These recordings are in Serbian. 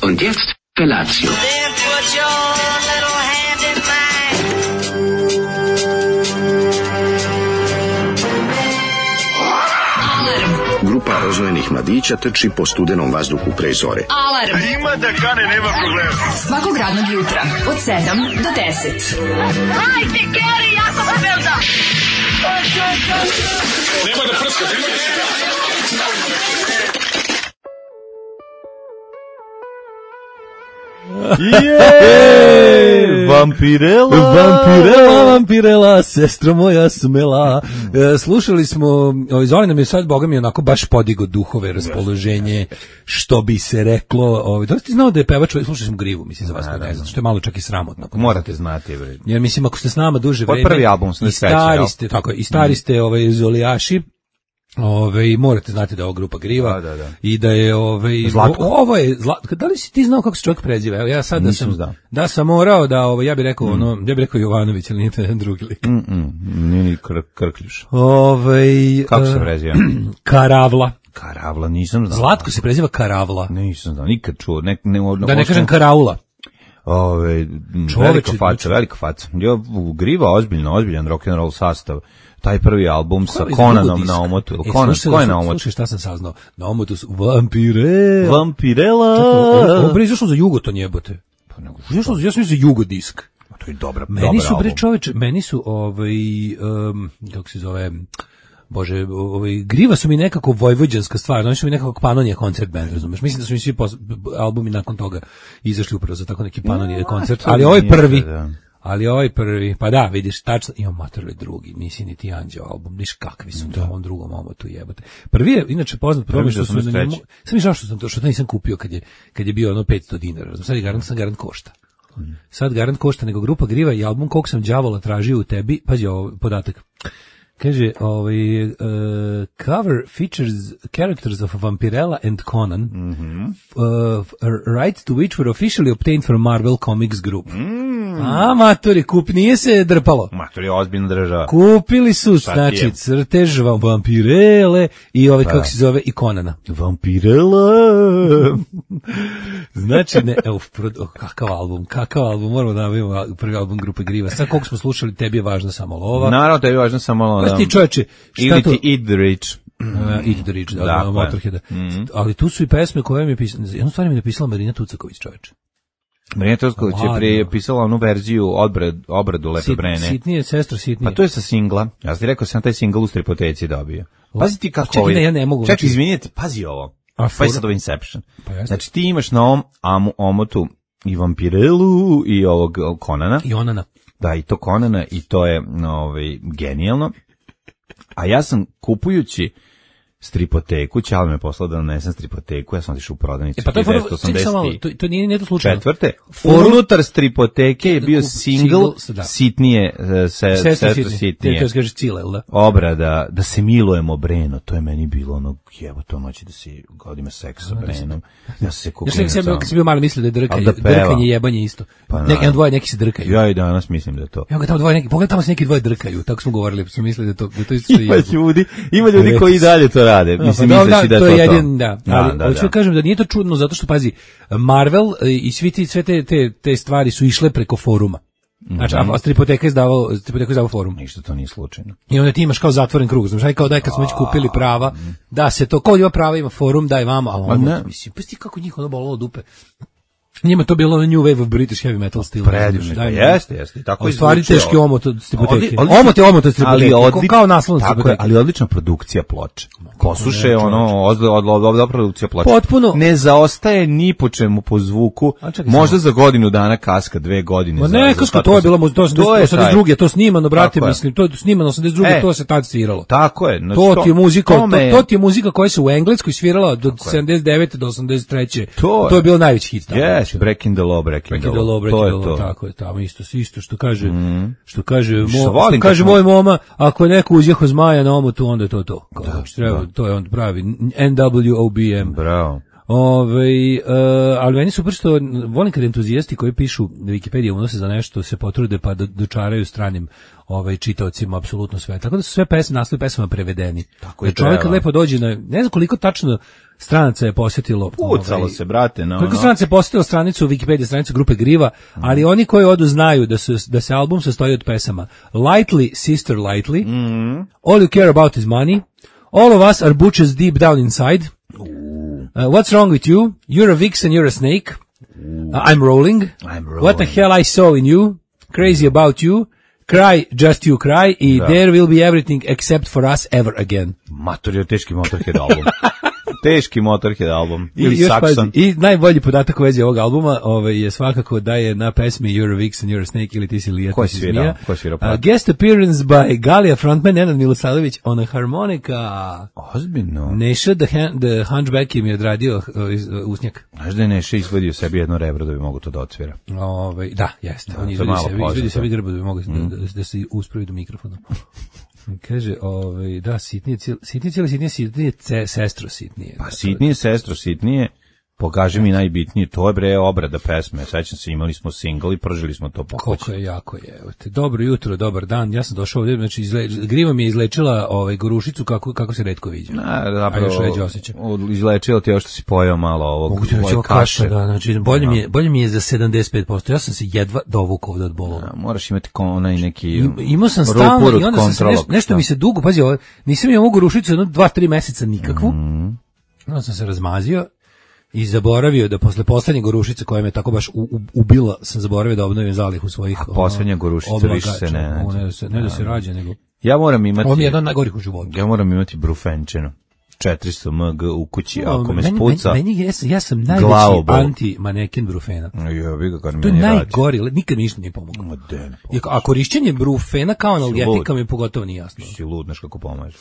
Und jetzt Felatio. Then put your little hand in mine. Grupa rozvojenih mladića trči po studenom vazduhu pre zore. Alarm! Ima da kane, nema problema. Svakog radnog jutra, od 7 do 10. Hajde, Geri, jako se velda! Nema da prska, nema da prska. Vampirela, sestro moja smela. Slušali smo, Zoli nam je sad, boga mi, onako baš podigo duhove, raspoloženje, što bi se reklo. Da li ti znao da je pevač, slušali smo Grivu, mislim, za vas koji ne znam, što je malo čak i sramotno. Morate znati, bre. Jer mislim, ako ste s nama duže vreme, prvi album smo i stari ste Zolijaši, morate znati da je ovo grupa Griva i da je ovo je da li si ti znao kako se čovjek preziva? Evo ja sad da sam morao da ja bih rekao ja bih rekao Jovanović, ali nije to jedan drugi lik. Nije ni Krkljuš. Kako se preziva? Karavla, nisam znao. Zlatko se preziva Karavla. Nisam znao, nikad čuo. Da ne kažem Karaula. Velika faca. Griva ozbiljan rock and roll sastav. Taj prvi album sa Conanom na omotu. Ko je na omotu? Slušaj šta sam saznao. Na omotu su Vampirela. Ovo bre izašlo za Jugoton jebote. Ja sam za Jugodisk. To je dobar album. Meni su kako se zove... Bože, Griva su mi nekako vojvođanska stvar, oni su mi nekako Panonija koncert band, razumeš? Mislim da su mi svi albumi nakon toga izašli upravo za tako neki Panonija koncert, ali ovaj prvi, pa da, vidiš, tačno, imam materli drugi, nisi ni ti Anđeo album, vidiš kakvi su na ovom drugom omotu jebote. Prvi je, inače, poznat problem što su na njemu, sam mi žao što to nisam kupio kad je bio ono 500 dinara, sad je garant košta. Sad garant košta, nego grupa Griva i album Kog sam đavola tražio u tebi, pazi ovo, podatak. Kaže, cover features characters of Vampirella and Conan, rights to which were officially obtained from Marvel Comics Group. A, matori, nije se drpalo. Matori, ozbiljno država. Kupili su, znači, crtež Vampirele i kako se zove, i Conana. Vampirela! Znači, kakav album, moramo da navijemo prvi album grupe Griva. Sad koliko smo slušali, tebi je važna samo lova. Naravno, tebi je važna samo lova. Ti čovječe, ili ti Eat the Rich. Eat the Rich, da, Motorheada. Ali tu su i pesme koje mi je pisala, jednu stvar mi je napisala Marina Tucaković, čovječe. Marina Tucaković je prije pisala onu verziju obradu Lepe Brene. Sitnije, sestro, sitnije. Pa to je sa singla. Ja sam ti rekao, sam taj singl u Stripoteci dobio. Pazi ti kako ovo je. Ja ne mogu. Čekaj, izvinite, pazi ovo. Pa je sad ovo Inception. Znači ti imaš na ovom omotu i Vampirelu i ovog Conana. I Onana. Da, i to Conana i to je genijalno. A ja sam kupujući stripoteku, Ćale me poslao da donesem stripoteku, ja sam otišao u prodavnicu. Pa to je to nije to slučajno. Četvrte, unutar stripoteke je bio single sitnije, sestro sitnije. To kaže Cile, da? Obrada, da se milujemo Breno, to je meni bilo ono, jevo to noći da se godime seks sa Brenom. Ja se kukujem. Ja sam bio malo mislio da je drkanje jebanje isto. Jedan dvoje neki se drkaju. Ja i danas mislim da je to. Evo ga tamo dvoje neki, pogledaj tamo se neki dvoje drkaju, tako smo govorili, smo mislili da to isto što je. Ima ljudi koji i dalje to rade. Mislim, misleći da je to jedan, da. Ali hoću da kažem da nije to čudno, zato što, pazi, Marvel i sve te stvari su išle preko foruma. Znači, a Stripoteka je izdavao forum. Ništa to nije slučajno. I onda ti imaš kao zatvoren krug, znaš, kao daj kad smo već kupili prava, da se to, ko ima prava ima forum, daj vama, a ono, mislim, pa sti kako njih ono bolilo dupe. Njima to bilo New Wave of British Heavy Metal stil. Predivno, pa jeste. Tako stvari teški omot od Stripoteke. Omot od Stripoteke, kao naslovno Stripoteke. Ali odlična produkcija ploče. Posuše, odlična produkcija ploče. Potpuno. Ne zaostaje ni po čemu po zvuku, možda za godinu dana kaska, 2 godine. Ma ne, kaska, to je bilo, to je 82. To snimano, brate, mislim, to je snimano 82. To se tad sviralo. Tako je. To ti je muzika koja se u Engleskoj svirala od 79. do 83. To je bilo najveći hit. Breaking the law, tako je, tamo isto što kaže moj moma, ako je neko uzjeho zmaja na omotu, onda je to. To je on pravi NWOBM. Bravo. Ali meni super što volim kad entuzijasti koji pišu Wikipedija unose za nešto se potrude pa dočaraju stranim čitaocima apsolutno sve. Tako da su sve naslovi pesama prevedeni. Tako je. Čovjek kad lepo dođe na, ne znam koliko tačno stranaca je posjetilo. Pucalo se, brate. Koliko stranaca je posjetilo stranicu Wikipedija, stranicu grupe Griva, ali oni koji odu znaju da se album sastoji od pesama Lightly, Sister Lightly, All You Care About Is Money, All of Us Are Butches Deep Down Inside, What's Wrong With You, You're a Vixen, You're a Snake, I'm Rolling, What the Hell I Saw in You, Crazy About You, Cry, Just You Cry i There Will Be Everything Except For Us Ever Again. Mator, teški Motorhead album. Teški Motorhead album. I najbolji podatak u vezi ovog albuma je svakako da je na pesmi You're a Vixen, You're a Snake ili Ti si Lija, Ti si Zmija. Guest appearance by Galija frontman Nenad Milosavljević on a harmonika. Ozbiljno. Neša the Hunchback im je odradio usnjak. Znaš da je Neša izvadio sebi jedno rebro da bi mogo to da odsvira? Da, jeste. On izvadio sebi grbo da bi mogo da se uspravi do mikrofona. Kaže, da, sitnije, sestro sitnije. Pa sitnije, sestro sitnije, pokaži mi najbitnije, to je bre obrada pesme, sećam se, imali smo single i pržili smo to po kući. Koliko je jako je, dobro jutro, dobar dan, ja sam došao ovdje, znači Griva mi je izlečila gorušicu kako se retko viđa. Zapravo, izlečila ti još što si pojao malo ovog kaše. Da, znači, bolje mi je za 75%, ja sam se jedva dovukao ovdje od bolova. Moraš imati onaj neki imao sam stalno i onda sam se nešto mi se dugo, pazi, nisam imao gorušicu 2-3 meseca nikakvu, onda sam se razmazio i zaboravio da posle poslednje gorušice koja me tako baš ubila, sam zaboravio da obnovim zalihu svojih. A poslednja gorušica više se ne nađe. Ne da se rađe, nego ja moram imati. On je jedan od najgorih u životu. Ja moram imati brufenčeno. 400 mg u kući, ako me spuca. Ja sam najveći anti-maneken brufena. To je najgori, nikad mi ništa nije pomoglo. A korišćenje brufena kao analgetika mi pogotovo nije jasno. Si lud, znaš kako pomaže.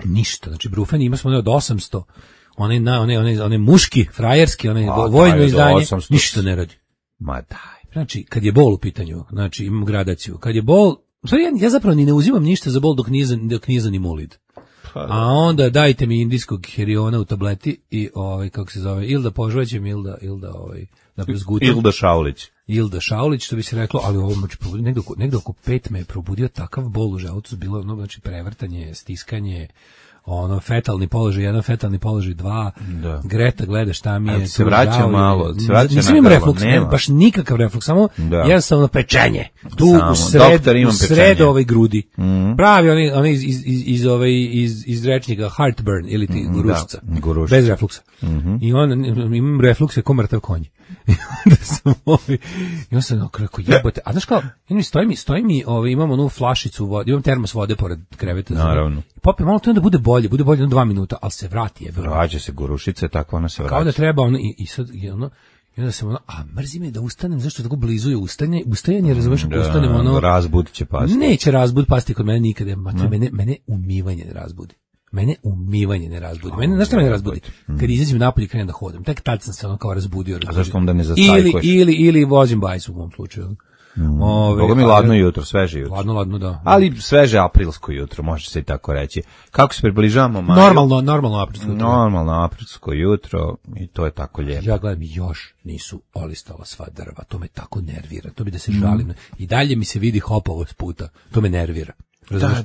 Ništa, znači brufen ima smo od 800. One muški, frajerski, vojno izdanje, ništa ne radi. Ma daj. Znači, kad je bol u pitanju, znači imam gradaciju, kad je bol, ja zapravo ni ne uzimam ništa za bol dok nije za nimulid. A onda dajte mi indijskog heriona u tableti i kako se zove, ili da požvaćem, ili da zgutam. Ilda Šaulić, što bi se reklo, ali ovo negde oko 5 me je probudio takav bol u želucu, bilo znači prevrtanje, stiskanje, fetalni položaj 1, fetalni položaj 2, Greta gleda šta mi je. Se vraća malo, nisam imam refluks, baš nikakav refluks, samo jednostavno pečenje. Tu u sredo ovoj grudi. Pravi oni iz rečnika heartburn ili ti gorušica. Bez refluksa. I imam reflukse ko mrtav konj. I onda sam rekao, jebote, a znaš kao, stoji mi, imam onu flašicu vode, imam termos vode pored kreveta. Naravno. Popim malo to onda bude bolje 2 minuta, ali se vrati. Vraća se gorušica, tako ona se vraća. Kao da treba i sad I onda sam ono, a mrzi me da ustanem, zašto tako blizu je ustajanje, razumeš, ako ustanem ono... Razbud će pasti. Neće razbud pasti kod mene nikada, mene umivanje ne razbudi. Mene umivanje ne razbudi. Mene, znaš šta mene razbudi? Kad izađem napolje i krenem da hodam, tek tad sam se ono kao razbudio. A zašto onda ne zastajkuješ? Ili vozim bajsu u mom slučaju. Boga mi ladno jutro, sveže jutro. Ladno, da. Ali sveže aprilsko jutro, može se i tako reći. Kako se približavamo maju? Normalno aprilsko jutro. Normalno aprilsko jutro i to je tako lijepo. Ja gledam, još nisu olistala sva drva, to me tako nervira, to bi da se žalim. I dalje mi se vidi hopovo s puta, to me nervira. Da,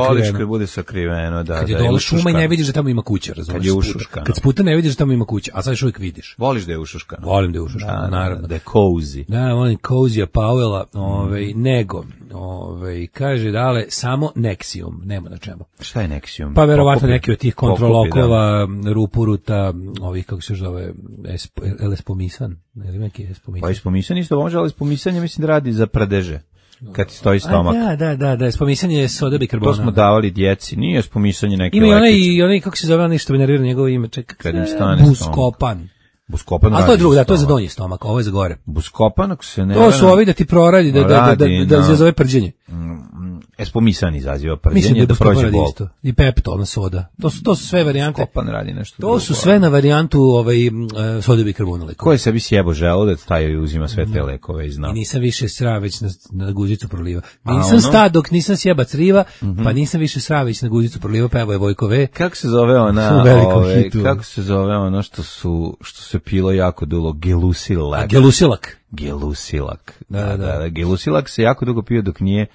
voliš kad bude sakriveno, da. Kad je dole šuma i ne vidiš da tamo ima kuća, razumiješ? Kad je ušuškano. Kad s puta ne vidiš da tamo ima kuća, a sad još uvijek vidiš. Voliš da je ušuškano? Volim da je ušuškano, naravno. Da je cozy. Da, volim cozy-a Powella, nego, kaže dale, samo Nexium, nema na čemu. Šta je Nexium? Pa verovatno neki od tih kontrolokova, rupuruta, ovih, kako se zove, Espomisan, ne znam neki Espomisan. Pa Espomisan isto može, ali Espomisan je mislim da radi za pradeže. Kad ti stoji stomak. Da, spomisanje soda bikarbona. To smo davali djeci, nije spomisanje neke ima i onaj, kako se zove, onaj što bi nervirao njegovo ime, čekaj. Kad im stane Buskopan. Buskopan radi. A to je drugo, da, to je za donji stomak, ovo je za gore. Buskopan, ako se ne... To su ovi da ti proradi, da izazove prđenje. Espomisan izaziva prđenje, da prođe bol. Isto. I peptolna soda. To su sve varijante. Buskopan radi nešto drugo. To su sve na varijantu soda bikarbona. Ko je sebi sjebo želudac, taj i uzima sve te lekove i zna. I nisam više sra, već na guzicu proliva. Nisam sta dok nisam sjebac riva, pa nisam više sra, već na guzicu proliva, pa evo je Vojkove. Kako se zove kako se zove ono što se pilo jako dugo, gelusilak. Gelusilak. Da. Gelusilak se jako dugo pio dok nije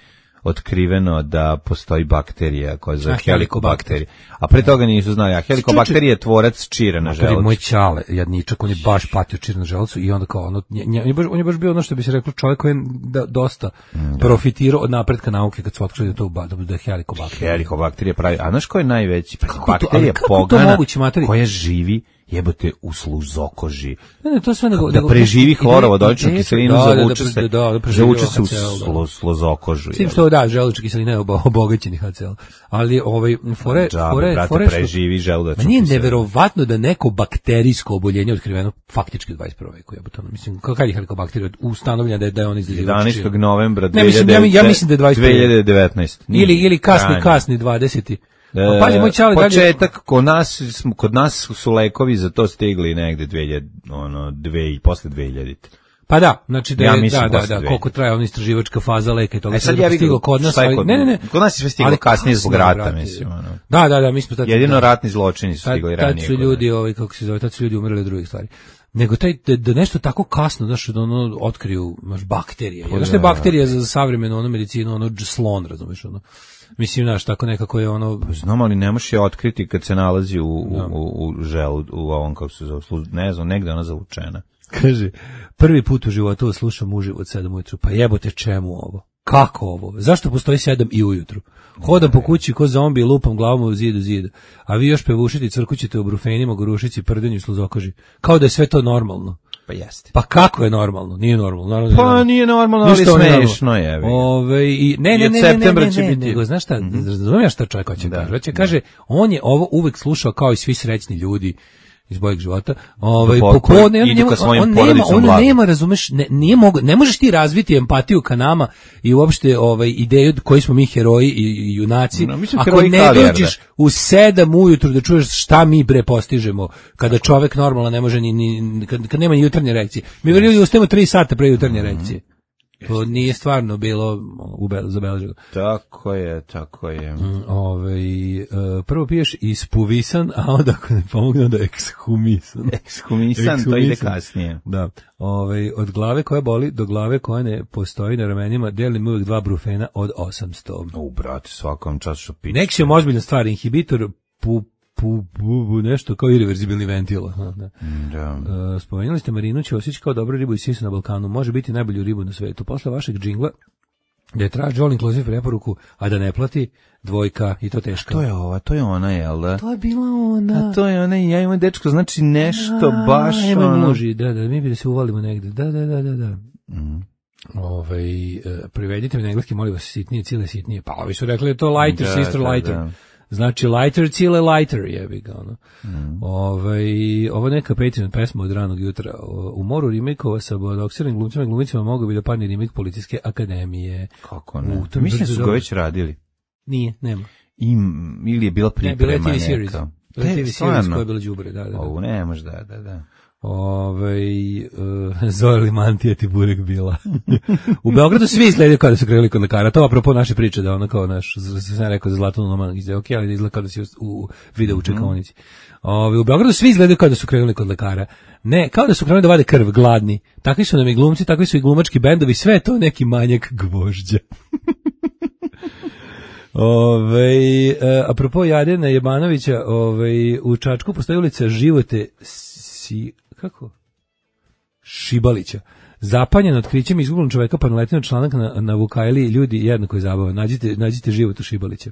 otkriveno da postoji bakterija koja se zove helikobakterija. A pre toga nisu znali, a helikobakterija je tvorac čira na želucu. Moj čale, jadničak, on je baš patio čira na želucu i onda kao on je baš bio ono što bi se reklo čovjek koji je dosta profitirao od napretka nauke kad su otkrili da je helikobakterija. Helikobakterija pravi, a znaš ko je najveći? Bakterija pogana koja živi jebote u sluzokoži. To sve da preživi hlorovodoničnu kiselinu, zavuče se u sluzokožu. Sim što da, želučna kiselina je obogaćeni HCl. Ali fore preživi želudačnu kiselinu. Meni je neverovatno da neko bakterijsko oboljenje otkriveno faktički u 21. veku. Mislim, kad je helikobakterija ustanovljena da je on izazivač? 11. novembra 2019. Ili kasni 20. Pazi, moj čale, početak, kod nas su lekovi za to stigli negde posle 2000. Pa da, znači da koliko traje ona istraživačka faza leka i toga. Sad ja vidim kod nas, ne. Kod nas je sve stiglo kasnije zbog rata, mislim. Da, mi smo tad. Jedino ratni zločini su stigli ranije. Tad su ljudi, kako se zove, tad su ljudi umrli od drugih stvari. Nego da nešto tako kasno, znaš, da ono otkriju, bakterije. Znaš što je bakterija za savremenu medicinu, slon, razumiješ, mislim, znaš, tako nekako je Znam, ali ne možeš je otkriti kad se nalazi u želu, u ovom, kako se zove, ne znam, negde ona zavučena. Kaže, prvi put u životu slušam uživo od 7 ujutru, pa jebote čemu ovo? Kako ovo? Zašto postoji 7 i ujutru? Hodam po kući ko zombi, lupam glavom u zidu, a vi još pevušiti crkućete u brufenima, gorušici, prdenju i sluzokoži. Kao da je sve to normalno. Pa jeste. Pa kako je normalno? Nije normalno. Pa nije normalno, ali smešno je. Ne, nego znaš šta, razumijem šta čovjek hoće kaže. Kaže, on je ovo uvek slušao kao i svi srećni ljudi iz boljeg života. On nema, razumeš, ne možeš ti razviti empatiju ka nama i uopšte ideju koji smo mi heroji i junaci, ako ne dođeš u 7 ujutru da čuješ šta mi postižemo, kada čovek normalno ne može kad nema ni jutarnje reakcije. Mi vrili ustajemo 3 sata pre jutarnje reakcije. To nije stvarno bilo zabeleženo. Tako je. Prvo piješ ispuvisan, a onda ako ne pomogne, onda ekshumisan. Ekshumisan, to ide kasnije. Da. Od glave koja boli do glave koja ne postoji na ramenima, delim uvijek 2 brufena od 800. Brate, svakom času piće. Nexium ozbiljna stvar, inhibitor nešto kao irreverzibilni ventil. Spomenuli ste Marinu Ćosić kao dobru ribu i sisu na Balkanu. Može biti najbolju ribu na svetu. Posle vašeg džingla da je traži all inclusive preporuku, a da ne plati, 2 i to teško. To je ona, jel da? To je bila ona. A to je ona i ja imam dečko, znači nešto baš muži, da, mi bi da se uvalimo negde. Da. Privedite mi na engleski, molim vas, sitnije, cijele sitnije. Pa ovi su rekli to lighter, sister lighter. Znači, lighter, cijele lighter, jebi ga, ono. Ovo neka Patreon pesma od ranog jutra. U moru remake-ova sa bodoksiranim glumcima i glumicima mogu bi da padne remake Policijske akademije. Kako ne? Mislim da su ga već radili. Nije, nema. Ili je bila priprema neka. Bila je TV series. Bila je TV series koja je bila đubre, da. Ovo ne može, da. Zoli mantija ti burek bila. U Beogradu svi izgledaju kao da su krenuli kod lekara. To apropo naše priče da ono kao naš, sam rekao za Zlatanu Noman, izgleda ok, ali izgleda kao da si u video u čekaonici. U Beogradu svi izgledaju kao da su krenuli kod lekara. Ne, kao da su krenuli da vade krv, gladni. Takvi su nam i glumci, takvi su i glumački bendovi, sve je to neki manjak gvožđa. Apropo Jadena Jebanovića, u Čačku postoji ulica Živote Šibalića. Zapanjen otkrićem izgubljenog čoveka, pa naletio članak na Vukajli, ljudi jednako je zabavan. Nađite Životu Šibalića.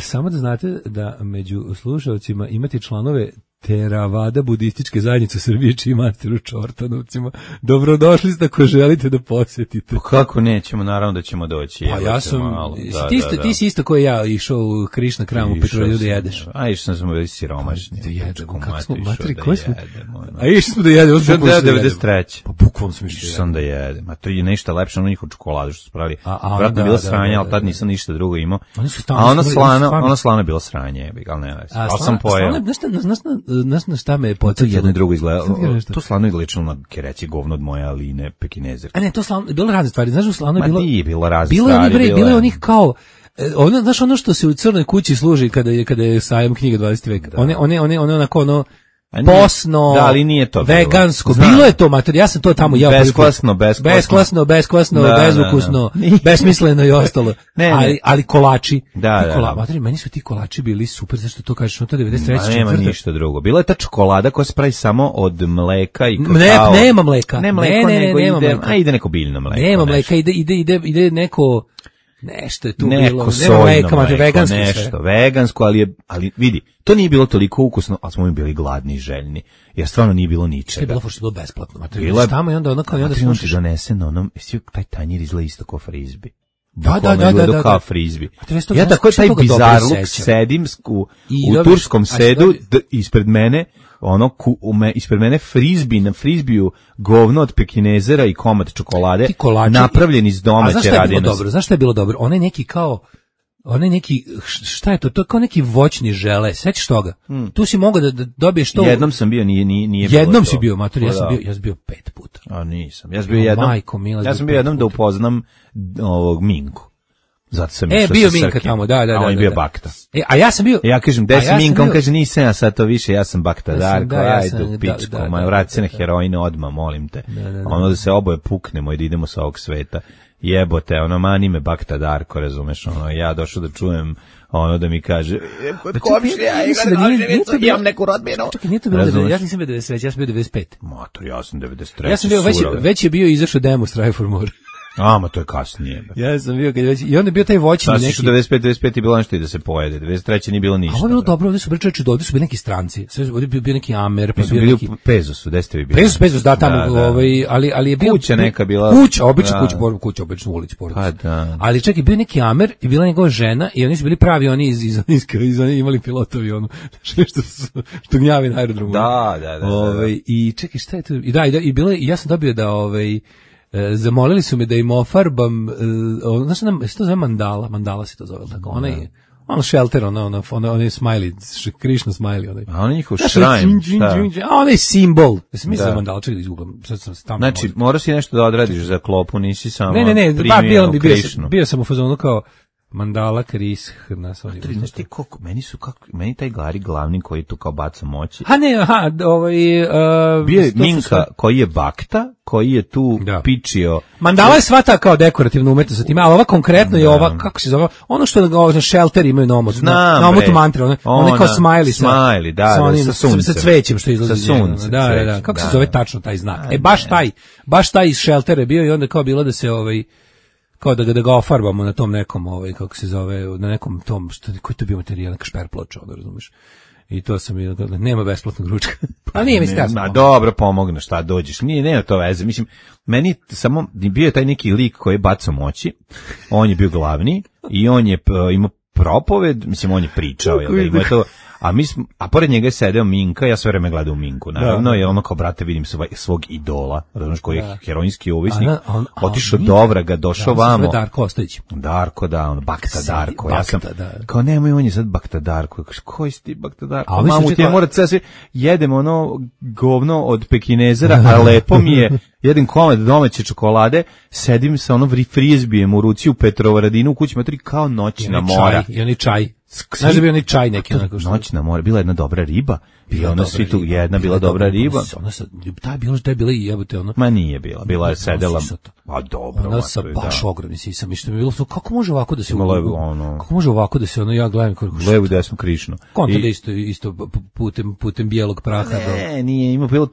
Samo da znate da među slušalcima imate članove Teravada budističke zajednice Srbije, čiji master u Čortanovcima. Dobrodošli ste ako želite da posjetite. Pa kako nećemo, naravno da ćemo doći. Pa ja sam, ti si isto koji ja išao u Krišna Kram u Petrovaru da jedeš. A išao sam već siromašni. Da jedemo, kako smo, materi, koji smo? A išli smo da jedemo. Što je 93. Pa bukvalno sam išao. Išao sam da jedem. A to je nešto lepše od njihovu čokoladu što su pravili. Vratno je bila sranja, ali tad nisam ništa drugo imao. A ona slana je bila sranje, ali ne već. Ali sam pojeo. Znaš na šta me je podsjetilo? To jedno i drugo izgleda. To slano je ličilo na kereći govno od moje Aline Pekinezerke. A ne, to slano, bilo razne stvari. Znaš, u slano je bilo... Ma nije bilo razne stvari. Bilo je onih kao... Znaš, ono što se u Crnoj kući služi kada je sajam knjiga 20. veka. One onako ono... posno, da, ali nije to vegansko, bilo je to materija, ja sam to tamo jeo. Besklasno, bezukusno, besmisleno i ostalo. Ali kolači. Materija, meni su ti kolači bili super, zašto to kažeš, no to 93. Nema ništa drugo. Bila je ta čokolada koja se pravi samo od mleka i kakao. Nema mleka. Ne mleko, nego ide neko biljno mleko. Nema mleka, ide neko... Nešto je tu neko bilo, mleko, nešto vegansko, ali vidi, to nije bilo toliko ukusno, ali smo mi bili gladni i željni, jer stvarno nije bilo ničega. Je bilo pošto je bilo besplatno, bilo je tamo i onda slušaš. Donese na onom, taj tanjir izgleda isto kao frizbi. Da. Kao frizbi. Ja tako taj bizarluk sedim u turskom sedu, ispred mene, ispred mene frizbi, na frizbiju govno od Pekinezera i komad čokolade, napravljen iz domaće radenosti. Zašto je bilo dobro? Onaj neki, šta je to? To je kao neki voćni žele, sećaš toga? Tu si mogao da dobiješ to. Jednom sam bio, nije bilo. Jednom si bio, mater, ja sam bio 5 puta. A nisam, ja sam bio jednom da upoznam ovog Minku. Zato sam bio Minka tamo, da. A on je bio Bakta. A ja sam bio... Ja kažem, gde si Minka? On kaže, nisam ja sad to više, ja sam Bakta Darko, ajde u pičku, vrati se na heroine odmah, molim te. Ono da se oboje puknemo i da idemo sa ovog sveta. Jebote, mani me Bakta Darko, razumeš, ja došao da čujem da mi kaže, kod komšija, imam neku rodbinu. Čekaj, nije to bilo, ja nisam bio 93, ja sam bio 95. Motor, ja sam 93. Ja sam bio, već je bio izašao demo Strive for More. Ma to je kasnije. Ja sam bio kad već i onda je bio taj voćni neki. Znači 95 je bilo nešto i da se pojede. 93 nije bilo ništa. A ovo je bilo dobro, ovdje su bili čoveče, ovdje su bili neki stranci. Sve ovdje bio neki Amer, pa bio neki Pezosu, gde ste vi bili? Pezosu, da tamo, ali je bio kuća neka bila. Kuća, običnu ulicu pored. Pa da. Ali čekaj, bio neki Amer i bila njegova žena i oni su bili pravi, oni iz imali pilotovi što gnjavi na aerodromu. Da. I čekaj, šta je to? I bilo je, ja sam dobio da zamolili su me da im ofarbam, znaš se to zove mandala se to zove, tako, ono shelter, onaj smiley, Krishna smiley, a onaj njihov shrine, a onaj simbol, ja sam mislio da mandala, čekaj da izgooglam, sad sam tamo. Znači, moraš si nešto da odradiš za klopu, nisi samo primio Krishnu. Bio sam u fazonu kao, mandala, Krishna, znaš ti koliko, meni taj glavni koji tu kao baca moći. Bio je Minka koji je Bakta, koji je tu pičio. Mandala je svata kao dekorativna umetnost sa time, ali ova konkretno je ova, kako se zove, ono što na shelter imaju na omotu mantre, ono kao smiley, sa cvećem što izlazi. Sa sunce. Da, kako se zove tačno taj znak. Baš taj iz sheltera je bio i onda kao bilo da se kao da ga ofarbamo na tom nekom, kako se zove, na nekom tom, koji to bio materijal, neka šperploča, razumiješ. I to sam bio, nema besplatnog ručka. A nije mi stasno. Dobro, pomogne, šta dođeš. Nema to veze. Mislim, meni samo bio je taj neki lik koji je bacao moći, on je bio glavni i on je imao propoved, mislim, on je pričao, jel da ima to, a pored njega je sedeo Minka, ja sve vreme gledam u Minku, naravno, je ono kao, brate, vidim svog idola, razumiješ, koji je heroinski ovisnik, otišao do Ovraga, došao vamo. Darko Ostojić. Darko, da, ono, Bakta Darko, ja sam, kao nemoj, on je sad Bakta Darko, koji si ti Bakta Darko, mamu ti je morat sve, jedem ono govno od Pekinezera, a lepo mi je, jedem komad domaće čokolade, sedim sa onom frizbijem u ruci u Petrovaradinu u kući materi kao noćna mora. I oni čaj. Znaš da bi onaj čaj neki onako što... Noćna mora, bila jedna dobra riba. I ona svi tu, jedna bila dobra riba. Ta je bila i jebote ono. Ma nije bila je sedela. A dobro. Ona sa baš ogromni sisam i što mi je bilo, kako može ovako da se... Kako može ovako da se ono, ja gledam kako... Levu desnu Krišnu. Konta da isto putem bijelog praha. Ne, nije, bilo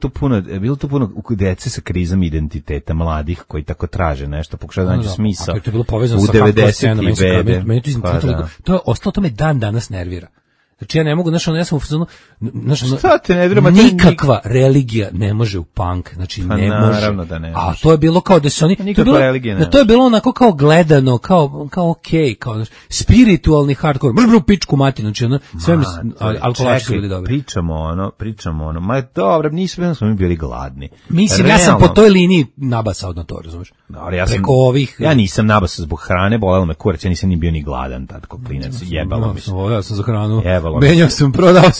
to puno dece sa krizom identiteta, mladih koji tako traže nešto, pokušaju da nađu smisao. A to je bilo povezano sa hardcore scenom, meni to je ostalo, to me dan danas nervira. Znači ja ne mogu, znaš, ja sam u fazonu, nikakva religija ne može u punk, znači ne može. Naravno da ne. A to je bilo kao da se oni, to je bilo onako kao gledano, kao okej, kao znaš, spiritualni hardcore, mržbru pičku mati, znači ono, sve mi, alkoholači su bili dobri. Pričamo ono, ma dobro, nismo mi bili gladni. Mislim, ja sam po toj liniji nabasao na to, razumiješ? Preko ovih... Ja nisam nabasao zbog hrane, bolelo me kurac, ja nisam ni bio ni gladan, tad ko klinac, jebalo mi se. Ja sam za hranu. Menjao sam, prodavao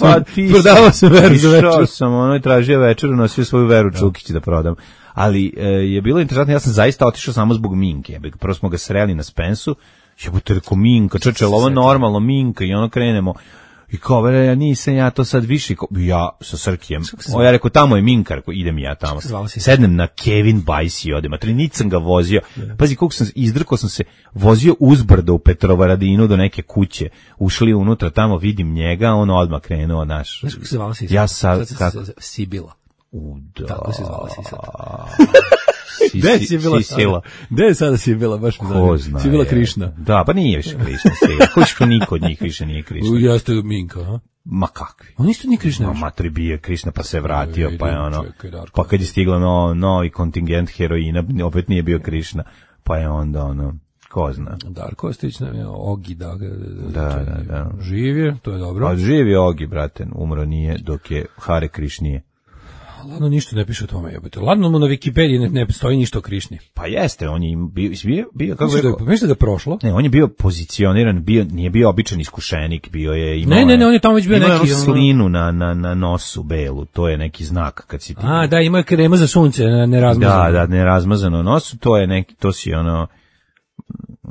sam veru za večer. Išao sam, tražio večeru, nosio svoju Veru Čukić da prodam. Ali je bilo interesantno, ja sam zaista otišao samo zbog Minke. Prvo smo ga sreli na Spensu, jebote, rekao Minka, čoče, ovo normalno Minka, i ono krenemo. I kao, ja nisam ja to sad više, ja sa Srkijem. Ja rekao, tamo je Minka, rekao, idem ja tamo. Sednem na Kevin Bajs i odem, a nic sam ga vozio. Pazi, koliko sam izdrkao sam se, vozio uzbrdo u Petrovaradinu do neke kuće, ušli unutra, tamo vidim njega, on odmah krenuo naš. Znaš kako se zvala Sisa? Ja sad, Sibila. Tako se zvala Sisa. Gde je sada Sibila, baš mi zanima. Sibila Krišna. Da, pa nije više Krišna Sibila. Koliko niko od njih više nije Krišna. Jeste Minka, a? Ma kakvi? On isto nije Krišna više. Matri bio Krišna pa se vratio, pa je ono, pa kad je stiglo novi kontingent heroina, opet nije bio Krišna, pa je onda ono, ko zna. Darko Ostojić nam je Ogi, da. Živ je, to je dobro. Pa živ je Ogi, brate, umro nije, dok je Hare Krišnije. Ladno ništa ne piše o tome, jebote. Ladno mu na Wikipediji ne stoji ništa o Krišni. Pa jeste, on je bio kako je... Mislim da ga prošlo? Ne, on je bio pozicioniran, nije bio običan iskušenik, bio je imao... Ne, on je tamo već bio neki... Imao slinu na nosu belu, to je neki znak kad si ti... A, da, imao je krema za sunce, nerazmazano. Da, nerazmazano nosu, to je neki, to si ono...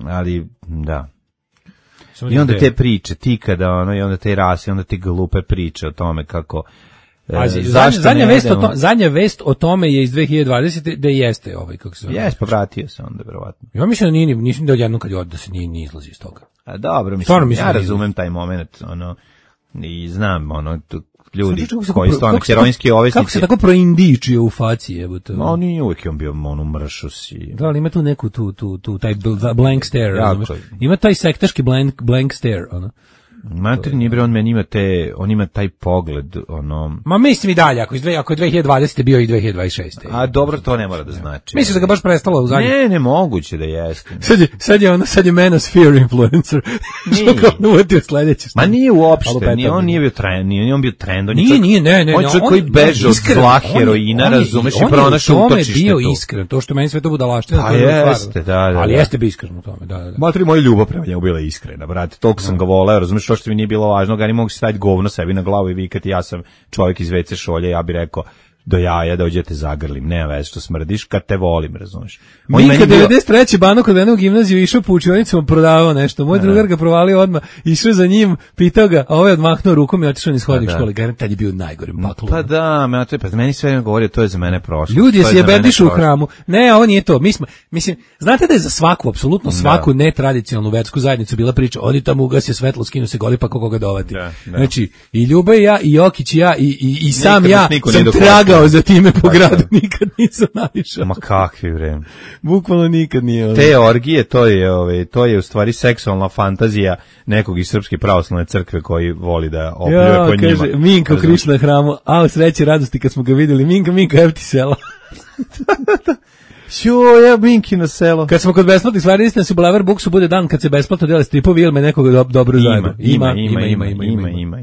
Ali, da... I onda te priče, ti kada ono, i onda te rase, onda te glupe priče o tome kako... Zadnja vest o tome je iz 2020. da jeste ovaj, kako se zove. Jes, pa vratio se onda, verovatno. Ja mislim da nisam da odjednom kad je da se nije izlazi iz toga. A dobro, mislim, ja razumem taj moment, ono, i znam, ono, ljudi koji su ono heroinski ovisnici. Kako se tako proindičio u faci, jebote? Ma on je uvijek bio ono mršo si. Da, ali ima tu neku, taj blank stare, razumeš? Ima taj sektaški blank stare, ono. Mater nije bre, on ima taj pogled, ono... Ma mislim i dalje, ako je 2020. bio i 2026. A dobro, to ne mora da znači. Mislim da ga baš prestalo u zadnje. Ne, moguće da jeste. Sad je manosphere influencer. Što kao uvatio sledeće. Ma nije uopšte, on nije bio trend, nije on bio trend. Ne. On je čovjek koji beže od zla heroina, razumeš, i pronašao utočište tu. On je bio iskren, to što meni sve to budalaština. Pa jeste, da. Ali jeste bio iskren u tome, da. Matri, moja ljubav prema njemu bila iskrena, brate, toliko sam ga voleo, razumeš, što mi nije bilo važno, ga ni mogu staviti govno sebi na glavu i vikati, ja sam čovjek iz WC šolje, ja bih rekao do jaja da uđete zagrlim, nema veze što smrdiš, kad te volim, razumiješ. Minka 93. Bano kod jednog gimnaziju išao po učionicama, prodavao nešto, moj drugar ga provalio odmah, išao za njim, pitao ga, a ovaj odmahnuo rukom i otišao niz hodnik škole, garant tad je bio najgori baklu. Pa da, meni sve ne govori, to je za mene prošlo. Ljudi se jebendišu u hramu, ne, ovo nije to, mislim, znate da je za svaku, apsolutno svaku netradicionalnu versku zajednicu bila priča, odi tamo ugasi svetlo, skinu se goli pa koga dovati. Znači, i Ljuba i ja, i Jokić i ja, i sam ja sam tragao za time po gradu, nikad nisam naišao. Ma kakvi vreme. Bukvalno nikad nije. Te orgije, to je u stvari seksualna fantazija nekog iz Srpske pravoslavne crkve koji voli da opljuje po njima. Kaže, Minko Krišna na hramu, a u sreći radosti kad smo ga vidjeli, Minka, evo ti sela. Ja Minki na selo. Kad smo kod besplatnih stvari, istina se u Blaver Booksu bude dan kad se besplatno dele stripovi ili me nekog dobro zajedno.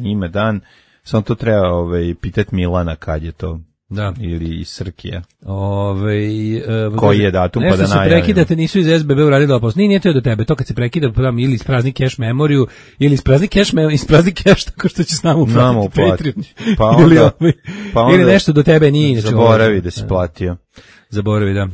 Ima dan. Samo to treba pitati Milana kad je to. Da. Ili iz Srkija. Koji je datum pa da najavimo. Nešto se prekidate, nisu iz SBB uradili opos. Nije to je do tebe, to kad se prekida ili isprazni cache memoriju, ili isprazni cache tako što će s nama uplatiti Patreon. Ili nešto do tebe nije. Zaboravi da si platio. Zaboravi, da.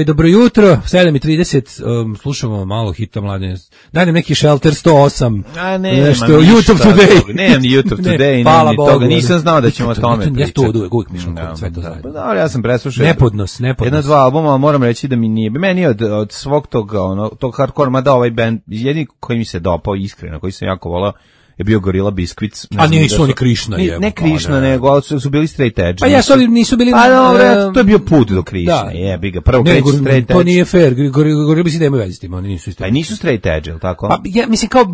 Dobro jutro, 7:30, slušamo malo hita mladine. Daj nam neki Shelter 10008. Nešto, YouTube Today. Nemam ni YouTube Today, nemam ni toga. Nisam znao da ćemo o tome pričati. Ja to uvijek mišljam kod sve to zajedno. Da, ja sam preslušao. Nepodnos. 1-2 albuma, moram reći da mi nije. Meni od svog toga, tog hardcore, mada ovaj band, jedini koji mi se dopao iskreno, koji sam jako volao, je bio Gorilla Biscuits. A nisu oni Krišna. Ne Krišna, nego su bili straight edge. Pa ja nisu bili... to je bio put do Krišne, jebi ga. Prvo kreći straight edge. To nije fair, Gorilla Biscuits nemaju veze s tim, oni nisu isto. Pa nisu straight edge, ili tako? Pa ja mislim kao,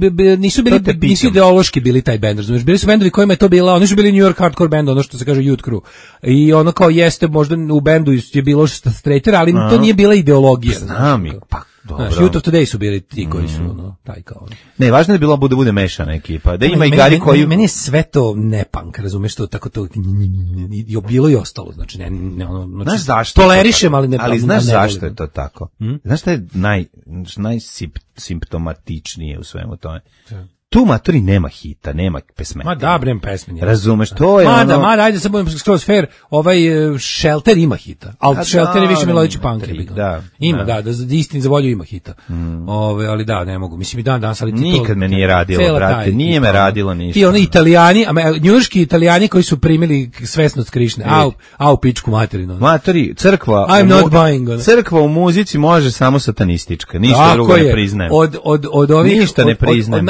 nisu ideološki bili taj band, razumiješ, bili su bendovi kojima je to bila, oni su bili New York hardcore band, ono što se kaže Youth Crew. I ono kao jeste, možda u bendu je bilo straighter, ali to nije bila ideologija. Znam i, pa YouTube Today su bili ti koji su taj kao. Ne, važno je bilo da bude mešana ekipa, da ima i gari koji meni je sve to ne punk, razumeš, to tako to bilo i ostalo, znači ne ono, znaš zašto tolerišem, ali ne. Ali znaš zašto je to tako? Znaš šta je najsimptomatičnije u svemu tome? Tu matori nema hita, nema pesme. Ma da, brem pesme. Razumeš, to je Mada, ajde sad budem skroz fair, Shelter ima hita, ali Shelter je više melodični punk. Ima, da, istini za volju ima hita. Ali da, ne mogu, mislim i danas, ali nikad me nije radilo, brate, nije me radilo ništa. Ti oni Italijani, njujorški Italijani koji su primili svesnost Krišne, au pičku materinu. Matori, crkva, I'm not buying. Crkva u muzici može samo satanistička, ništa drugo ne priznajem. Od ovih, ništa ne priznajem.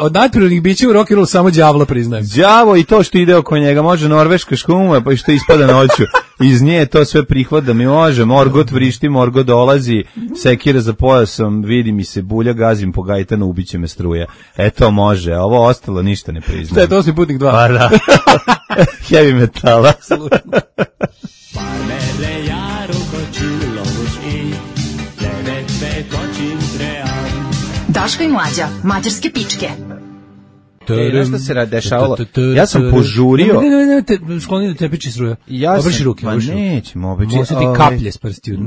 Od naturalnih bića u rock and roll samo đavla priznajem. Đavo i to što ide oko njega, može norveška škuma, pa i što ispada noću. Iz nje to sve prihvat da mi može, Morgot vrišti, Morgot dolazi, sekira za pojasom, vidi mi se bulja, gazim po gajtanu, ubiće me struja. Eto može, a ovo ostalo ništa ne priznajem. Šta je to, si Putnik 2? Pa da. Heavy metala. Daško i Mlađa, mađarske pičke. Znaš šta se dešavalo? Ja sam požurio. Ne, skloni da te piči struja. Obriši ruke. Pa nećemo obriši. Može ti kaplje s prstiju.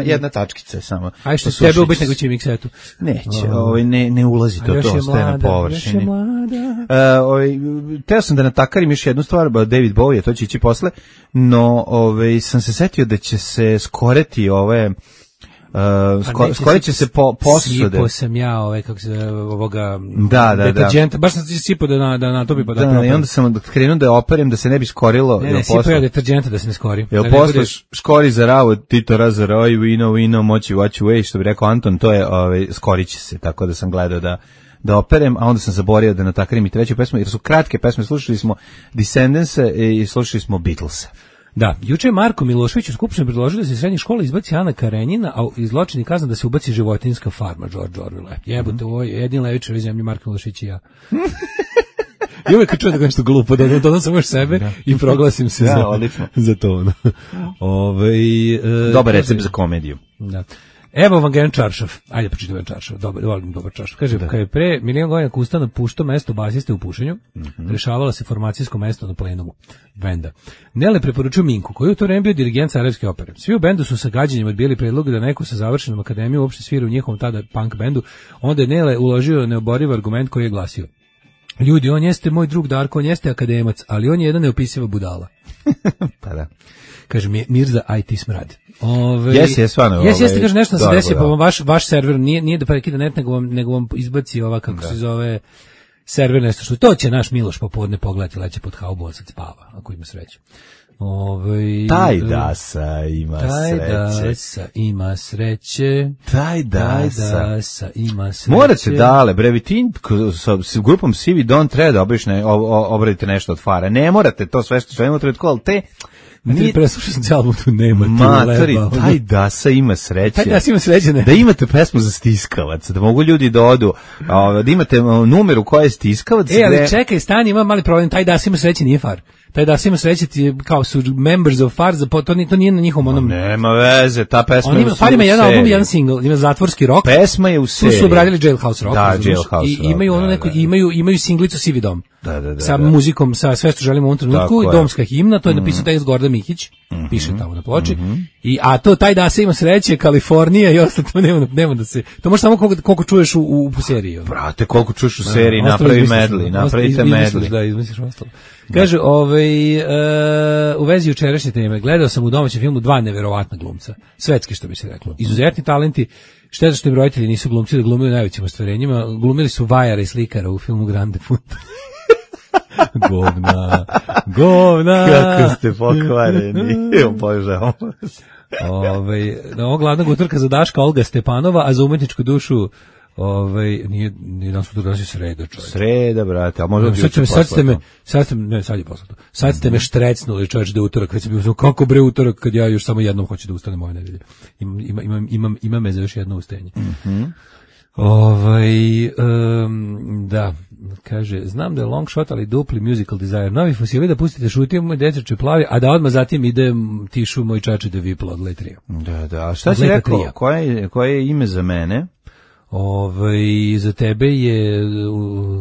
Jedna tačkica samo. Aj što tebe ubiti nego će miksetu. Neće, ne ulazi to, ostaje na površini. Teo sam da natakarim još jednu stvar, David Bowie, to će ići posle, no sam se setio da će se skoreti ove... skoro će se posude. Sipo sam ja, kako se ovoga deterđenta, baš sam sipo da natopi pa da propijem. I onda sam krenuo da operem da se ne bi skorilo. Ne, sipo ja deterđenta da se ne skori. Jel posle škori za ravu, Tito razaroj, vino, moći vaću way, što bi rekao Anton, to je, skorit će se, tako da sam gledao da operem, a onda sam zaboravio da natakarim i treću pesmu, jer su kratke pesme, slušali smo Descendants i slušali smo Beatles. Da, juče je Marko Milošević u Skupštini predložio da se iz srednje škole izbaci Ana Karenjina, a iz zločini kazna da se ubaci životinjska farma George Orwell. Jebote, ovo je jedin levičar u zemlji, Marko Milošević i ja. I uvijek čujem da nešto glupo, dodam sam još sebe i proglasim se za to. Dobar recept za komediju. Da. Evo vam Gen Čaršaf. Ajde pročitam Gen Čaršaf. Volim dobar Čaršaf. Kaže, kad je pre milion godina Kusta puštao mesto basiste u pušenju, rešavala se formacijsko mesto na plenumu benda. Nele preporučuju Minku, koji u to vreme bio dirigent Sarajevske opere. Svi u bendu su sa gađenjem odbijeli predlog da neko sa završenom akademijom uopšte svira u njihovom tada punk bendu. Onda je Nele uložio neoboriv argument koji je glasio: ljudi, on jeste moj drug Darko, on jeste akademac, ali on je jedna neopisiva budala. Pa da. Kaže Mirza IT smrad. Jeste, stvarno. Jeste, kaže nešto se desi, pa vaš server nije da prekida net, nego vam izbaci ova, kako se zove, server nešto što. To će naš Miloš popodne pogledati, leće pod haubu, sad spava, ako ima sreće. Taj Dasa ima sreće. Taj Dasa ima sreće. Morate dale, bre, vi ti sa grupom CV Don't treba da obradite nešto od Fara. Ne morate to sve što imate, ali te Nije preslušao sam album, tu nema matori, taj Dasa ima sreće. Taj Dasa ima sreće, ne. Da imate pesmu za stiskavac, da mogu ljudi da odu, da imate numeru koja je stiskavac. Ali čekaj, stani, ima mali problem, taj Dasa ima sreće, nije far. Taj da se ima sreće ti kao su members of Far, to nije na njihovom onom. Nema veze, ta pesma je u Far ima jedan album, jedan single, ima zatvorski rock. Pesma je u seriji. Tu su obradili Jailhouse Rock. Da, Jailhouse Rock. I imaju ono neko, imaju singlicu Sivi dom. Da. Sa muzikom, sa sve što želimo u ovom trenutku, i domska himna, to je napisao tekst Gordan Mihić, piše tamo na ploči. A to taj da se ima sreće, Kalifornija i ostalo, to nema da se. To može samo koliko čuješ u seriji. Brate, koliko čuješ u seriji, napravite medley. Da, izmisliš ostalo. Kaže, u vezi jučerašnje teme, gledao sam u domaćem filmu 2 neverovatna glumca, svetski što bi se reklo. Izuzetni talenti, šteta što im roditelji nisu glumci da glumili u najvećim ostvarenjima, glumili su vajara i slikara u filmu Grande Punta. Govna. Kako ste pokvareni, obožavam. Ovo glavnog utorka za Daška Olga Stepanova, a za umetničku dušu nije danas utorka, danas je sreda, čovječ. Sreda, brate, a možda sad ste me štrecnuli, čovječ, da je utorak, već sam bio, kako bre utorak, kad ja još samo jednom hoću da ustanem ove nedelje. Ima me za još jedno ustajanje. Da, kaže, znam da je long shot, ali dupli musical desire. Novi fosili da pustite šutio moj dečače plavi, a da odmah zatim ide tišu moj čači da vipla od Letrija. Da, a šta si rekao? Koje je ime za mene? Za tebe je,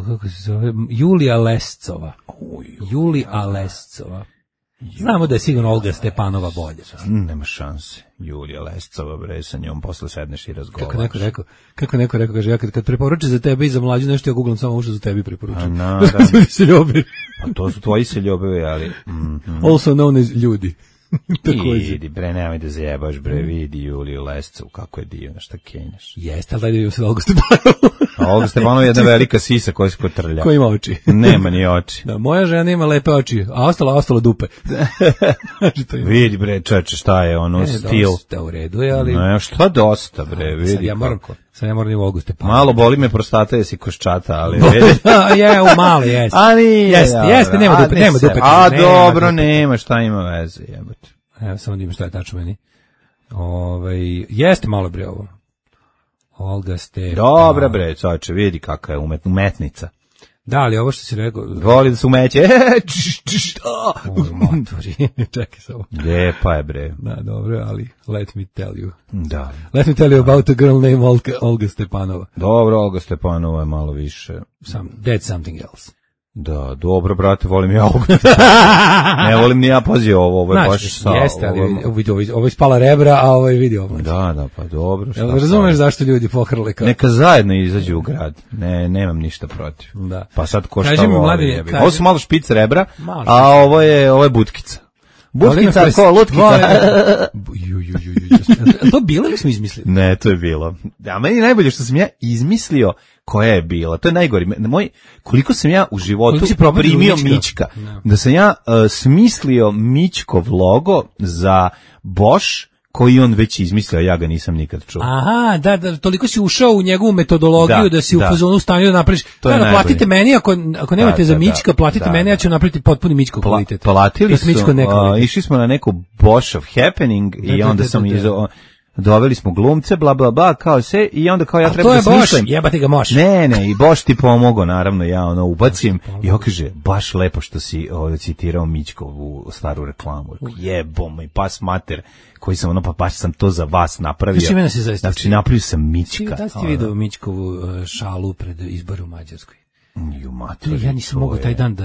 kako se zove, Julija Lescova. Julija Lescova. Znamo da je sigurno Olga Stepanova bolje. Nema šanse. Julija Lescova, bre, sa njom posle sedneš i razgovaraš. Kako neko rekao, kaže, ja kad preporuče za tebe i za mlađu nešto, ja googlam samo što za tebi preporučujem. Pa to su tvoji seljobevi, ali... Also known as ljudi. Vidi, bre, nemoj da zajebaš, bre, vidi Juliju Lescovu, kako je divna, šta kenjaš. Jeste, ali daj da vidim se Olga Stepanovu. A Olga Stepanova je jedna velika sisa koja se kotrlja. Koja ima oči. Nema ni oči. Da, moja žena ima lepe oči, a ostalo dupe. Vidi, bre, čeče, šta je ono, stil. Dosta u redu je, ali... Ne, šta dosta, bre, vidi kako. Sad ja moram i Olgu Stepanovu. Malo boli me prostata, jesi koščata, ali... Malo, jeste. A nije. Jeste, nema dupe. A dobro, nema, šta ima veze, jebote. Evo, samo da ima šta je tačno meni. Jeste malo bre ovo. Olga Stepanova. Dobra bre, čoveče, vidi kakva je umetnica. Da, ali ovo što si rekao... Voli da se umeće. Motori, čekaj samo. Lijepa je bre. Da, dobro, ali let me tell you. Da. Let me tell you about a girl named Olga Stepanova. Dobro, Olga Stepanova je malo više. That's something else. Da, dobro, brate, volim ja ovo. Ne volim ni ja, pazi ovo je baš sa... Jeste, ali ovo je spala rebra, a ovo je vidio ovo. Da, pa dobro. Razumeš zašto ljudi pohrle kao... Neka zajedno izađu u grad, nemam ništa protiv. Da. Pa sad ko šta voli. Ovo su malo špic rebra, a ovo je butkica. Butkica, ko lutkica. To bilo ili smo izmislili? Ne, to je bilo. A meni najbolje što sam ja izmislio koja je bila. To je najgori. Koliko sam ja u životu primio Mićka. Da sam ja smislio Mićkov logo za Bosch, koji on već izmislio, ja ga nisam nikad čuo. Aha, da, toliko si ušao u njegovu metodologiju da si u fazonu stanju da napraviš. Da, platite meni, ako nemate za Mićka, platite meni, ja ću napraviti potpuni Mićkov kvalitet. Platili su, išli smo na neku Bosch of Happening i onda sam doveli smo glumce, bla, bla, bla, kao sve, i onda kao ja treba da smislim. To je Bosch, jebati ga moš. Ne, i Bosch ti pomogao, naravno, ja ubacim, i on kaže, baš lepo što si citirao Mićkovu staru reklamu. Jebom, i pas mater, koji sam, pa baš sam to za vas napravio. Znači, napravio sam Mićka. Da ste vidio Mićkovu šalu pred izbor u Mađarskoj? Ja nisam mogao taj dan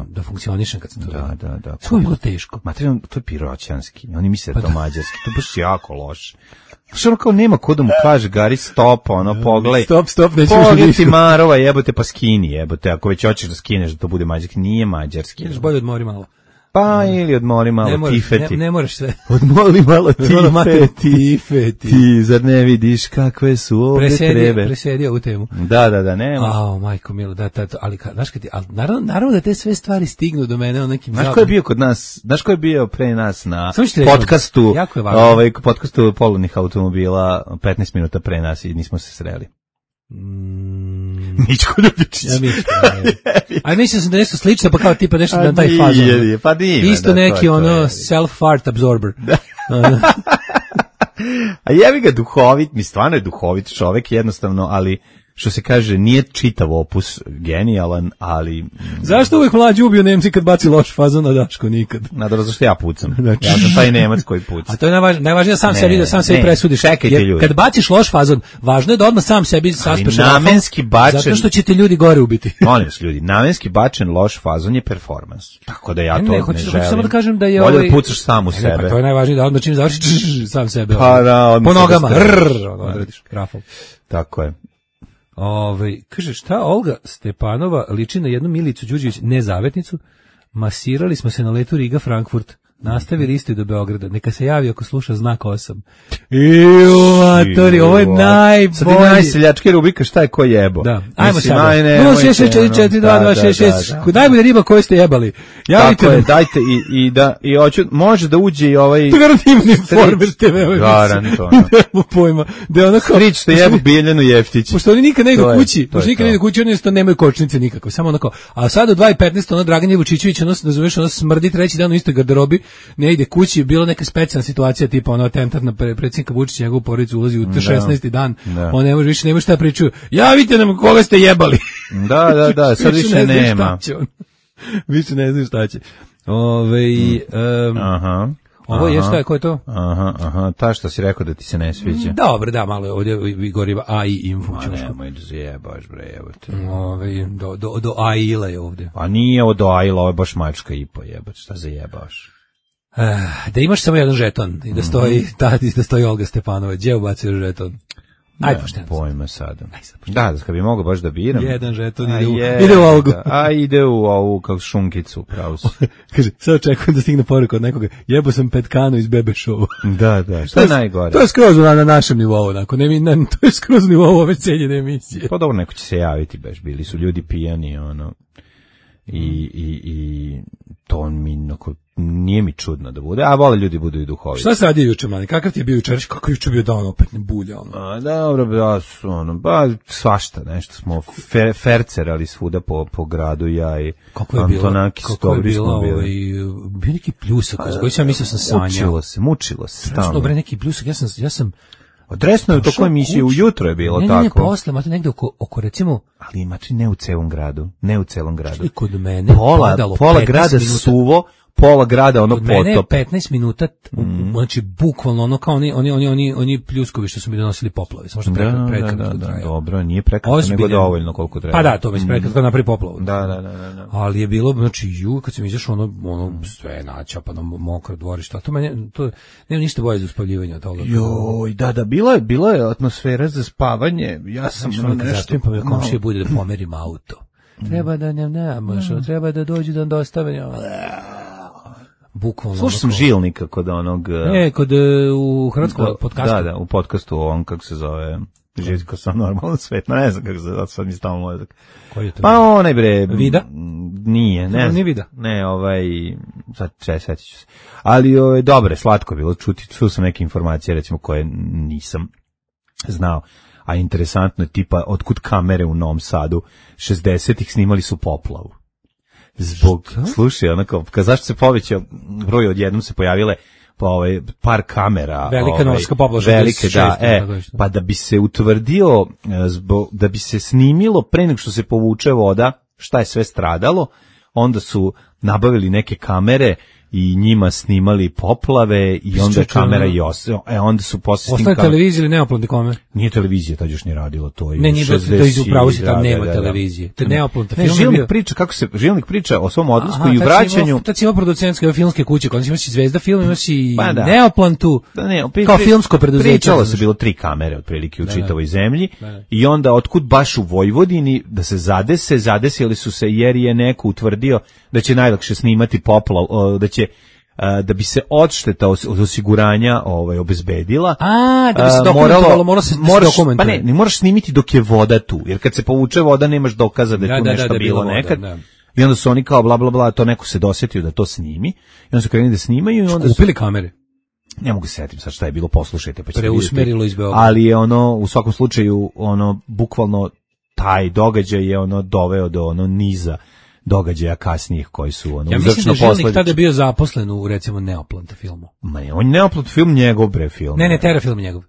da funkcionišem kad sam to vidio. Da. Sve je bilo teško. Materijalno, to je piroćanski. Oni misle da je to mađarski. To je baš jako loše. Što ono kao nema ko da mu kaže, Gari, stop, pogledaj. Stop, neću pogledaj ti Marova, jebote, pa skini, jebote. Ako već hoćeš da skineš da to bude mađarski, nije mađarski. Ideš bolje odmori malo. Pa ili odmori malo tifeti. Ne moraš sve. Odmori malo tifeti. Ti zar ne vidiš kakve su ovdje trebe? Presedio ovu temu. Da, nema. Majko milo, ali znaš kad ti, naravno da te sve stvari stignu do mene o nekim Znaš ko je bio kod nas, znaš ko je bio pre nas na podcastu, podcastu polovnih automobila 15 minuta pre nas i nismo se sreli. Mićko Ljubičić. Ja Mićko. A mislim sam da nešto slično, pa kao tipa nešto da taj fazon. Pa nije. Isto neki self-fart absorber. A jebi ga duhovit, mi stvarno je duhovit čovek jednostavno, ali što se kaže, nije čitav opus genijalan, ali... Zašto uvijek mlađi ubio Nemci kad baci loš fazon, a Daško nikad? Nadal, zašto ja pucam? Ja sam taj Nemac koji puca. A to je najvažnije da sam sebi presudiš. Čekajte ljudi. Kad baciš loš fazon, važno je da odmah sam sebi saspeš namenski bačen... Zato što će te ljudi gore ubiti. Molim vas ljudi, namenski bačen loš fazon je performans. Tako da ja to ne želim. Samo da kažem da je bolje da pucaš sam u sebe. Pa to je najvažnije da odmah čim završiš sam sebe. Pa da, po nogama. Odradiš rafal. Tako je. Kaže, šta Olga Stepanova liči na jednu Milicu Đurđević, nezavetnicu? Masirali smo se na letu Riga-Frankfurt. Nastavili isto do Beograda. Neka se javi ako sluša znak 8. Matori, ovo je najbolji. Sad je najseljački rubrika, šta je ko jebo. Da, ajmo sad. 066442226. Najbolja riba koju ste jebali. Tako je, dajte i hoću, može da uđe i ovaj... To garantivni Informer TV. Garanto. Nemo pojma. Strič što jebu Biljanu Jeftić. Pošto oni nikad ne idu kući, oni jednostavno nemaju kočnice nikako. Samo onako, a sad u 2:15 ono Dragan Vučićević, ono se nazoveš, ono smrdi treći dan u istoj garderobi, ne ide kući, bila neka specijalna situacija tipa ono atentat na predsjednika Vučića, njegovu porodicu ulazi u 16. dan, on ne može više, nema šta pričaju, javite nam koga ste jebali. Da, sad više nema. Više ne znam šta će. Ovo je šta je, ko je to? Ta što si rekao da ti se ne sviđa. Dobro, da, malo je ovdje goriva AI info. Nemoj da zajebaš, bre, evo te. Do AI-la je ovdje. A nije ovo do AI-la, ovo je baš mačka i po jebać, šta zajebaš? Da imaš samo jedan žeton i da stoji Olga Stepanova, gdje ubacio žeton? Ajde, pošteno. Pojma sada. Da, kad bi mogao baš da biram. Jedan žeton ide u Olgu. A ide u ovu kao šunkicu, pravo su. Kaže, sad očekujem da stigne poruka od nekoga, jebo sam petkanu iz Bebe Show. Da, što je najgore? To je skroz na našem nivou, to je skroz nivou ove cijeljene emisije. Pa dobro, neko će se javiti, baš bili su ljudi pijani, i to nije mi čudno da bude, a vole ljudi budu i duhoviti. Šta se radi juče, mani? Kakav ti je bio jučer? Kako juče bio dan opet ne bulja? Dobro, svašta, nešto smo fercerali svuda po gradu, ja i Antonaki Stobri smo bili. Bio neki pljusak, koji sam mislio sam sanjao. Mučilo se stalno. Dobre, neki pljusak, ja sam odresno je u tokoj emisiji, ujutro je bilo tako. Ne, posle, imate negde oko recimo... Ali imate ne u celom gradu. Što je kod mene pola grada suvo, pola grada ono potop. Kod mene je 15 minuta, znači bukvalno ono kao oni pljuskovi što su mi donosili poplave. Samo što prekratko traje. Dobro, nije prekratko, nego dovoljno koliko treba. Pa da, to već prekratko napravi poplavu. Da. Ali je bilo, znači, kad sam izašao, ono sve načapano, mokro dvorište, to nema ništa bolje za uspavljivanje od toga. Joj, da, bila je atmosfera za spavanje, ja sam nešto... Pa mi komšije bude da pomerim auto. Treba da treba da dođu da dostave. Bukvalno. Slušao sam Žilnika kod onog... u hrvatskom podcastu. Da, u podcastu on, kako se zove... Živko sam normalno svet, ne znam kako se zove, sad mi stavno mozak. Koji je to? Pa onaj bre... Vida? Nije, ne. Nije Vida? Ne, sad setit ću se. Ali dobre, slatko bilo čuo sam neke informacije, recimo, koje nisam znao. A interesantno je tipa, otkud kamere u Novom Sadu 60-ih snimali su poplavu. Slušaj, onako, zašto se povećao broj, odjednom se pojavile par kamera. Velika norska poplava. Velike, da, pa da bi se utvrdio, da bi se snimilo pre nego što se povuče voda, šta je sve stradalo, onda su nabavili neke kamere i njima snimali poplave i onda je kamera i onda su posle snimali. Ostane televizija ili neoplatne kamere? Nije televizija, tad još nije radilo to. Ne, nije to upravo si tam nema televizije. To je neoplatna film. Žilnik priča o svom odlasku i u vraćanju. Tad si imao producentske filmske kuće, kada si imaš i Zvezda film, imaš i neoplantu, kao filmsko preduzeće. Pričalo se bilo 3 kamere otprilike u čitavoj zemlji i onda otkud baš u Vojvodini da se zadesili su se jer je neko utvrdio da će najlakše snimati poplav, da bi se odšteta od osiguranja obezbedila. Da bi se dokumentovalo, mora se dokumentovati. Pa ne moraš snimiti dok je voda tu, jer kad se povuče voda nemaš dokaza da je tu nešto bilo nekad. I onda su oni kao bla bla bla, to neko se dosetio da to snimi. I onda su krenuli da snimaju i onda su kupili kamere. Ne mogu se setiti sad šta je bilo, poslušajte pa ćete preusmerilo iz Beograda. Ali je u svakom slučaju bukvalno taj događaj je ono doveo do ono niza događaja kasnijih koji su ono uzročno posledično. Ja mislim da je Žilnik tada bio zaposlen u recimo Neoplant filmu. On je Neoplant film njegov film. Ne, Tera film njegov.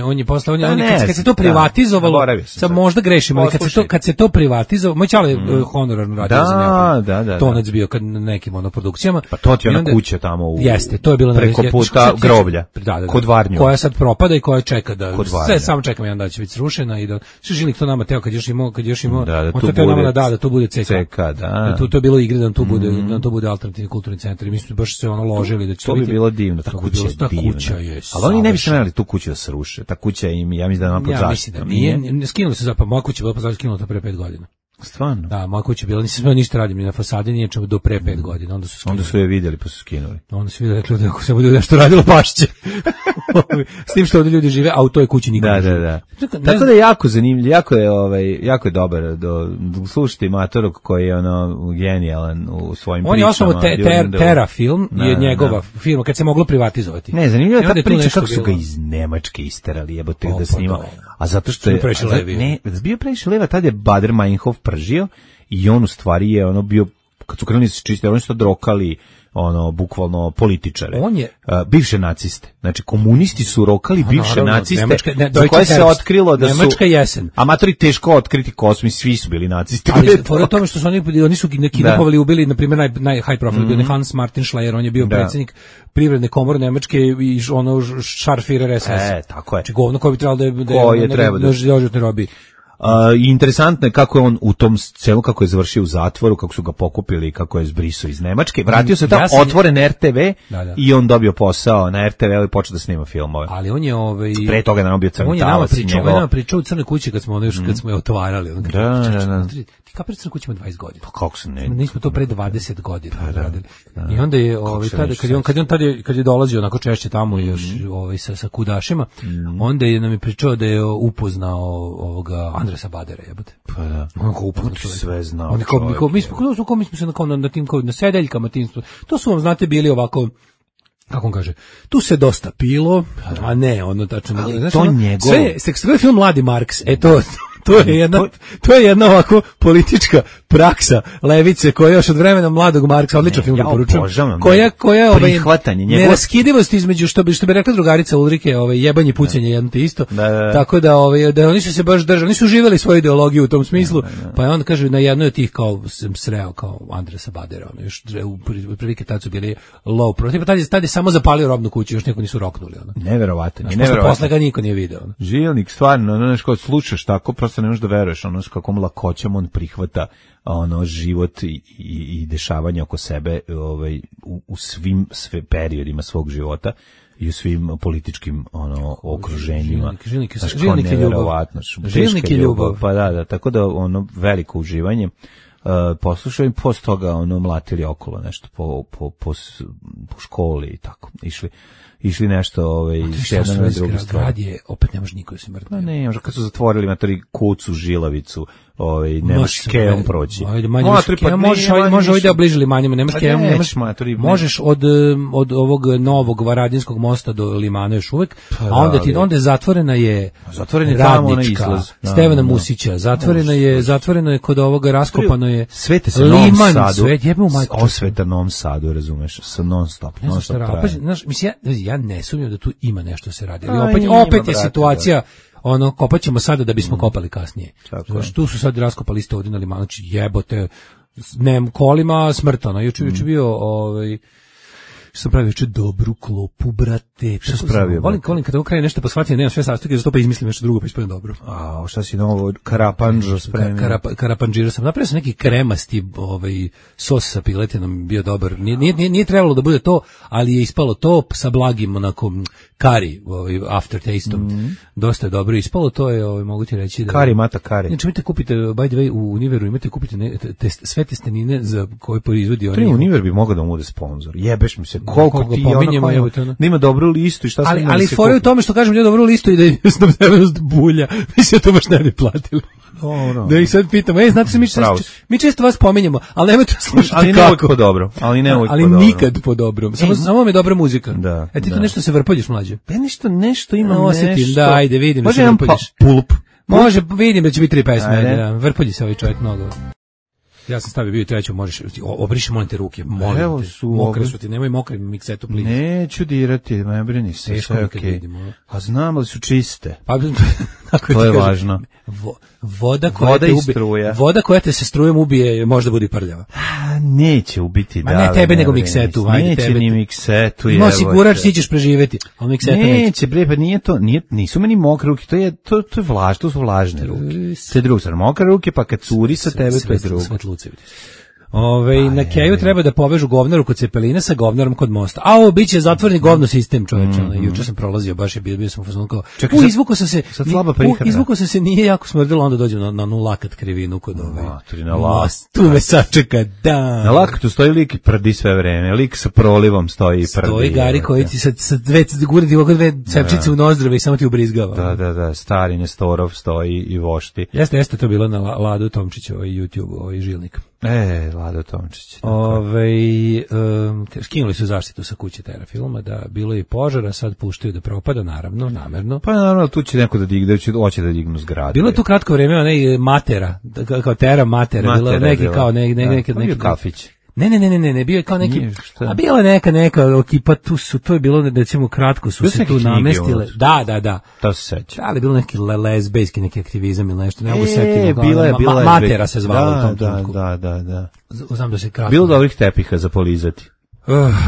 On je posle kad se to privatizovalo, sad možda grešimo, ali kad se to privatizovalo, moj čale honorarno radio za Neoplant. Da. Tonac bio kad na nekim produkcijama. Pa to ti je ona kuća tamo u jeste, to je bilo preko puta groblja. Kod Varnju. Koja sad propada i koja čeka da sve samo čekamo jedan dan će biti srušena i da Žilnik to nama teo kad još imao on to teo nama da to bude CK. Da. To je bilo igre da to bude alternativni kulturni centar i mi smo baš se ono ložili da će to biti. To bi bilo divno, ta kuća je. Ali oni ne bi smeli tu kuću da sruše. Ta kuća im, ja mislim da ima pod zaštitom. Nije, skinuli su zapravo, moja kuća bila pod zaštitom, skinuta pre 5 godina. Stvarno? Da, moja kuća bila, nisam smeo ništa radim, ni na fasadi, nije čemu do pre 5 godina, onda su je vidjeli pa su skinuli. Onda su vidjeli, rekli da ako se bude nešto radilo, pašće. S tim što ovdje ljudi žive, a u toj kući niko ne žive. Da. Tako da je jako zanimljiv, jako je dobar, slušajte Matorog koji je ono genijalan u svojim pričama. On je osnovu Tera film, je njegova firma, kad se moglo privatizovati. Ne, zanimljivo je ta priča kako su ga iz Nemačke isterali, jebote da snima. A zato što je bio previše leva, tad je Bader Meinhof pržio i on u stvari je ono bio, kad su krenuli se čistiti, oni su to drokali ono bukvalno političare. On je bivše naciste. Znači komunisti su rokali bivše naciste. Za koje se otkrilo da su Nemačka jesen. Amatori teško otkriti kosmi, svi su bili nacisti. Ali fora tome što su oni su kidnapovali, ubili na primjer naj high profile bio Hans Martin Schleyer, on je bio predsjednik privredne komore Nemačke i ono Scharführer SS. Tako je. Znači govno koji bi trebalo da robi. I interesantno je kako je on u tom celu, kako je završio u zatvoru, kako su ga pokupili, kako je zbrisao iz Nemačke. Vratio se tamo, otvoren RTV i on dobio posao na RTV i počeo da snima filmove. Ali on je pre toga je nam bio crni talac. On je nama pričao u Crnoj kući kad smo je otvarali. Da. Ti kapiraš Crna kuća ima 20 godina. Pa kako se ne? Nismo to pre 20 godina radili. I onda je kad je dolazio onako češće tamo još sa kudašima, onda je nam je pričao da je upoznao ovoga Andresa Badera, jebote. Pa da. On ko upoznao sve znao. Mi smo se na tim na sedeljkama tim. To su vam znate bili ovako, kako on kaže, tu se dosta pilo, a ne ono tačno. Znači, to njegovo. Sve film Mladi Marks, to je jedna ovako politička praksa levice koja još od vremena Mladog Marksa, odličan film preporučujem. Koja prihvatanje neraskidivost između što bi rekla drugarica Ulrike, jebanje pucanje jedno te isto. Tako da oni su se baš držali, oni su živeli svoju ideologiju u tom smislu. Pa on kaže na jednoj od tih kao sam sreo kao Andresa Badera, ono još prilike tad su bili low pro. Tad je samo zapalio robnu kuću, još niko nisu roknuli ono. Neverovatno. Posle ga niko nije video. Žilnik stvarno, ono što slušaš tako prosto ne možeš da veruješ ono s kakvom lakoćom on prihvata ono život i dešavanja oko sebe u svim periodima svog života i u svim političkim okruženjima. Žilnik je ljubav. Žilnik je ljubav. Pa da, tako da ono veliko uživanje. Poslušao i posle toga mlatili okolo nešto po školi i tako. Išli nešto s jednom na drugu stranu. Grad je, opet ne može niko da se mrtvi. Pa ne, možda kad su zatvorili matori kucu, žilavicu, nemaš keom proći. Može ovdje obližili manjima, nemaš keom, možeš od ovog novog Varadinskog mosta do Limana još uvek, a onda je zatvorena je Radnička, Stevana Musića, zatvorena je kod ovoga, raskopano je Svete se Novom Sadu, osveta Novom Sadu, razumeš, sa non-stop mislim, ja ne sumnjam da tu ima nešto se radi, ali opet je situacija kopat ćemo sada da bismo kopali kasnije. Znači, tu su sad raskopali isto ovdje na Limanu, znači jebote, kolima smrtano. Juče bio, što sam pravio juče dobru klopu, brate. Što sam pravio? Volim kada ovo kraje nešto pa shvatim, nemam sve sastojke, zato pa izmislim nešto drugo pa ispadem dobro. A šta si novo, karapanđo spremio? Karapanđira sam. Napravio sam neki kremasti sos sa piletinom, bio dobar. Nije trebalo da bude to, ali je ispalo to sa blagim onako kari, aftertasteom. Dosta je dobro ispalo, to je, mogu ti reći da... Kari, mata kari. Znači, imate kupite, by the way, u Univeru imate kupite sve testenine za koje proizvodi oni. Univer bi mogao da mu bude sponsor. Jebeš mi se, koliko ti nima dobru listu i šta se ali fora je u tome što kažem ja dobru listu i da je snabdevenost bulja. Mislim to baš ne bi platili. Da ih sad pitamo, znate se mi često vas pominjemo, ali nemojte slušati ali kako. Ali ne uvijek po dobro. Ali nikad po dobro. Samo mi je dobra muzika. Ti tu nešto se vrpoljiš mlađe. Ja nešto imam nešto. Da, ajde vidim. Može jedan pulp. Može, vidim da će biti 3 pesme. Da. Vrpolji se ovaj čovjek mnogo. Ja sam stavio bio treću, možeš obriši molim te ruke, molim te. Mokre su ti, nemoj mokre miksetu plina. Neću dirati, ne brini se, sve okej. A znam li su čiste? Pa to je važno. Voda koja te se strujom ubije, možda bude prljava. Neće ubiti, da. Ma ne tebe nego miksetu, ajde neće tebe. Ni miksetu, je. No siguraš ti ćeš preživeti, al miksetu neće. Bre, pa nije to, nisu meni mokre ruke, to je vlaž, to su vlažne ruke. To je drugo, mokre ruke, pa kad curi sa tebe to je drugo. Na Keju treba da povežu govnaru kod Cepelina sa govnarom kod mosta. A biće zatvoreni govno sistem, čoveče. Juče sam prolazio, baš je bio sam fazon kao. Izvukao sam se, nije jako smrdilo, onda dođem na onu lakat krivinu kod tu me sačeka, da. Na lakatu stoji lik i prdi sve vreme, lik sa prolivom stoji i prdi. Stoji Gari koji ti sa dve cepčice u nozdrve i samo ti ubrizgava. Da, stari Nestorov stoji i vošti. Jeste to bilo na Ladu Tomčićevoj YouTube, žilnik. Lado Tomčić. Skinuli su zaštitu sa kuće Tera filma, da bilo je požara, sad puštaju da propada, naravno, namerno. Pa naravno, tu će neko da digne, hoće da dignu zgradu. Bilo je tu kratko vrijeme, onaj Matera, kao Tera Matera, bilo neki kao neki kafić. Ne, bio je kao neki, a bila je neka ekipa, to je bilo, recimo, kratko su se tu namestile. Da. To se seća. Ali je bilo neki lezbejski, neki aktivizam ili nešto, ne mogu setiti. Bila Matera se zvala u tom trenutku. Da. Znam da se kratko. Bilo dobrih tepiha za polizati.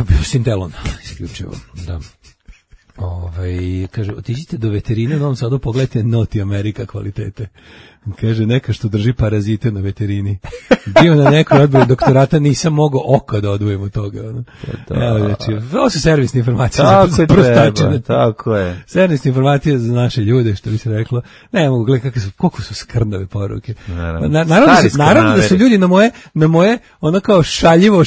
Bio Sintelon, isključivo, da. Kaže, otiđite do veterine u Novom Sadu, pogledajte Noti Amerika kvalitete. Kaže, neka što drži parazite na veterini. Bio na nekoj odboru doktorata, nisam mogao oko da odvojem od toga. Evo, znači, ovo su servisne informacije za prostačene. Tako je. Servisne informacije za naše ljude, što bi se reklo. Ne mogu gledati koliko su skrnave poruke. Naravno da su ljudi na moje ono kao šaljivo,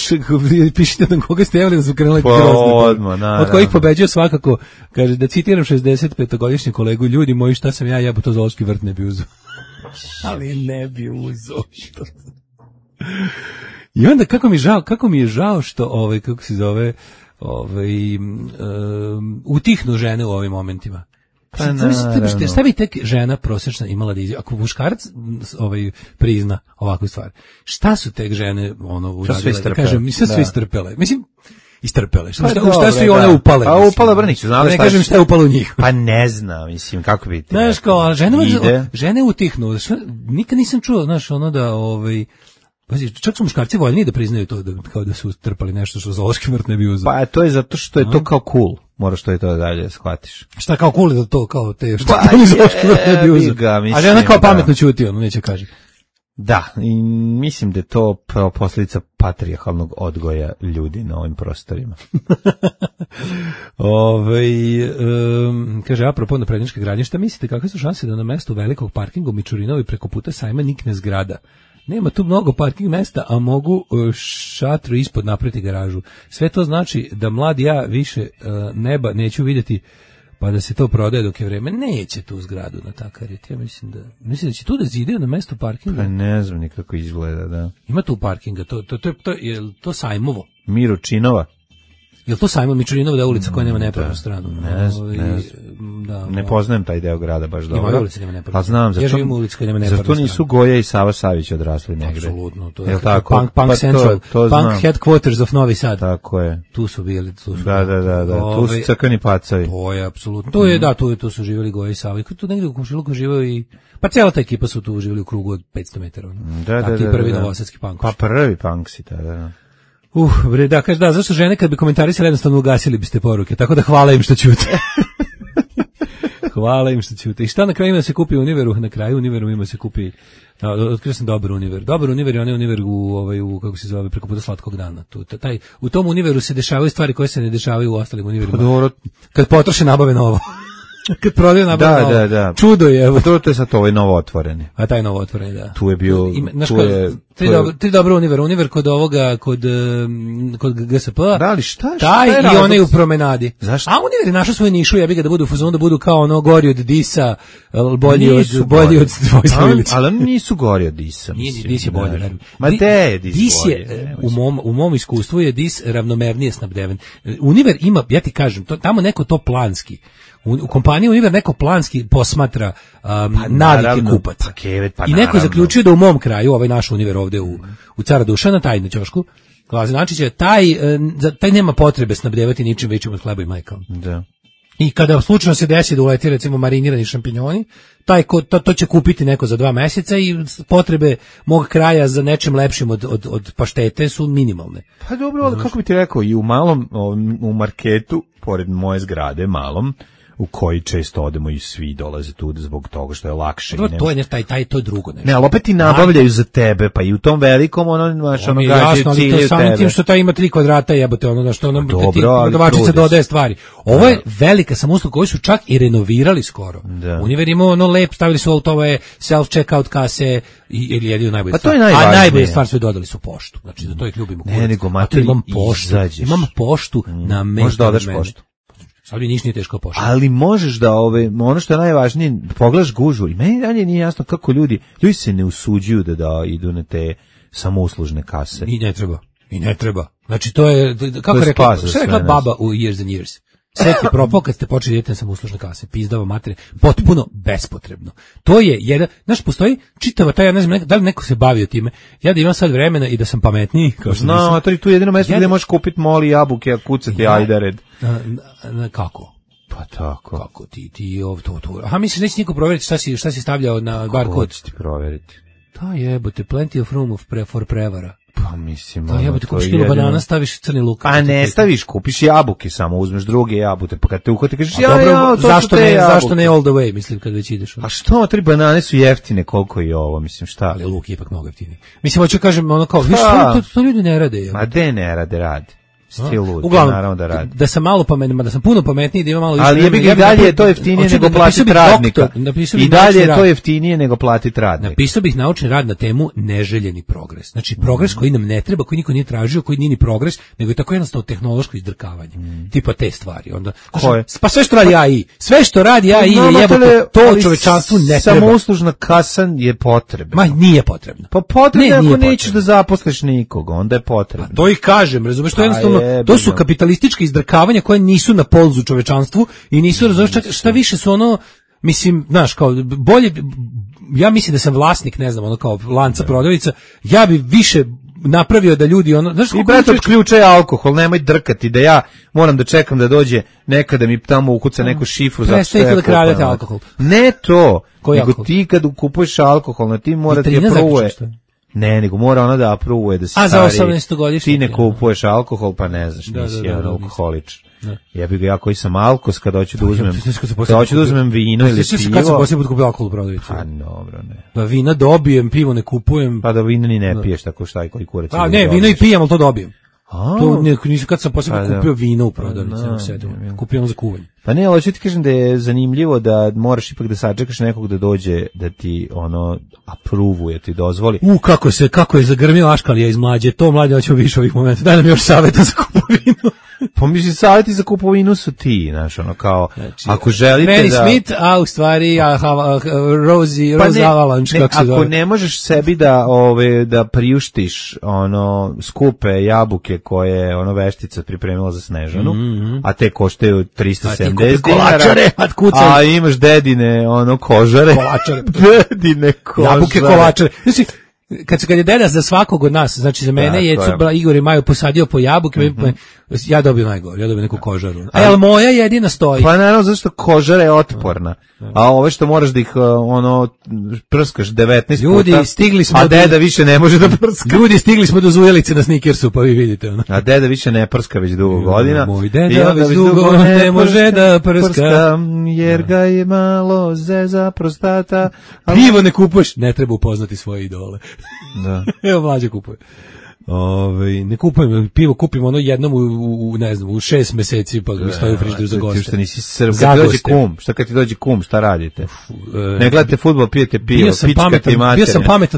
pišite na koga ste evali da su krenuli grozne. Od kojih pobeđuje svakako, kaže, da citiram 65-godišnji kolegu, ljudi moji, šta sam ja bo to zoološki vrt ne bi uzeo. Ali ne bi uzeo. I onda kako mi je žao što kako se zove, utihnu žene u ovim momentima. Šta bi tek žena prosječna imala da ako muškarac prizna ovakvu stvar? Šta su tek žene uradile? Da kažem, sve istrpele. Mislim, istrpele. Šta su i one upale? A upale Brniću, znali šta? Ne kažem šta je upalo u njih. Pa ne znam, mislim, kako bi ti. Znaš, kao, žene utihnu. Nikad nisam čuo, znaš, da, čak su muškarci voljni da priznaju to, kao da su trpali nešto što zoološki vrt ne bi uzeo. Pa to je zato što je to kao cool. Moraš to i to dalje shvatiš. Šta kao cool je da to kao te što zoološki vrt ne bi uzeo. A žena kao pametno ćuti, neće kaže. Da, i mislim da je to posljedica patrijarhalnog odgoja ljudi na ovim prostorima. Kaže, apropo naprednjačke gradnje, šta mislite, kakve su šanse da na mestu velikog parkinga u Mičurinovi preko puta sajma nikne zgrada? Nema tu mnogo parking mesta, a mogu šatru ispod napraviti garažu. Sve to znači da mlad ja više neba neću vidjeti, pa da se to prodaje dok je vreme. Neće tu zgradu na takarit. Ja mislim da će tu da zidaju na mesto parkinga. Pa ne znam nikako izgleda, da. Ima tu parkinga, je to Sajmovo? Miročinova. Je li to Sajmo Mičurinova da je ulica koja nema nepravnu stranu? Ne poznajem taj deo grada baš dobro. Ima ulica nema nepravnu stranu. A znam, ja živim u ulici koja nema nepravnu stranu. Zato nisu Goja i Sava Savić odrasli negde. Apsolutno. To je Punk Central, Punk Headquarters of Novi Sad. Tako je. Tu su bili. Da. Tu su crkveni pacavi. To je apsolutno. To je, da, tu su živjeli Goja i Sava. Tu negde u komšiluku živeo i... Pa cijela ta ekipa su tu živjeli u krugu od 500 metara. Da. Ti prvi novosadski punk. Pa prvi punksi, da. Bre, da, kaže, da, zašto žene kad bi komentarisali jednostavno ugasili biste poruke, tako da hvala im što ćute. Hvala im što ćute. I šta na kraju ima da se kupi u Univeru? Na kraju Univeru ima da se kupi, otkrio sam dobar Univer. Dobar Univer je onaj Univer u kako se zove, preko puta Slatkog dana. U tom Univeru se dešavaju stvari koje se ne dešavaju u ostalim Univerima. Kad potroše nabave novo. Kad prodaju nabave novo. Da. Čudo je. Evo. To je sad ovaj novo otvoreni. A taj novo otvoreni, da. Tu je bio... Tri dobro Univer kod ovoga, kod GSP. Da li šta taj je i onaj u promenadi. Zašto? A Univer je našao svoju nišu, ja bih ga da budu u fazonu, da budu kao ono gori od Disa, bolji od Vojsa Ilića. Ali oni nisu gori od Disa. Dis je bolji. Ma de je Dis bolji. U mom iskustvu je Dis ravnomernije snabdeven. Univer ima, ja ti kažem, tamo neko to planski U kompaniji Univer neko planski posmatra navike kupaca. I neko je zaključio da u mom kraju, ovaj naš Univer ovde u Cara Dušana, taj na ćošku, znači će taj nema potrebe snabdevati ničim većim od hleba i mleka. Da. I kada slučajno se desi da uleti recimo marinirani šampinjoni, to će kupiti neko za 2 meseca i potrebe mog kraja za nečim lepšim od paštete su minimalne. Pa dobro, ali kako bi ti rekao, i u marketu, pored moje zgrade, malom, u koji često odemo i svi dolaze tu zbog toga što je lakše. To je to je drugo nešto. Ne, ali opet ti nabavljaju za tebe, pa i u tom velikom gađaju cilje samim tim što taj ima 3 kvadrata, jebote, što prodavačica dodaje stvari. Ovo je velika samousluga koju su čak i renovirali skoro. Univer ima lep, stavili su ove self-checkout kase ili jedino najbolje. Pa to je najvažnije. A najbolje stvar su dodali su poštu. Znači, za to ih ljubimo. Ne, nego mater, imam poštu na mestu. Možda odaš poštu. Ali ništa nije teško pošlo. Ali možeš da ono što je najvažnije, pogledaš gužvu i meni dalje nije jasno kako ljudi se ne usuđuju da idu na te samouslužne kase. I ne treba. Znači to je, kako rekla baba u Years and Years. Sve ti propao kad ste počeli idete na samouslužne kase, pizdava materije, potpuno bespotrebno. To je jedan, znaš, postoji čitava ja ne znam, da li neko se bavio time, ja da imam sad vremena i da sam pametniji. No, to je tu jedino mesto gdje možeš kupiti moli jabuke, a kucati ajdared. Kako? Pa tako. Kako ti to. Aha, misliš, neće niko provjeriti šta si stavljao na bar kod? Ko će ti provjeriti? To jebote, plenty of room for prevara. Pa mislim, to jebote, kupiš kilo banana, staviš crni luk. Pa ne staviš, kupiš jabuke samo, uzmeš druge jabute, pa kad te uhvati kažeš zašto ne all the way, mislim, kad već ideš. A što, 3 banane su jeftine, koliko i ovo, mislim, šta? Ali luk je ipak mnogo jeftiniji. Mislim, hoću kažem, ono kao, viš, to ljudi ne rade. Ma de ne rade. Stil lud, uglavnom, da sam malo pametniji, da sam puno pametniji, da ima malo više. Ali je bi dalje to jeftinije nego platiti radnika. I dalje je to jeftinije nego platiti radnika. Napisao bih naučni rad na temu neželjeni progres. Znači progres koji nam ne treba, koji niko nije tražio, koji nije ni progres, nego je tako jednostavno tehnološko izdrkavanje. Tipa te stvari. Onda pa sve što radi AI, je jebote, to čovečanstvu ne treba. Samouslužna kasa je potrebna. Ma nije potrebna. Pa potrebna ako nećeš da zaposliš nikog, onda je potrebna. To ih kažem, razumeš, to je jednostavno. To su kapitalističke izdrkavanja koje nisu na polzu čovečanstvu i nisu, razumiješ, šta više su ono, mislim, znaš, kao bolje, ja mislim da sam vlasnik, ne znam, ono kao lanca prodavnica, ja bi više napravio da ljudi ono, znaš, i brate otključaj alkohol, nemoj drkati da ja moram da čekam da dođe nekada mi tamo ukuca neku šifru za sve. Da kradete alkohol. Ne to, nego ti kad kupuješ alkohol, na ti mora ti je pruje. Ne, nego mora ona da apruvuje da si stari. A za 18-godišnje? Ti ne kupuješ alkohol, pa ne znaš, nisi jedan alkoholič. Ja bih ga, ja koji sam alkos, kada hoću da uzmem vino ili pivo. Kad sam poslije put kupio alkohol u prodavnici? Pa dobro, ne. Da vina dobijem, pivo ne kupujem. Pa da vina ni ne piješ, tako šta i koji kurac. A ne, vino i pijem, ali to dobijem. To nisu kad sam poslije kupio vino u prodavnici, kupio za kuvanje. Pa ne, ali hoću ti kažem da je zanimljivo da moraš ipak da sačekaš nekog da dođe da ti ono apruvuje, ti dozvoli. Kako je zagrmio Aškalija iz Mlađe, to Mlađe hoćemo više ovih momenta. Daj nam još savjeta za kupovinu. Pa mislim, savjeti za kupovinu su ti, znaš, ono kao, znači, ako želite Mary Smith, a u stvari Rose Avalanche, kako se zove. Ako ne možeš sebi da priuštiš ono skupe jabuke koje ono veštica pripremila za Snežanu, a te koštaju 370 dinara, a imaš dedine ono kožare. Kolačare. Dedine kožare. Jabuke kolačare. Znači, kad je deda za svakog od nas, znači za mene je Igor i Maju posadio po jabuke, ja dobijem najgore, ja dobijem neku kožaru. Ali moja jedina stoji. Pa naravno, zato što kožara je otporna. A ove što moraš da ih ono prskaš 19 ljudi, puta, stigli smo a deda više ne može da prska. Ljudi, stigli smo do Zujelice na Snickersu, pa vi vidite ono. A deda više ne prska već dugo godina. Moj deda već dugo ne može da prska, jer ga je malo zeza prostata. Pivo ne kupuješ, ne treba upoznati svoje idole. Da. Evo Mlađe kupuje. Ne kupujem pivo, kupim ono jednom u ne znam, u 6 meseci, pa mi stoji u frižideru za goste. Što nisi Srb, kad ti dođe kum, šta radite? Ne gledate fudbal, pijete pivo, pičkate i matere.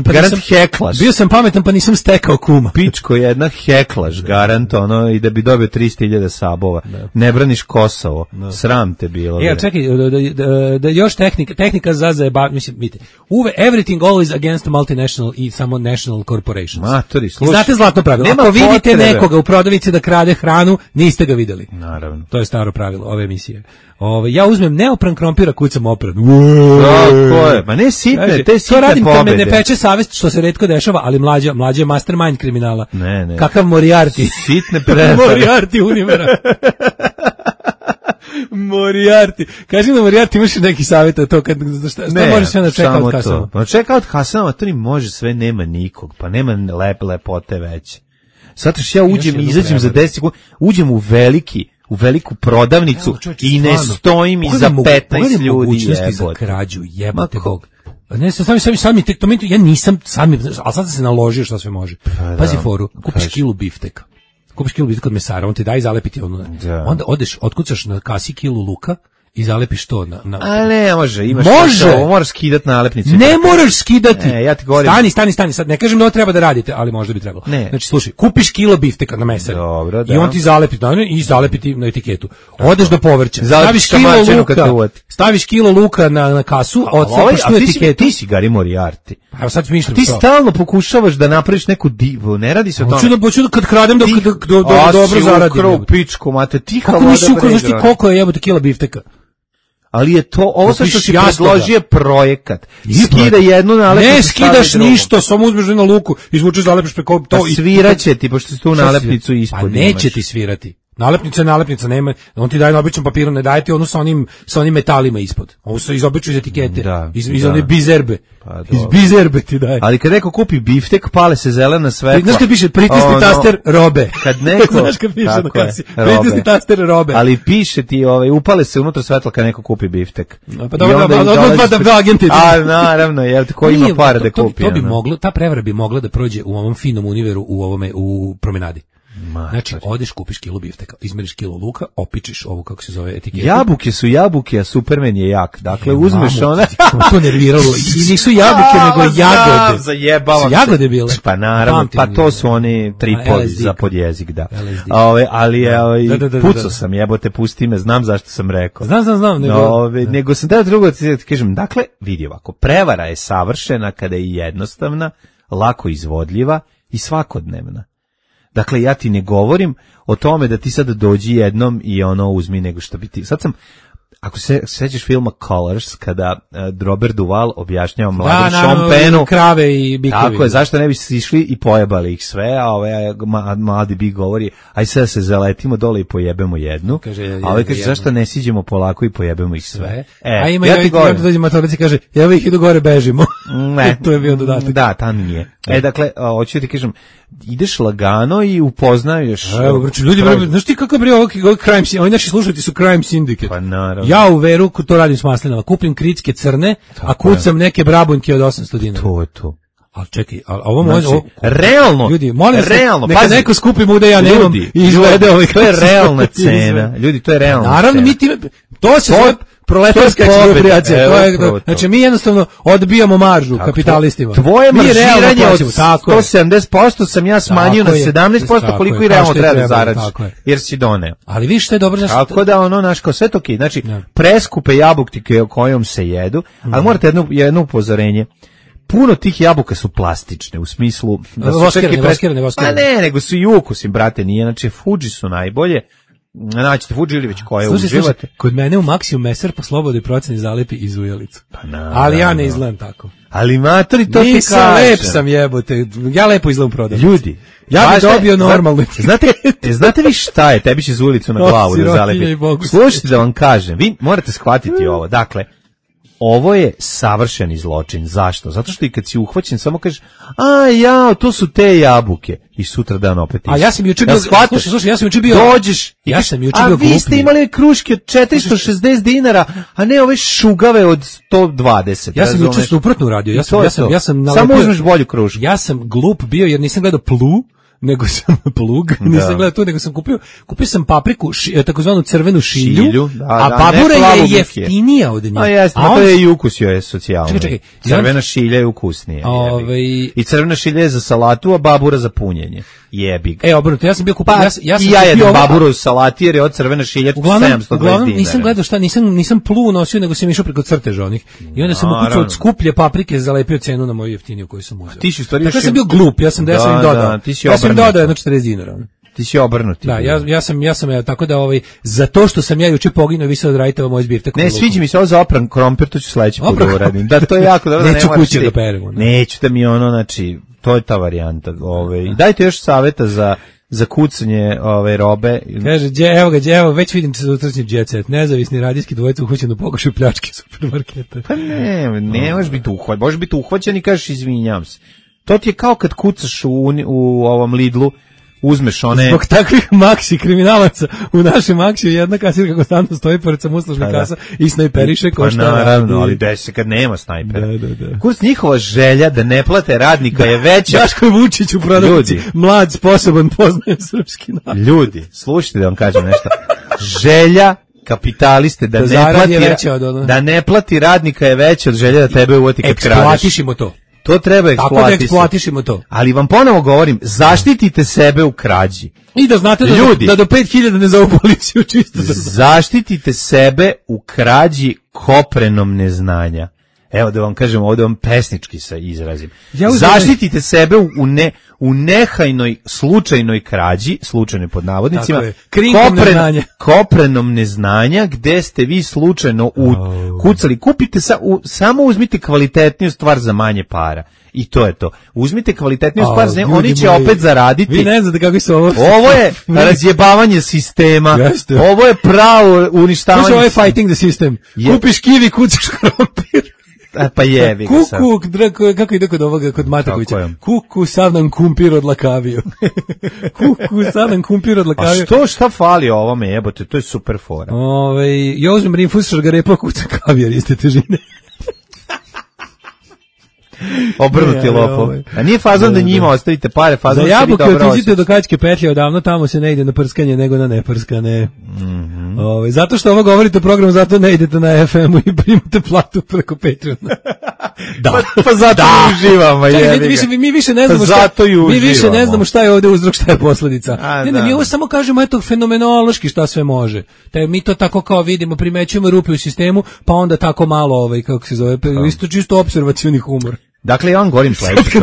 Garant heklaš. Bio sam pametan, pa nisam stekao kuma. Pičko jedna heklaš, garant, ono, i da bi dobio 300.000 sabova. Ne braniš Kosovo, sram te bilo. Čekaj, da još tehnika za zajebavanje, mislim, vidite, everything always against multinational i samo national corporations. Matori, slušaj. zlatno pravilo. Ako vidite nekoga u prodavnici da krade hranu, niste ga videli. Naravno. To je staro pravilo ove emisije. Ja uzmem neopran krompira, kucam opran. Tako je. Ma ne sitne, te sitne to radim pobede. Kad me ne peče savest, što se retko dešava, ali mlađa je mastermind kriminala. Ne. Kakav Moriarty. Sitne prevare. Moriarty Univera. Moriarty. Kaži na Moriarty, imaš neki savjet o to, šta može sve na checkout kasama? Pa checkout kasama, to ni može sve, nema nikog, pa nema lepote veće. Zato što ja uđem i izađem za 10 sekundi, uđem u veliku prodavnicu i ne stojim iza 15 ljudi. Mogućnosti za krađu, jebate Bog. Ne, sami tek to ja nisam sami, ali sad se naložio što sve može. Pazi foru, kupiš kilu bifteka. Kupiš kilu bifteka kod mesara, on ti daje i zalepiti ono. Onda odeš, otkucaš na kasi kilu luka i zalepiš to na A ne, može, imaš ovo, moraš skidati nalepnicu. Ne moraš skidati. Ja ti govorim. Stani, sad ne kažem da ovo treba da radite, ali možda bi trebalo. Ne. Znači, slušaj, kupiš kilo bifteka na mesari. Dobro, da. I on ti zalepi i zalepiti na etiketu. Odeš do povrća, staviš kilo luka na kasu, odcepiš tu etiketu. Ti si Gari Moriarty. Evo sad smišljam to. Ti stalno pokušavaš da napraviš neku divu, ne radi se o tome. Hoću da kad kradem da dobro zaradim. Ukrao pičku, mate, tiha voda. Kako nisi ukrao, znaš ti koliko je jebote kila bifteka? Ali je to, ovo što si predložio projekat. Skida jednu nalepnicu. Ne skidaš ništa, samo uzmeš na luku, izvučeš, zalepiš preko to. Pa sviraće ti, pošto si tu nalepnicu ispod. Pa neće ti svirati. Nalepnica nema, on ti daje na običnom papiru, ne daje ti ono sa onim metalima ispod. Ovo su iz obične etikete, iz one bizerbe. Pa, iz bizerbe ti daje. Ali kad neko kupi biftek, pale se zelena svetla. Znaš kad piše pritisni taster robe. Kad neko, znaš kad piše na kasi, pritisni taster robe. Ali piše ti, upale se unutra svetla kad neko kupi biftek. Pa dobro, dva agenti. A naravno, ko ima pare da kupi. To bi moglo, ta prevara bi mogla da prođe u ovom finom univeru, u promenadi. Znači, odeš, kupiš kilu bifteka, izmeriš kilo luka, opičiš ovu, kako se zove, etiketu. Jabuke su jabuke, a Superman je jak. Dakle, uzmeš one... to nerviralo. I nisu jabuke, nego jagode. Zajebavam se. Jagode bile. Pa naravno, pa to su oni tripodi za podjezik, da. Ali pucao sam, jebote, pusti me, znam zašto sam rekao. Znam. Nego sam da drugo ti kažem, dakle, vidi ovako, prevara je savršena kada je jednostavna, lako izvodljiva i svakodnevna. Dakle, ja ti ne govorim o tome da ti sad dođi jednom i uzmi nego što bi ti... Sad sam, ako se sećaš filma Colors, kada Robert Duvall objašnjava mladom Sean Pennu... krave i bikovi. Tako je, zašto ne bi se išli i pojebali ih sve, a mladi bik govori, aj sad se zaletimo dole i pojebemo jednu, a kaže, zašto ne siđemo polako i pojebemo ih sve. A ima i dođe matorici kaže, evo ih idu gore, bežimo. Ne. To je bio dodatak. Da, tam nije. Dakle, hoću ti kažem, ideš lagano i upoznaješ... Evo, ljudi, znaš ti kako je ovo crime syndicate, ovi naši slušatelji su crime syndicate. Pa naravno. Ja u Veru to radim s maslinama, kupim kritske crne, a kucam neke brabunjke od 800 dinara. To je to. Ali čekaj, ovo može... Realno, ljudi, molim se, neka pazi, neko skupi muda ja nemam i izvede ovaj... To je realna cena. Ljudi, to je realna cena. Naravno, mi ti... To se zove proletarska eksproprijacija. Znači, mi jednostavno odbijamo maržu kapitalistima. Tvoje maržiranje od 170% sam ja smanjio na 17%, koliko i realno treba da zaradiš, jer si doneo. Ali viš što je dobro... Tako da naš kao sve to okej. Znači, preskupe jabuke kojom se jedu, ali morate jedno upozorenje. Puno tih jabuka su plastične, u smislu... Voskirane. Pa ne, nego su i ukusim, brate, nije. Znači, Fuji su najbolje. Naćete Fuji ili već koje uživate. Kod mene u Maxiju meser po slobodnoj proceni zalepi iz ujelicu. Pa ali ja ne izgledam tako. Ali matori, to ti nisam kažem. Lep sam, jebote. Ja lepo izgledam prodavnicu. Ljudi, ja bih dobio normalno. Znate vi šta je? Tebi će iz ulicu na glavu da zalepi. Slušajte da vam kažem. Vi morate shvatiti ovo. Dakle, ovo je savršeni zločin. Zašto? Zato što i kad si uhvaćen samo kažeš, to su te jabuke. I sutra dan opet isti. A ja sam juče bio, slušaj, ja sam juče bio... Dođeš i ja sam juče bio glupniji. A vi ste imali kruške od 460 dinara, a ne ove šugave od 120. Ja sam juče suprotno uradio. Ja sam samo uzmeš bolju krušku. Ja sam glup bio jer nisam gledao Plu, nego sam plug, nisam gledao tu, nego sam kupio sam papriku, takozvanu crvenu šilju, a babura je jeftinija od nje. A jeste, to je i ukus joj je socijalno. Čekaj. Crvena šilja je ukusnija. I crvena šilja je za salatu, a babura za punjenje. Jebi ga. Obrnuto, ja sam bio kupio, ja jedem baburu u salati jer je od crvene šilje 720 dinara. Nisam gledao nisam Plu nosio, nego sam išao preko crteža onih. I onda sam ukucao od skuplje paprike, zalepio cenu na moju jeftiniju koju sam uzeo. Ti si u stvari ja sam bio glup, ja sam im dodao. Ti si sam dodao jedno 40 dinara. Ti si obrnuti. Da, ja sam tako da za to što sam ja juče poginuo, vi sad radite moj zbirtek. Ne, sviđa mi se ovo za opran krompir, to ću sledeći put uradim. Da, to je jako dobro. Neću kuće da peremo. Neću da mi znači, to je ta varijanta. Dajte još saveta za kucanje robe. Kaže, evo, već vidim se za utrašnji jet set. Nezavisni radijski dvojica uhoćen u pokušaju pljačke supermarketa. Pa ne možeš biti uhvaćen. Možeš biti uhvaćen i kažeš izvinjam se. To ti je kao kad kucaš u ovom Lidlu, uzmeš one... Zbog takvih maksi kriminalaca u našem maksiju jedna kasirka konstantno stoji pored samouslužne kasa i snajperiše ko šta radi. Naravno, ali desi se kad nema snajpera. Da. Kurs njihova želja da ne plate radnika je veća. Daško Vučić u prodavnici, mlad, sposoban, poznaje srpski narod. Ljudi, slušajte da vam kažem nešto. Želja kapitaliste da ne plati radnika je veća od želje da tebe uvati kad kradeš. Eksploatišimo to. To treba eksploatisati. Tako da eksploatišimo to. Ali vam ponovo govorim, zaštitite sebe u krađi. I da znate da do 5000 ne zovu policiju čisto. Zaštitite sebe u krađi koprenom neznanja. Evo da vam kažem, ovdje vam pesnički se izrazim. Zaštitite sebe u nehajnoj slučajnoj krađi, slučajnoj pod navodnicima, koprenom neznanja, gde ste vi slučajno kucali. Kupite, samo uzmite kvalitetniju stvar za manje para. I to je to. Uzmite kvalitetniju stvar, oni će opet zaraditi. Vi ne znate kako se ovo... Ovo je razjebavanje sistema. Ovo je pravo uništavanje. Ovo je fighting the system. Kupiš kivi, kucaš krompir. Pa jevi ga sad. Kako ide kod ovoga, kod Matakovića? Kuku sad nam kumpir odlakavio. Kuku sad nam kumpir odlakavio. A šta fali ovome, jebote, to je super fora. Ja uzmem rinfus šargarepa, kuca kavijar iste težine. Obrnuti lopov. A nije fazon da njima ostavite pare, fazon za jabuke otiđite do Kačke petlje, odavno tamo se ne ide na prskanje nego na neprskane. Zato što ovo govorite o programu, zato ne idete na FM-u i primate platu preko Patreona. Pa zato uživamo. Mi više ne znamo šta ne znamo šta je ovdje uzrok, šta je posljedica. Mi ovo samo kažemo eto fenomenološki šta sve može. Mi to tako kao vidimo, primećujemo rupe u sistemu, pa onda tako malo kako se zove, isto čisto opservacioni humor. Dakle, ja vam govorim sledeće.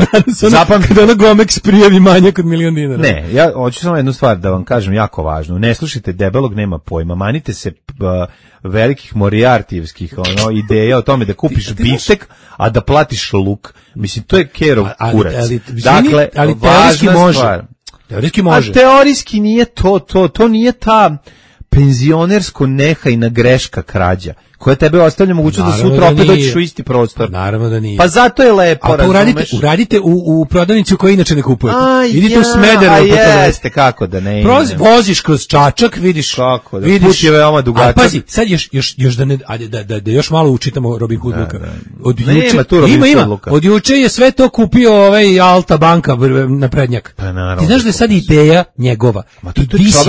Kada ona Gomex prijavi manjak od $1.000.000 dinara. Ne, ja hoću samo jednu stvar da vam kažem jako važnu. Ne slušajte debelog, nema pojma. Manite se velikih morijartijevskih ideja o tome da kupiš biftek, a da platiš luk. Mislim, to je kerov kurac. Dakle, važna stvar. Teorijski može. A teorijski nije to nije ta penzionersko nehajna greška krađa, koja tebe ostavlja mogućnost da sutra opet dođeš u isti prostor. Naravno da nije. Pa zato je lepo, razumeš. Uradite u prodavnici u kojoj inače ne kupujete. Idite u Smederevo. Jeste, kako da ne ide. Voziš kroz Čačak, vidiš. Kako da, put je veoma dugačak. A pazi, sad još da još malo učitamo Robin Hood Luka. Ima. Od juče je sve to kupio Alta banka na prednjak. Ti znaš da je sad ideja njegova.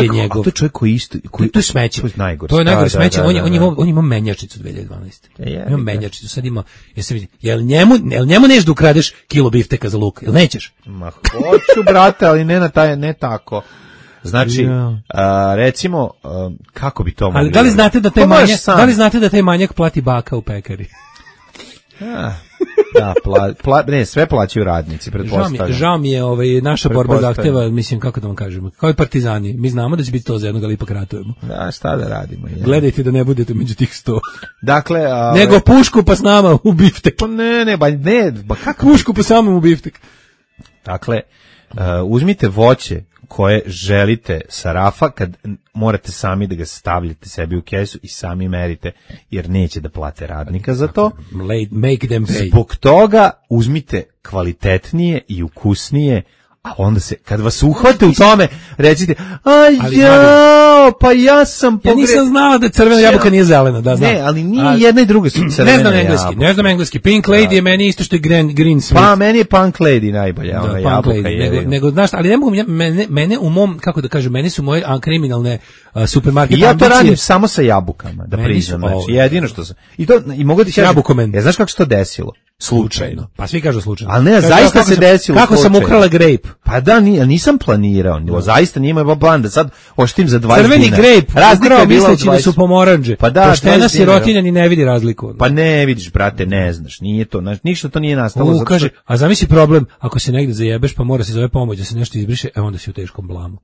I njegov. To je čovjek koji isto. To je smeće. To je najgore smeće. On ima menjačicu 2012. Ima menjačicu, sad ima, jel njemu neš da ukradeš kilo bifteka za luk, jel nećeš? Ma hoću, brate, ali ne tako. Znači, recimo, kako bi to mogli? Ali da li znate da taj manjak plati baka u pekari? Da, sve plaćaju radnici, pretpostavljam. Žao mi je naša borba zahteva, mislim, kako da vam kažemo, kao i partizani, mi znamo da će biti to za jednog, ali ipak ratujemo. Da, šta da radimo? Gledajte da ne budete među tih 100. Dakle, nego pušku pa s nama u biftek. Pa ne, kako? Pušku pa samom u biftek. Dakle, uzmite voće koje želite sa rafa, kad morate sami da ga stavljate sebi u kesu i sami merite, jer neće da plate radnika za to. Make them pay. Zbog toga uzmite kvalitetnije i ukusnije, a onda se, kad vas uhvate u tome, recite, pa ja sam Ja nisam znala da crvena jabuka nije zelena, da znam. Ne, ali nije jedna i druga su crvene jabuke. Ne znam engleski. Pink Lady je meni isto što je Green Smith. Pa meni je Punk Lady najbolja, ona jabuka je. Nego, znaš, ali ne mogu, mene u mom, kako da kažem, meni su moje kriminalne supermarket ambicije. Ja to radim samo sa jabukama, da priznam. Znači, jedino što sam. I mogu ti kažem, znaš kako se to desilo? slučajno. Pa svi kažu slučajno. Ali ne, zaista se desilo kako slučajno. Sam ukrala grape. Pa da, nisam planirao. Zaista nije imao plan da sad oštim za 20 Crveni dinara. grape, Razlika je bila misleći da su pomoranđe. Pa da, poštena sirotinja ni ne vidi razliku. Pa ne vidiš, brate, ne znaš, nije to, ništa to nije nastalo. Kaže, a zamisli problem, ako se negde zajebeš pa mora se zove pomoć da se nešto izbriše, onda si u teškom blamu.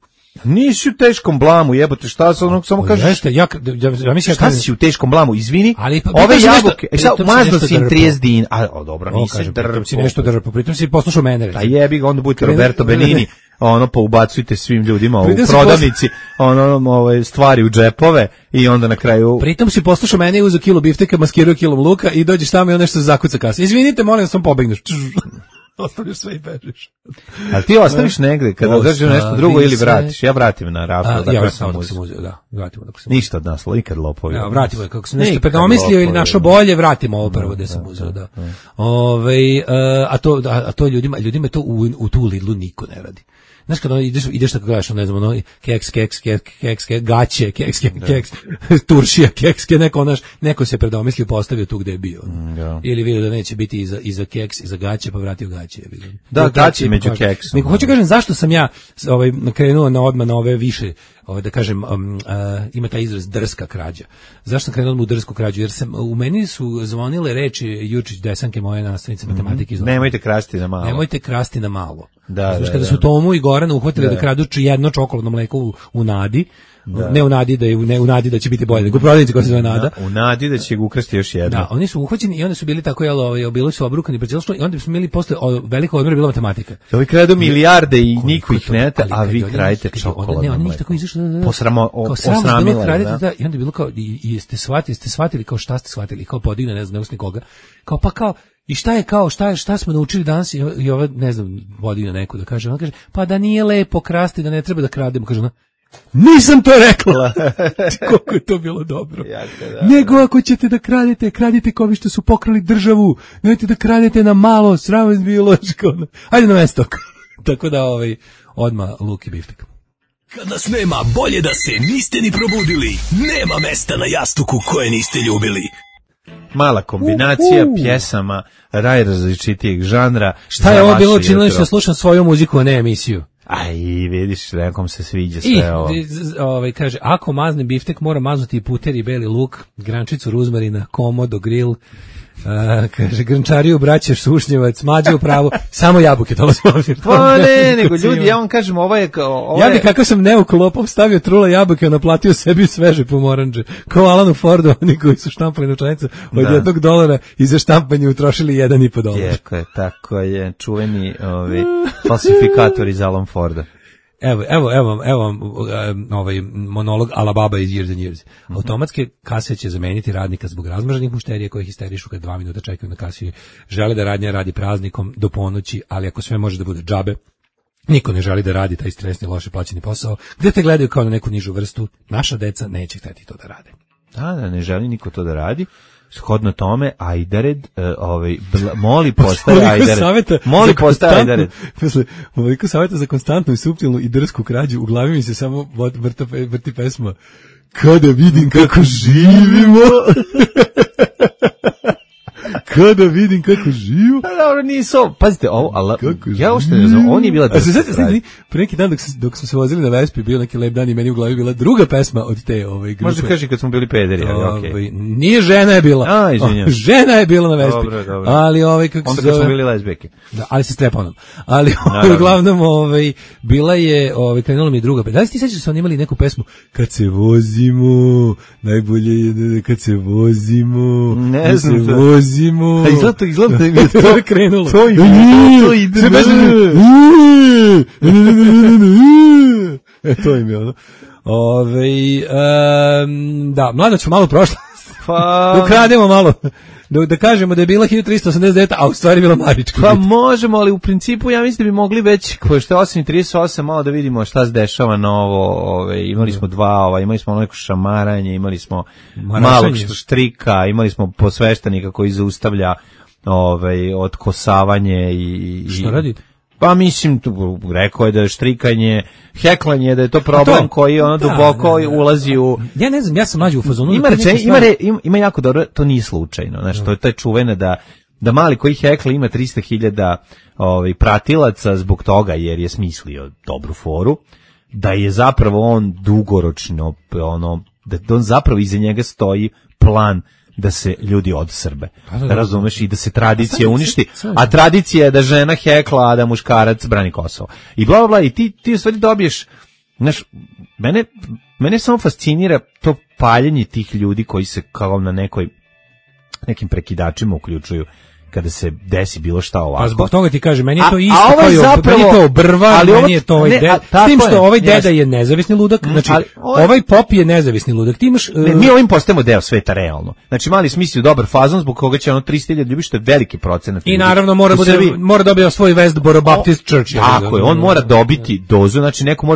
Nisi u teškom blamu, jebote, šta se onog samo kažeš? Jeste, ja mislim šta si u teškom blamu, izvini. Ali ove jabuke, mazno si im 30 din, a dobro, nisi drpo. Si nešto drpo, pritom si poslušao mene. A jebi ga, onda budete Roberto Benini, poubacujte svim ljudima u prodavnici, stvari u džepove i onda na kraju... Pritom si poslušao mene i uzeo kilo bifteka, maskirao kilom luka i dođeš tamo i on nešto zakuca kasa. Izvinite, molim, sam pobegneš. Ostaviš sve i bežiš. A ti ostaviš negde kada održiš nešto drugo ili vratiš? Ja vratim na raflu. Ja vratim dok sam uzeo, da. Vratimo dok sam uzeo. Ništa od nas, ikad lopovi. Ja, vratimo, kako sam nešto predomislio ili našo bolje, vratimo ovo prvo gde sam uzeo, da. A to ljudima to u tu Lidlu niko ne radi. Znaš kada ideš tako gledaš, ne znam, keks, gaće, keks, turšija, keks, neko se predomislio, postavio tu gde je bio. Ili vidio da neće biti iza keks, iza gaće, pa vratio gaće. Da, gaće među keksom. Hoću kažem, zašto sam ja krenuo odmah na ove više, da kažem, ima taj izraz drska krađa. Zašto sam krenuo u drsku krađu? Jer u meni su zvonile reči Jučić Desanke, moje nastavnice matematike. Nemojte krasti na malo. Nemojte krasti na malo. Znaš, kada su Tomu i Gorana uhvatili da kradu jedno čokoladno mleko u nadi, ne u nadi u nadi da će biti bolje, nego u prodavnici koja se zove Nada. U nadi da će ga ukrasti još jedno. Da, oni su uhvaćeni i onda su bili tako, bili su obrukani pred cijelošno i onda smo imali posle veliko odmora bila matematika. Ovi kradu milijarde i niko ih ne a vi kradete čokoladno mleko. Ne, oni tako izašli. Posramilo. I onda je bilo kao, i ste shvatili kao šta ste shvatili, kao podigne, ne znam, nikoga. Kao i šta je kao, šta smo naučili danas i ova, ne znam, vodina neku da kaže, ona kaže, pa da nije lepo krasti, da ne treba da krademo, kaže ona, nisam to rekla. Koliko je to bilo dobro. Nego ako ćete da kradite kao vi što su pokrali državu, nemojte da kradete na malo, sram vas biološko. Hajde na mesto. Tako da, odmah luk i biftek. Kad nas nema, bolje da se niste ni probudili. Nema mesta na jastuku koje niste ljubili. Mala kombinacija pjesama različitijeg žanra. Šta je ovo bilo činilo što slušam svoju muziku, a ne emisiju? Aj, vidiš, nekom se sviđa sve ovo. Kaže, ako mazne biftek, mora maznuti i puter i beli luk, grančicu ruzmarina, komodo, grill, kaže, grnčariju, braćeš, sušnjevac, mađe u pravu, samo jabuke, to vas možem. Pa ne, nego ljudi, ja vam kažem, ovo je... Ja bi kako sam neuklopom stavio trula jabuke, naplatio sebi sveže pomoranđe, kao Alanu Fordu, oni koji su štampali novčanicu od $1 i za štampanje utrošili $1,5. Tako je, čuveni falsifikator iz Alan Forda. Evo ovaj monolog Alababa iz Years and Years. Automatske kase će zameniti radnika zbog razmrženih mušterija koji histerišu kad 2 minuta čekaju na kasi. Žele da radnja radi praznikom do ponoći, ali ako sve može da bude džabe, niko ne želi da radi taj stresni, loše plaćeni posao, gde te gledaju kao na neku nižu vrstu. Naša deca neće hteti to da rade. Da, ne želi niko to da radi. Shodno tome, Ajdared, moli postaje Ajdared. Moli postaje Ajdared. Posle ovoliko savjeta za konstantnu i suptilnu i drsku krađu, u glavi mi se samo vrti pesma Kada vidim kako živimo. Kada vidim kako živo. Dobro, nisu. Pazite, ovo, ja ušte ne znam, on je bila drska. Pre neki dan dok smo se vozili na Vespi, bio neki lep dan i meni u glavi bila druga pesma od te grupe. Možda kaži kad smo bili pederi, ali okej. Nije, žena je bila. Izvinjam. Žena je bila na Vespi. Dobro. Ali kako se zove. Onda kad smo bili lezbijke. Da, ali se streponom. Ali uglavnom bila je, krenula mi druga pesma. Da li ti sećaš da su oni imali neku pesmu Kad se vozimo, najbolje je kad se vozimo. Ne znam što. Vozimo. Izgleda da je to krenulo. To ide. To im je ono. Da, mlada ću malo prošla. Da ukrademo malo. Da kažemo da je bila 1389, a u stvari bila Marička. Pa možemo, ali u principu ja mislim da bi mogli već, što je 8:38, malo da vidimo šta se dešava novo. Imali smo imali smo neko šamaranje, imali smo malog štrika, imali smo posveštenika koji zaustavlja odkosavanje i... Što radi? Pa mislim, rekao je da je štrikanje, heklanje, da je to problem koji duboko ulazi u... Ja ne znam, ja sam mlađi u fazonu. Ima jako dobro, to nije slučajno. Znači, to je čuveno da mali koji hekla ima 300.000 pratilaca zbog toga jer je smislio dobru foru, da je zapravo on dugoročno da on zapravo iza njega stoji plan da se ljudi odsrbe. Razumeš, i da se tradicija uništi, a tradicija je da žena hekla, a da muškarac brani Kosovo. I bla bla bla, i ti u stvari dobiješ, znaš, mene samo fascinira to paljenje tih ljudi koji se kao na nekim prekidačima uključuju kada se desi bilo šta ovako. Pa zbog toga ti kažem, meni je to isto meni je to brva, meni je to s tim što ovaj deda je nezavisni ludak, znači ovaj pop je nezavisni ludak. Ti imaš mi ovim postajemo deo sveta realno. Znači mali smislio dobar fazon zbog koga će 300.000 ljudi, što je veliki procenat. I naravno mora dobiti svoj Westboro Baptist Church. Tako je, on mora dobiti dozu, znači neko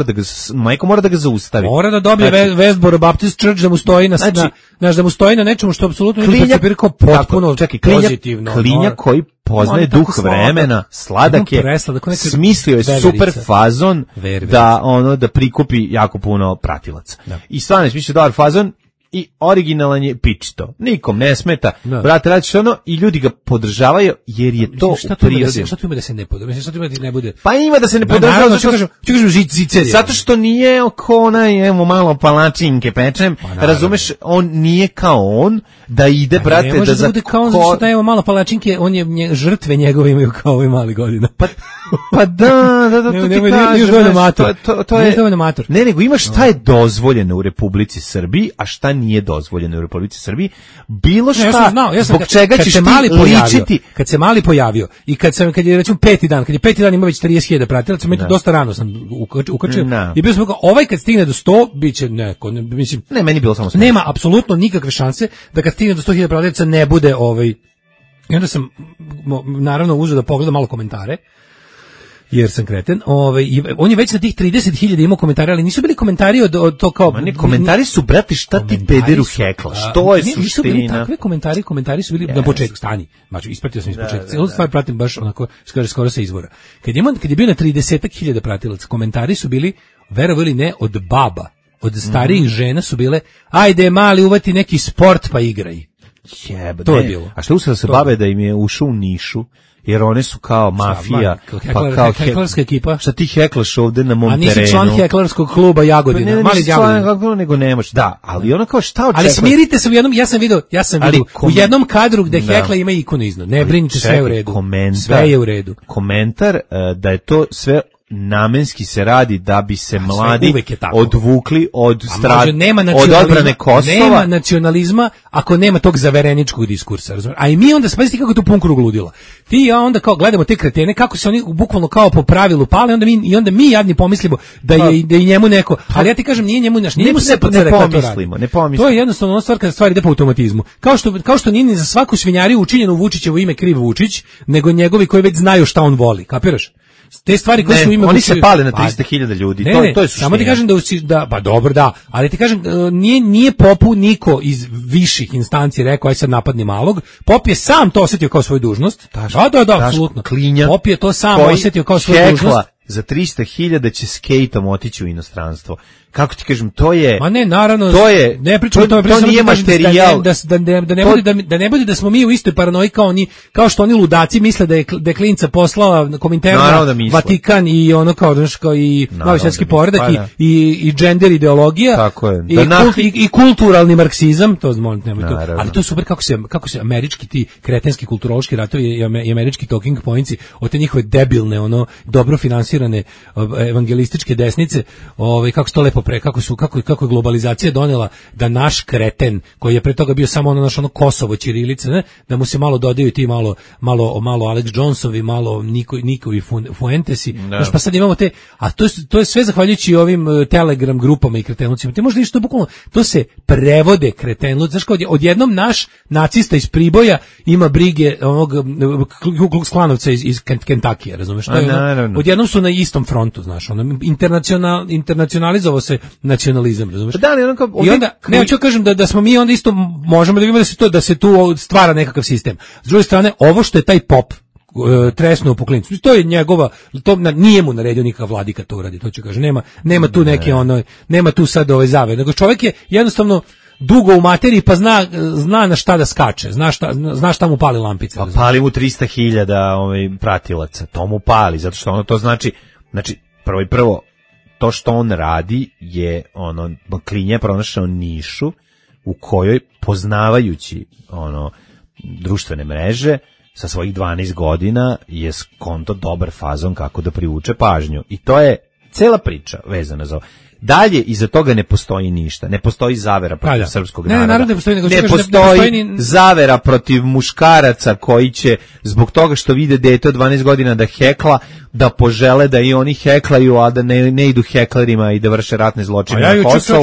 mora da ga zaustavi. Mora da dobije Westboro Baptist Church da mu stoji da mu stoji na nečemu što apsolutno nije percipirao potpuno pozitivno. Koji poznaje duh vremena, sladak je, smislio je super fazon da prikupi jako puno pratilaca. I stvarno je smislio dobar fazon i originalan je pičito. Nikom ne smeta. Brate, radiš i ljudi ga podržavaju jer je to prirodno. Šta tu ima da se ne podržava? Šta tu ima da ne bude? Pa ima da se ne podržava zato što nije oko onaj, malo palačinke pečem. Razumeš, on nije kao on da ide, brate, da za bude kao on, zato što evo malo palačinke, on je žrtve njegove imaju kao ovaj mali godina. Pa da, to je dovoljno mator. Ne, nego imaš šta je dozvoljeno u Republici Srbiji, a šta nije dozvoljeno u Republici Srbiji. Bilo šta, zbog čega ćeš ti ličiti. Kad se mali pojavio i kad je recimo peti dan ima već 30.000 pratilaca, meni dosta rano sam ukačio i bio sam rekao, ovaj kad stigne do 100 biće neko, mislim, ne, meni bilo samo 100. Nema apsolutno nikakve šanse da kad stigne do 100.000 pratilaca ne bude ovaj. I onda sam naravno uzeo da pogledam malo komentare, jer sam kreten. On je već na tih 30.000 imao komentare, ali nisu bili komentari od to kao... komentari su, brate, šta ti pederu heklaš? To je suština. Nisu bili takve komentari su bili na početku, stani. Znači, ispratio sam iz početka. Cijelu stvar pratim baš onako, skoro sa izvora. Kad je bio na 30.000 pratilaca, komentari su bili, verovali ne, od baba, od starijih žena su bile, ajde mali uvati neki sport pa igraj. To je bilo. A što usao se babe da im je ušao u nišu, jer one su kao mafija, pa kao heklarska ekipa. Šta ti heklaš ovde na mom terenu? A nisi član heklarskog kluba Jagodina, ne, mali Jagodina. Nego nemaš, da, ali ono kao šta očekuješ? Ali smirite se u jednom, ja sam vidio u jednom kadru gde hekla ima ikonu iznad. Ne brinite, sve je u redu. Sve je u redu. Komentar da je to sve namenski se radi da bi se mladi odvukli od odbrane Kosova. Nema nacionalizma ako nema tog zavereničkog diskursa, razumiješ? A i mi onda spazite kako je to pun krug ludila. Ti i ja onda kao gledamo te kretene kako se oni bukvalno kao po pravilu pale, onda mi jadni pomislimo da je i njemu neko, ali ja ti kažem nije njemu se ne pomislimo. To je jednostavno ona stvar kada stvari ide po automatizmu. Kao što nije ni za svaku svinjariju učinjeno u Vučićevo ime kriv Vučić, nego njegovi koji već znaju šta on voli. Kapiraš? Te stvari koje su oni se pale na 300.000 ljudi, to je suština. Samo ti kažem da pa dobro da, ali ti kažem nije Popu niko iz viših instanci rekao aj sad napadni malog. Pop je sam to osetio kao svoju dužnost. Da, apsolutno. Pop je to sam osetio kao svoju dužnost. Za 300.000 će skejtom otići u inostranstvo. Kako ti kažem, to je... Ma ne, naravno, to je, ne pričamo o tome, to nije materijal. Da ne bude da smo mi u istoj paranoji kao što oni ludaci misle da je klinca poslala Kominterna, Vatikan i ono kao i novi svjetski poredak i gender ideologija. Tako je. I kulturalni marksizam, to nemoj to. Ali to je super kako se američki ti kretenski kulturološki ratovi i američki talking pointsi od te njihove debilne, dobro finansirane evangelističke desnice, kako se to lepo kako je globalizacija donela da naš kreten koji je pre toga bio samo ono Kosovo ćirilice, ne, da mu se malo dodaju ti malo Alex Johnsovi, malo Nikovi Fuentesi, znaš, pa sad imamo te, a to je sve zahvaljujući ovim Telegram grupama i kretenucima. Ti možda što bukvalno to se prevode kretenluci, znaš, kao odjednom naš nacista iz Priboja ima brige onog Klanovca iz Kentakija, razumeš? Odjednom su na istom frontu, znaš, internacionalizovao se nacionalizam, razumeš? I onda, ne, hoću kažem da smo mi onda isto možemo da vidimo da se tu stvara nekakav sistem. S druge strane, ovo što je taj Pop tresnuo po klincu, to je njegova, nije mu naredio nikakav vladika to uradi, to ću kažem, nema tu neke nema tu sad zave, nego čovjek je jednostavno dugo u materiji, pa zna na šta da skače, zna šta mu pali lampice. Pa pali mu 300.000 pratilaca, to mu pali, zato što ono to znači prvo, to što on radi je, Klinja je pronašao nišu u kojoj, poznavajući društvene mreže, sa svojih 12 godina je skonto dobar fazon kako da privuče pažnju. I to je cela priča vezana za ovo. Dalje, iza toga ne postoji ništa. Ne postoji zavera protiv srpskog naroda. Ne postoji zavera protiv muškaraca koji će, zbog toga što vide dete od 12 godina da hekla, da požele da i oni heklaju, a da ne idu heklerima i da vrše ratne zločine na Kosovu.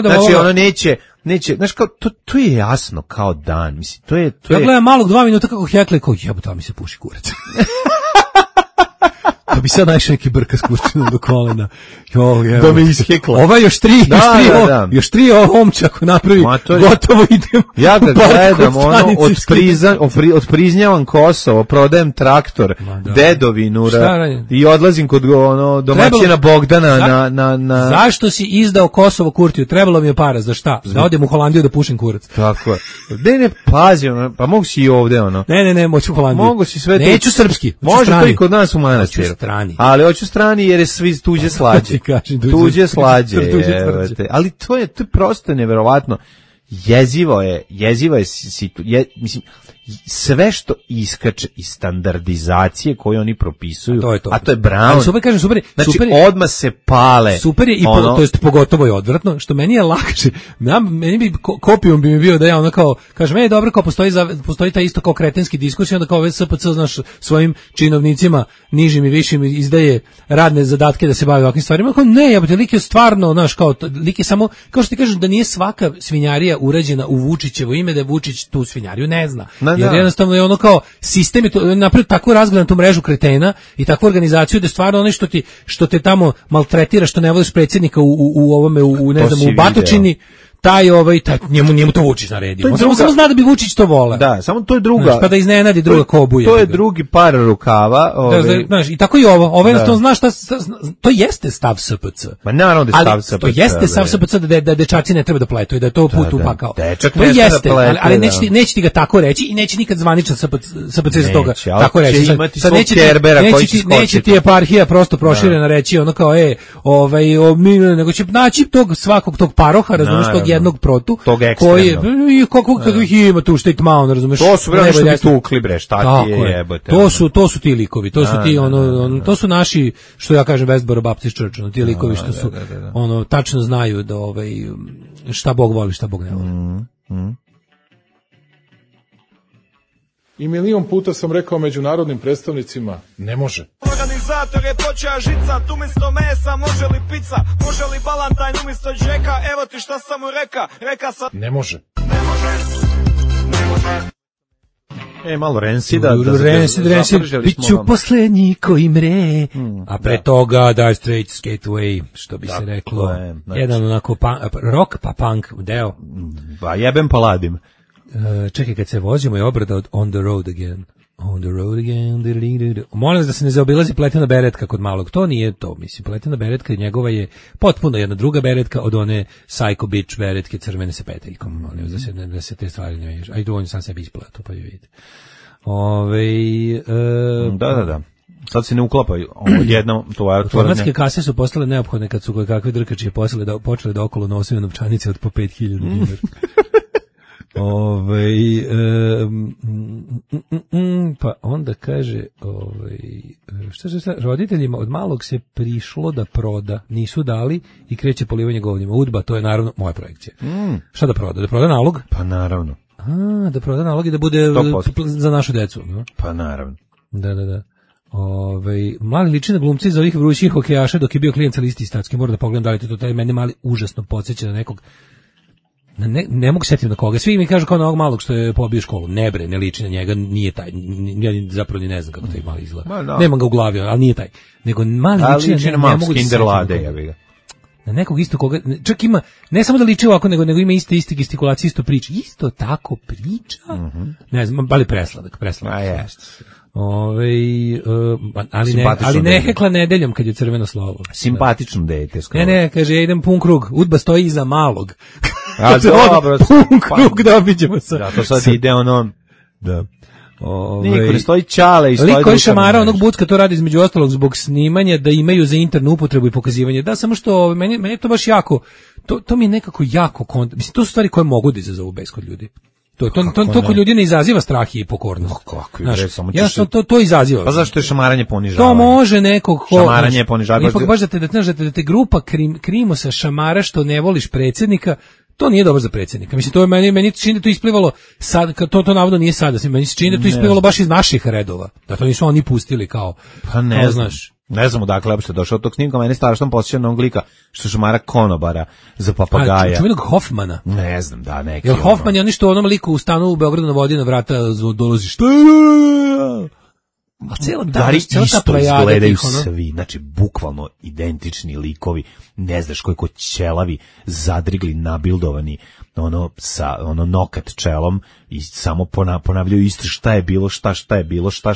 Znači, ono neće, znaš, kao, to je jasno kao dan. Mislim, to je... Ja gledam malog 2 minuta kako hekla i kao, jebote, mi se puši kurac. Pa bi sad najšao neki brka s kurčinom do kolena. Da me ishekla. Ova još tri omča ako napravi, gotovo idem. Ja ga gledam, otpriznjavam Kosovo, prodajem traktor, dedovinu i odlazim kod domaćina Bogdana na... Zašto si izdao Kosovo Kurtiju? Trebalo mi je para, za šta? Da odem u Holandiju da pušim kurac. Tako je. Ne, pazi, pa mogu si i ovde, Ne, moću u Holandiju. Mogu si sve... Neću srpski. Može to i kod nas u manastiru. Ali hoću strani jer je svi tuđe slađe. Tuđe slađe. Ali to je prosto neverovatno. Jezivo je mislim, sve što iskače iz standardizacije koju oni propisuju, a to je Brown. Znači, odmah se pale. Super je, to jest pogotovo je odvratno, što meni je lakše. Meni bi, kopijom bi mi bio da ja kao, kažem, meni je dobro kao postoji ta isto kao kretenski diskusija, onda kao SPC, znaš, svojim činovnicima, nižim i višim, izdaje radne zadatke da se bavi ovakvim stvarima. Kao, ne, jebote, lik je stvarno, znaš, kao, lik je samo, kao što ti kažeš, da nije svaka svinjarija urađena u Vučićevo ime, da je Vučić tu svinjariju ne zna. Jer jednostavno je kao sistem je to napravio tako razgledanu tu mrežu kretena i takvu organizaciju da stvarno ono što te tamo maltretira, što ne voliš predsjednika u ne znam, u Batočini, taj njemu to Vučić naredio. On samo zna da bi Vučić to voleo. Da, samo to je druga. Pa da iznenadi druga kobuje. To je drugi par rukava. Znaš, i tako i ovo jednostavno znaš šta, to jeste stav SPC. Ma naravno da je stav SPC. To jeste stav SPC da dečaci ne treba da pletu i da je to put upakao. Dečak ne jeste, ali neće ti ga tako reći i neće nikad zvaničan SPC za toga tako reći. Sad neće ti eparhija prosto proširena reći ono kao nego će naći svakog tog paroha, razumiješ, tog jednog protu koji je kako ih ima tu štetmao, razumeš? To su bre što bi tukli bre, šta ti je jebote. To su ti likovi, to su ti to su naši, što ja kažem, Westboro Baptist Church, ti likovi što su tačno znaju da šta Bog voli, šta Bog ne voli. I milion puta sam rekao međunarodnim predstavnicima, ne može. Organizator je počeo žica, tu umjesto mesa, može li pizza, može li balantajn umjesto džeka, evo ti šta sam mu reka sam... Ne može. Malo Rancida. Rancid, bit ću poslednji koji mre. A pre toga Dire Straits, Skate Away, što bi se reklo. Jedan onako rock pa punk deo. Pa jebem pa ladim. Čekaj, kad se vozimo je obrada od On the Road Again. On the road again. Molim vas da se ne zaobilazi pletina beretka kod malog. To nije to, mislim. Pletina beretka njegova je potpuno jedna druga beretka od one Psycho Bitch beretke crvene sa peteljkom. Molim vas da se te stvari ne vežu. Ajde, on sam sebi isplatao, pa ju vidite. Da. Sad se ne uklapaju. Jedno, automatske kase su postale neophodne kad su kakve drkačije počeli da okolo nosaju novčanice od po 5.000 dinara. Pa onda kaže šta roditeljima od malog se prišlo da proda, nisu dali i kreće polivanje govnjima. Udba, to je naravno moja projekcija. Šta da proda? Da proda nalog? Pa naravno. Da proda nalog i da bude 100%. Za našu decu, no? Pa naravno. Da. Mali liči na glumci za ovih vrućih hokejaša dok je bio klijent sa listi statski. Moram da pogledam da li to taj mene mali užasno podsjeća na nekog. Ne mogu setiti na koga. Svi mi kažu kao na ovog malog što je pobio školu. Ne bre, ne liči na njega, nije taj. Ja zapravo ni ne znam kako taj mali izgleda. Nemam ga u glavi, ali nije taj. Nego mali liči na ne mogu Skinderlade, ja bih ga. Na nekog isto koga, čak ima, ne samo da liči ovako, nego ima iste gestikulacije, isto priča. Isto tako priča. Ne znam, ali presladak. Ali ne hekla nedeljom kad je crveno slovo. Simpatično dete. Ne, kaže, ja idem pun krug. Udba stoji iza malog. A dobro, pun krug da obiđemo sa. Da, to sad ide ono. Da. Niko ne stoji Čale i stoji. Liko je šamara onog Bucka to radi između ostalog zbog snimanja da imaju za internu upotrebu i pokazivanje. Da, samo što meni je to baš jako, to mi je nekako jako, mislim, to su stvari koje mogu da izazovu bes kod ljudi. To kod ljudi ne izaziva strah i pokornost. To izaziva. Pa zašto je šamaranje ponižavanje? To može nekog šamaranje je ponižavanje. Ipak baš da te grupa krimosa šamara što ne voliš predsjednika, to nije dobro za predsjednika. Mislim, to je meni čini da to isplivalo sad, to navodno nije sada, meni se čini da to isplivalo baš iz naših redova. Da to nisu oni pustili kao, pa ne znaš. Ne znam odakle uopšte došao od tog snimka, meni strašno posjeća na onog lika što šamara konobara za papagaja. Čuvenog Hoffmana? Ne znam, da, neki. Jel Hoffman je oni što onom liku u stanu u Beogradu na vodi na vrata dolazi šta? A cijela isto izgledaju svi, znači bukvalno identični likovi, ne znaš koliko ćelavi, zadrigli, nabildovani, sa nokat čelom i samo ponavljaju isto šta je bilo, šta je bilo. Šta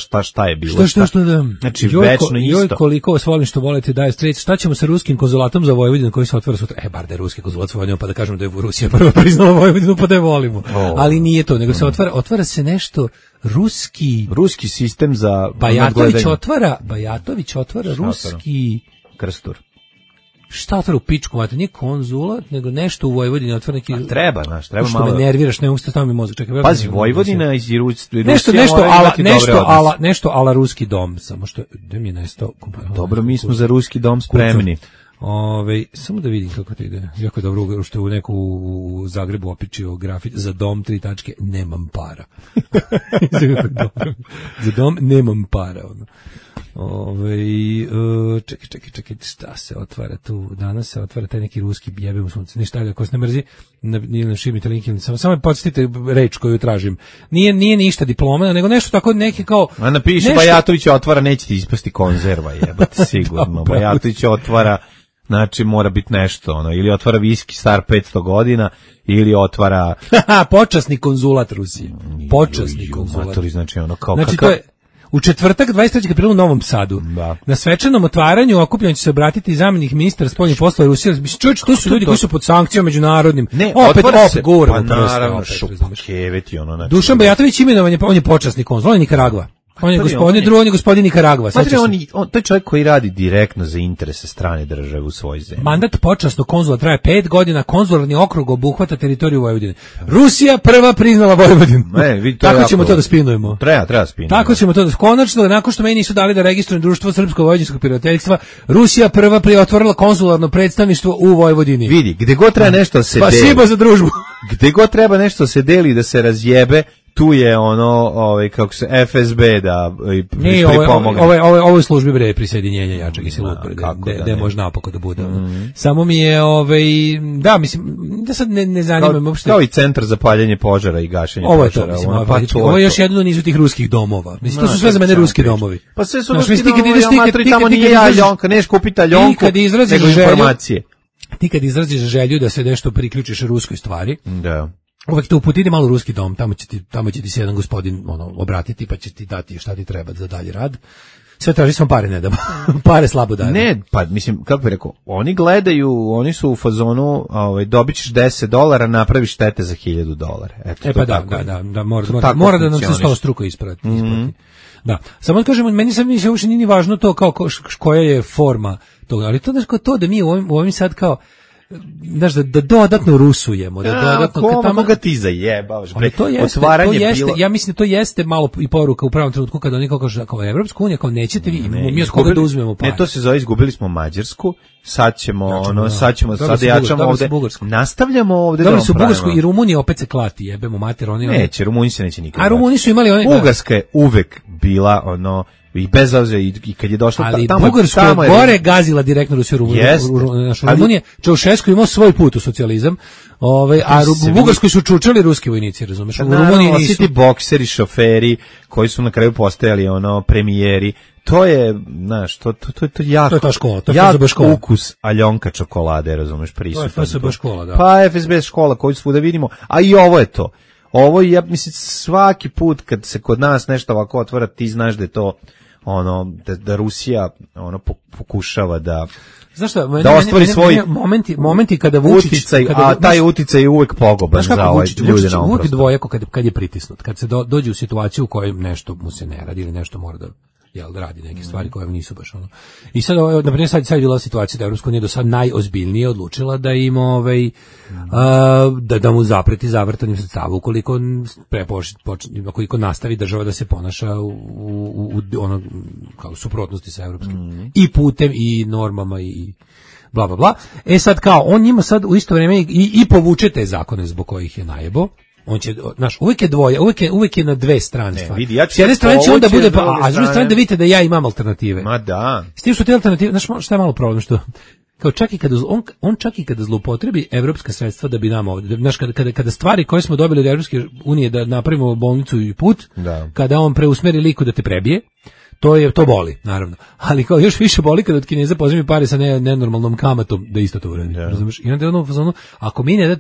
da. Znači večno isto. Joj, koliko vas volim što volite daje strec. Šta ćemo sa ruskim konzulatom za Vojvodinu koji se otvara sutra? Bar da je ruski konzulat sa Vojvodinom, pa da kažemo da je Rusija prvo priznala Vojvodinu, pa da je volimo. Ali nije to, nego se otvara se nešto ruski sistem za Bajatović otvara ruski Krstur. Šta otvara u pičku, mate, nije konzulat, nego nešto u Vojvodini otvara neki. Treba malo. Što me nerviraš, ne mogu se staviti mozak. Čekaj, pazi, Vojvodina iz Rusije. Nešto ala ruski dom, samo što da mi je nestao. Dobro, mi smo za ruski dom spremni. Samo da vidim kako to ide. Jako je dobro što je u neku u Zagrebu opičio grafit za dom 3 tačke, nemam para. Za dom nemam para. Čekaj, šta se otvara tu? Danas se otvara taj neki ruski jebe u sunce. Ništa, ako se ne mrzi, nije šibnite link, samo me podsjetite reč koju tražim. Nije ništa diploma, nego nešto tako neki kao. A napiši Bajatović otvara, neće ti ispasti konzerva, jebate sigurno. Bajatović otvara, znači mora biti nešto, ili otvara viski star 500 godina, ili otvara počasni konzulat Rusije. Počasni konzulat. Znači to je u četvrtak 23. aprila u Novom Sadu. Da. Na svečanom otvaranju okupljanja će se obratiti zamjenik ministra spoljnih poslova Rusije. Čovječ, to su ljudi koji su pod sankcijom međunarodnim. Ne, opet govore. Pa naravno, šupakeveti, znači. Dušan Bajatović imenovan on je počasni konzul, on je Nikaragva. On je gospodin Nikaragva. To je čovjek koji radi direktno za interese strane države u svojoj zemlji. Mandat počasnog konzula traje 5 godina, konzularni okrug obuhvata teritoriju Vojvodine. Rusija prva priznala Vojvodinu. Tako ćemo to da spinujemo. Treba spinujemo. Tako ćemo to da konačno, nakon što meni nisu dali da registrujem društvo Srpsko-vojvodinskog prijateljstva, Rusija prva otvorila konzularno predstavništvo u Vojvodini. Vidi, gde god treba nešto se deli. Spasibo za družbu. Gde god treba nešto se deli da se razjebe, tu je kako se FSB da pripomogne. Ovo je službi bre prisjedinjenja jačeg i silu, gde može napako da bude. Samo mi je, da, mislim, da sad ne zanima me uopšte. Kao i centar za paljenje požara i gašenje požara. Ovo je još jedno nizu tih ruskih domova. Mislim, to su sve za mene ruski domovi. Pa sve su ruski domovi, tamo nije Aljonka, neš kupiti Aljonku, nego informacije. Ti kad izraziš želju da se nešto priključiš ruskoj stvari, da. Uvek te uputiti malo ruski dom, tamo će ti se jedan gospodin obratiti pa će ti dati šta ti treba za dalji rad. Sve traži smo pare, ne damo. Pare slabo daju. Ne, pa mislim, kako bih rekao, oni gledaju, oni su u fazonu, dobit ćeš $10, napraviš štete za $1000. Eto, pa da, mora da nam se 100 struko isprati. Da, samo kažemo, meni sam više uopšte nije važno to kao koja je forma toga, ali to da mi u ovim sad kao znaš, da dodatno rusujemo, da dodatno tamo ga ti zajebavaš, bre. Ja mislim da to jeste malo i poruka u pravom trenutku kada oni kao Evropska unija, kao nećete vi, mi od koga da uzmemo pare. Ne, to se zove, izgubili smo Mađarsku, sad da jačamo ovde, nastavljamo ovde. Dobili su Bugarsku i Rumunija opet se klati, jebemo mater, oni. Neće, Rumuniji se neće nikad. A Rumuni su imali Bugarska je uvek bila i bez obzira i kad je došla ali Bugarska je gore gazila direktno Rusiju. Rumunija, Čaušesku imao svoj put u socijalizam, a u Bugarskoj su čučali ruski vojnici, razumeš? U Rumuniji nisu. Svi ti bokseri, šoferi koji su na kraju postajali premijeri. To je, znaš, to je jako. To je ta škola, to je FSB škola. Ukus Aljonka čokolade, razumeš, prisutan. To je FSB škola, da. Pa FSB škola koju svuda vidimo, a i ovo je to. Ovo je, ja mislim, svaki put kad se kod nas nešto ovako otvara, ti znaš da je to da Rusija pokušava da ostvari svoj momenti kada Vučić uticaj, a taj uticaj je uvek poguban za ove ljude na ovom prostoru. Dvojako kad je pritisnut, kad se dođe u situaciju u kojoj nešto mu se ne radi ili nešto mora da radi neke stvari koje nisu baš ono. I sad, na primjer, sad je bila situacija da Evropska unija do sad najozbiljnije odlučila da im da mu zapreti zavrtanjem sredstava ukoliko ukoliko nastavi država da se ponaša u ono kao suprotnosti sa evropskim i putem i normama i bla bla bla. Sad kao on njima sad u isto vrijeme i povuče te zakone zbog kojih je najebo. On će, uvijek je dvoje, uvijek je na dve strane stvari. S jedne strane će onda bude, a s druge strane da vidite da ja imam alternative. Ma da. S tim što te alternative, znaš šta je malo problem, što kao čak i kada on čak i kada zloupotrebi evropska sredstva da bi nam ovdje, znaš, kada stvari koje smo dobili od Evropske unije da napravimo bolnicu i put, kada on preusmeri liku da te prebije, to boli, naravno. Ali kao još više boli kada od Kineza pozimi pare sa nenormalnom kamatom da isto to uradi. Razumeš? I onda je ono,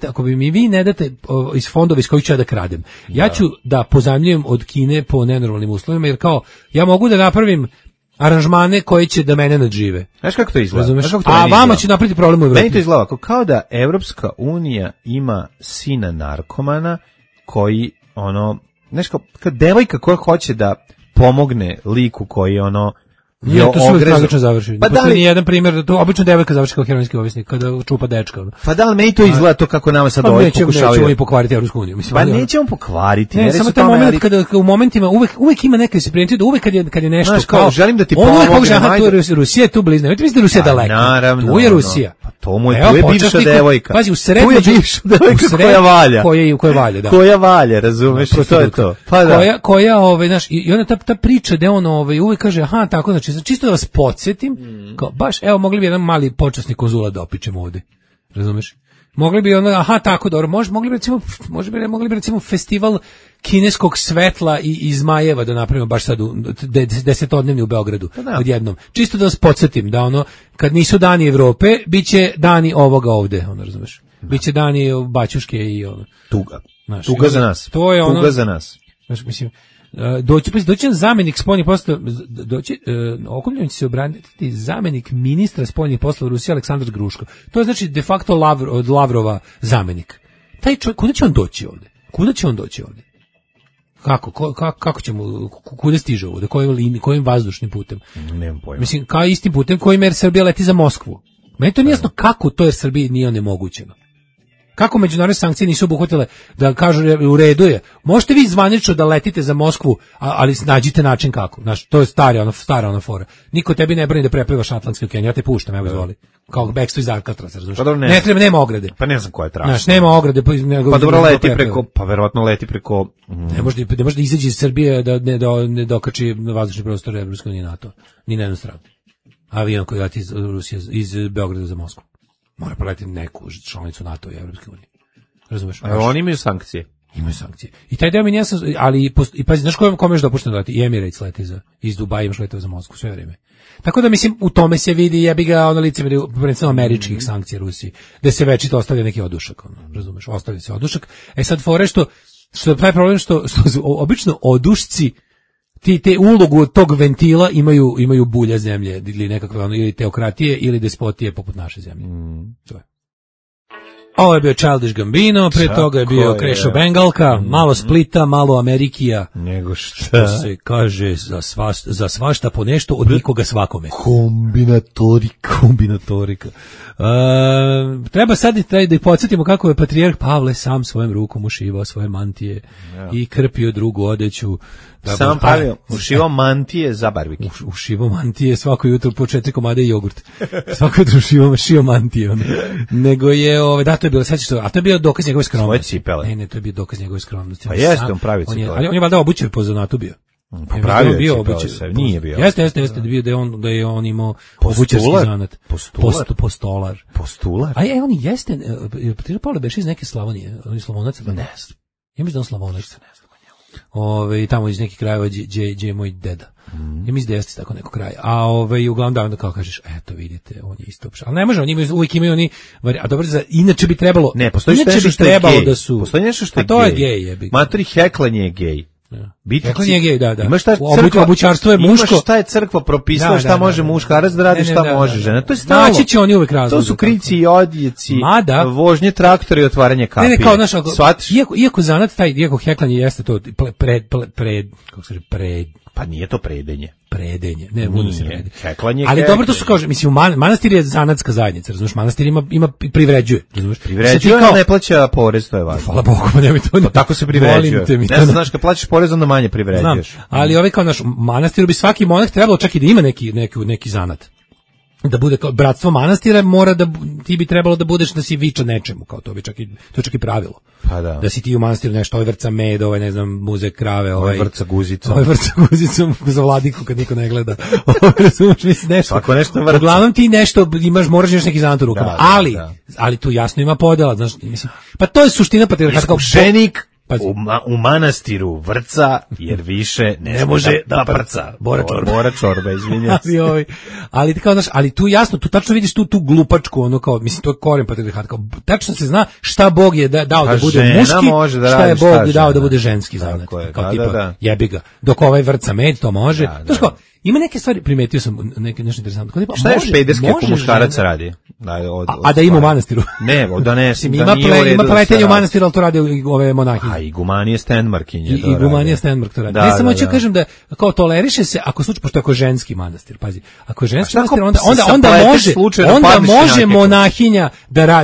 ako bi mi vi ne date iz fondova iz kojih ću ja da kradem, ja ću da pozajmljujem od Kine po nenormalnim uslovima, jer kao ja mogu da napravim aranžmane koji će da mene nadžive. Znaš kako to izgleda? A vama će napraviti problem u Evropi. Meni to izgleda kao da Evropska unija ima sina narkomana koji znaš kao devojka koja hoće da pomogne liku koji je to sve tragično završi. Pa da li jedan primjer da to obično devojka završi kao heroinski ovisnik kada čupa dečka. Pa da li meni to izgleda to kako nama sad ovaj pokušavaju. Nećemo i pokvariti Evropsku uniju, mislim. Pa nećemo pokvariti, ne samo taj moment kada u momentima uvek ima neka se primeti da uvek kad je nešto kao želim da ti pomognem. Rusija je tu blizu. Vidite da je Rusija daleko. Tu je Rusija. Pa to mu je bivša devojka. Pazi, u srednju bivša devojka koja valja. Koja valja, da. Koja valja, razumeš? To je to. Pa da. Koja znaš, i onda ta priča da on uvek kaže aha, tako znači čisto da vas podsjetim, kao baš evo mogli bi jedan mali počasni konzulat da opičemo ovde. Razumeš? Mogli bi aha tako dobro, mogli bi recimo festival kineskog svetla i zmajeva da napravimo baš sad u desetodnevni u Beogradu odjednom. Čisto da vas podsjetim da kad nisu dani Evrope, biće dani ovoga ovde, razumeš? Biće dani Baćuške i tuga. Tuga za nas. To je tuga za nas. Znaš, mislim, doći zamjenik spoljnih poslova, Okomljenić će se obratiti zamjenik ministra spoljnih poslova Rusije Aleksandar Gruško. To je znači de facto od Lavrova zamjenik. Taj čovjek, kuda će on doći ovdje? Kako ćemo, kuda stiže ovdje? Kojim vazdušnim putem? Nemam pojma. Mislim, kao istim putem kojim Air Srbija leti za Moskvu. Meni to nije jasno kako to Air Srbiji nije onemogućeno. Kako međunarodne sankcije nisu obuhvatile da kažu u redu je. Možete vi zvanično da letite za Moskvu, ali nađite način kako. Znaš, to je stara ona fora. Niko tebi ne brani da preplivaš Atlantski okean, ja te puštam, evo izvoli. Kao bekstvo iz Alcatraza, razumiješ? Ne treba, nema ograde. Pa ne znam koja je tražna. Znaš, nema ograde. Pa dobro leti preko, pa verovatno leti preko... Ne može da izađe iz Srbije da ne dokači na vazdušni prostor Evropske unije NATO. Ni na jednu stranu. Avion koji leti iz Rusije, iz Beograda za Moskvu. Mora preletiti neku članicu NATO i Evropske unije. Razumeš? A oni imaju sankcije. Imaju sankcije. I taj deo mi nije jasno, ali pazi, znaš kome još dopušteno da leti? I Emirates leti iz Dubaja, imaš letove za Moskvu sve vrijeme. Tako da mislim, u tome se vidi jebi ga licemjerje prvenstveno američkih sankcija Rusiji, da se večito ostavlja neki odušak, razumeš? Ostavlja se odušak. Sad fore što taj problem što obično odušci te ulogu od tog ventila imaju bulja zemlje ili nekakve ili teokratije ili despotije poput naše zemlje. To je. Ovo je bio Childish Gambino, pre toga je bio Krešo Bengalka, malo Splita, malo Amerikija. Nego što se kaže za svašta po nešto od nikoga svakome. Kombinatorika. Treba sad da podsjetimo kako je patrijarh Pavle sam svojom rukom ušivao svoje mantije i krpio drugu odeću. Sam pravio, ušivao mantije za barbike. Ušivao mantije svako jutro po 4 komade i jogurt. Svako jutro šio mantije. Nego je, to je bilo, a to je bio dokaz njegove skromnosti. Svoje cipele. Ne, to je bio dokaz njegove skromnosti. Pa jeste, on pravi cipele. Ali on je valjda obućen po zanatu bio. Pravio je cipele, nije bio. Jeste, da je on imao obućarski zanat. Postolar. Postular? A on jeste, Patrijarh Pavle beše iz neke Slavonije, on je Slavonac. Ne znam. Ja mislim da on Slavonac. Tamo iz nekih krajeva gdje je moj deda. Ja mislim da jeste tako neko kraj. A uglavnom da onda kao kažeš, eto vidite, on je isto. Ali ne može, oni uvijek imaju oni, a dobro, inače bi trebalo. Ne, postoji nešto što je gej. Postoji nešto što je gej. To je gej, jebi. Matori heklanje je gej. Heklanje je gej, da. Imaš šta crkva, obućarstvo je muško. Imaš šta je crkva propisala, šta može muškarac da radi, šta može žena. To je stalno. Naći će oni uvek razlog. To su krici i odjeci, vožnje traktora i otvaranje kapije. Ne, kao naš, iako zanat taj, iako heklanje jeste to kako se kaže, pa nije to predenje. Predenje, ne, budu se predenje. Heklanje. Ali dobro to su kaže, mislim manastir je zanatska zajednica, razumeš? Manastir ima privređuje, razumeš? Privređuje, ali ne plaća porez, to je važno. Hvala Bogu, pa nemoj to. Pa tako se privređuje. Ne znaš, kad plaćaš porez onda manje privređuješ. Znam, ali kao naš manastir bi svaki monah trebalo čak i da ima neki zanat. Da bude kao bratstvo manastira, ti bi trebalo da budeš da si viča nečemu, kao to je čak i pravilo. Pa da. Da si ti u manastiru nešto, ovaj vrca med, ovaj ne znam, muze krave, ovaj vrca guzicom. Ovaj vrca guzicom za vladiku kad niko ne gleda. Razumeš nešto. Svako nešto vrca. Uglavnom ti nešto moraš neki zanat u rukama. Ali tu jasno ima podela, znaš, mislim. Pa to je suština patrijarhata. Iskušenik u manastiru vrca, jer više ne može da prca. Bora čorba, izvinjam se. Ali kao znaš, ali tu jasno, tu tačno vidiš tu glupačku, ono kao, mislim, to je koren patrijarhata, kao tačno se zna šta Bog je dao da bude muški, šta je Bog dao da bude ženski zanat. Kao tipa, jebi ga. Dok ovaj vrca med, to može. To ima neke stvari, primetio sam nešto interesantno. Šta je špederski ako muškarac radi? A da ima u manastiru? Ne, da ne. Ima pletenje u manastiru, ali to rade ove monahinje. A i gumanije Stenmarkinje. I gumanije Stenmark to radi. Ne samo ću kažem da kao toleriše se ako slučaj, pošto ako je ženski manastir, pazi. Ako je ženski manastir, onda može monahinja da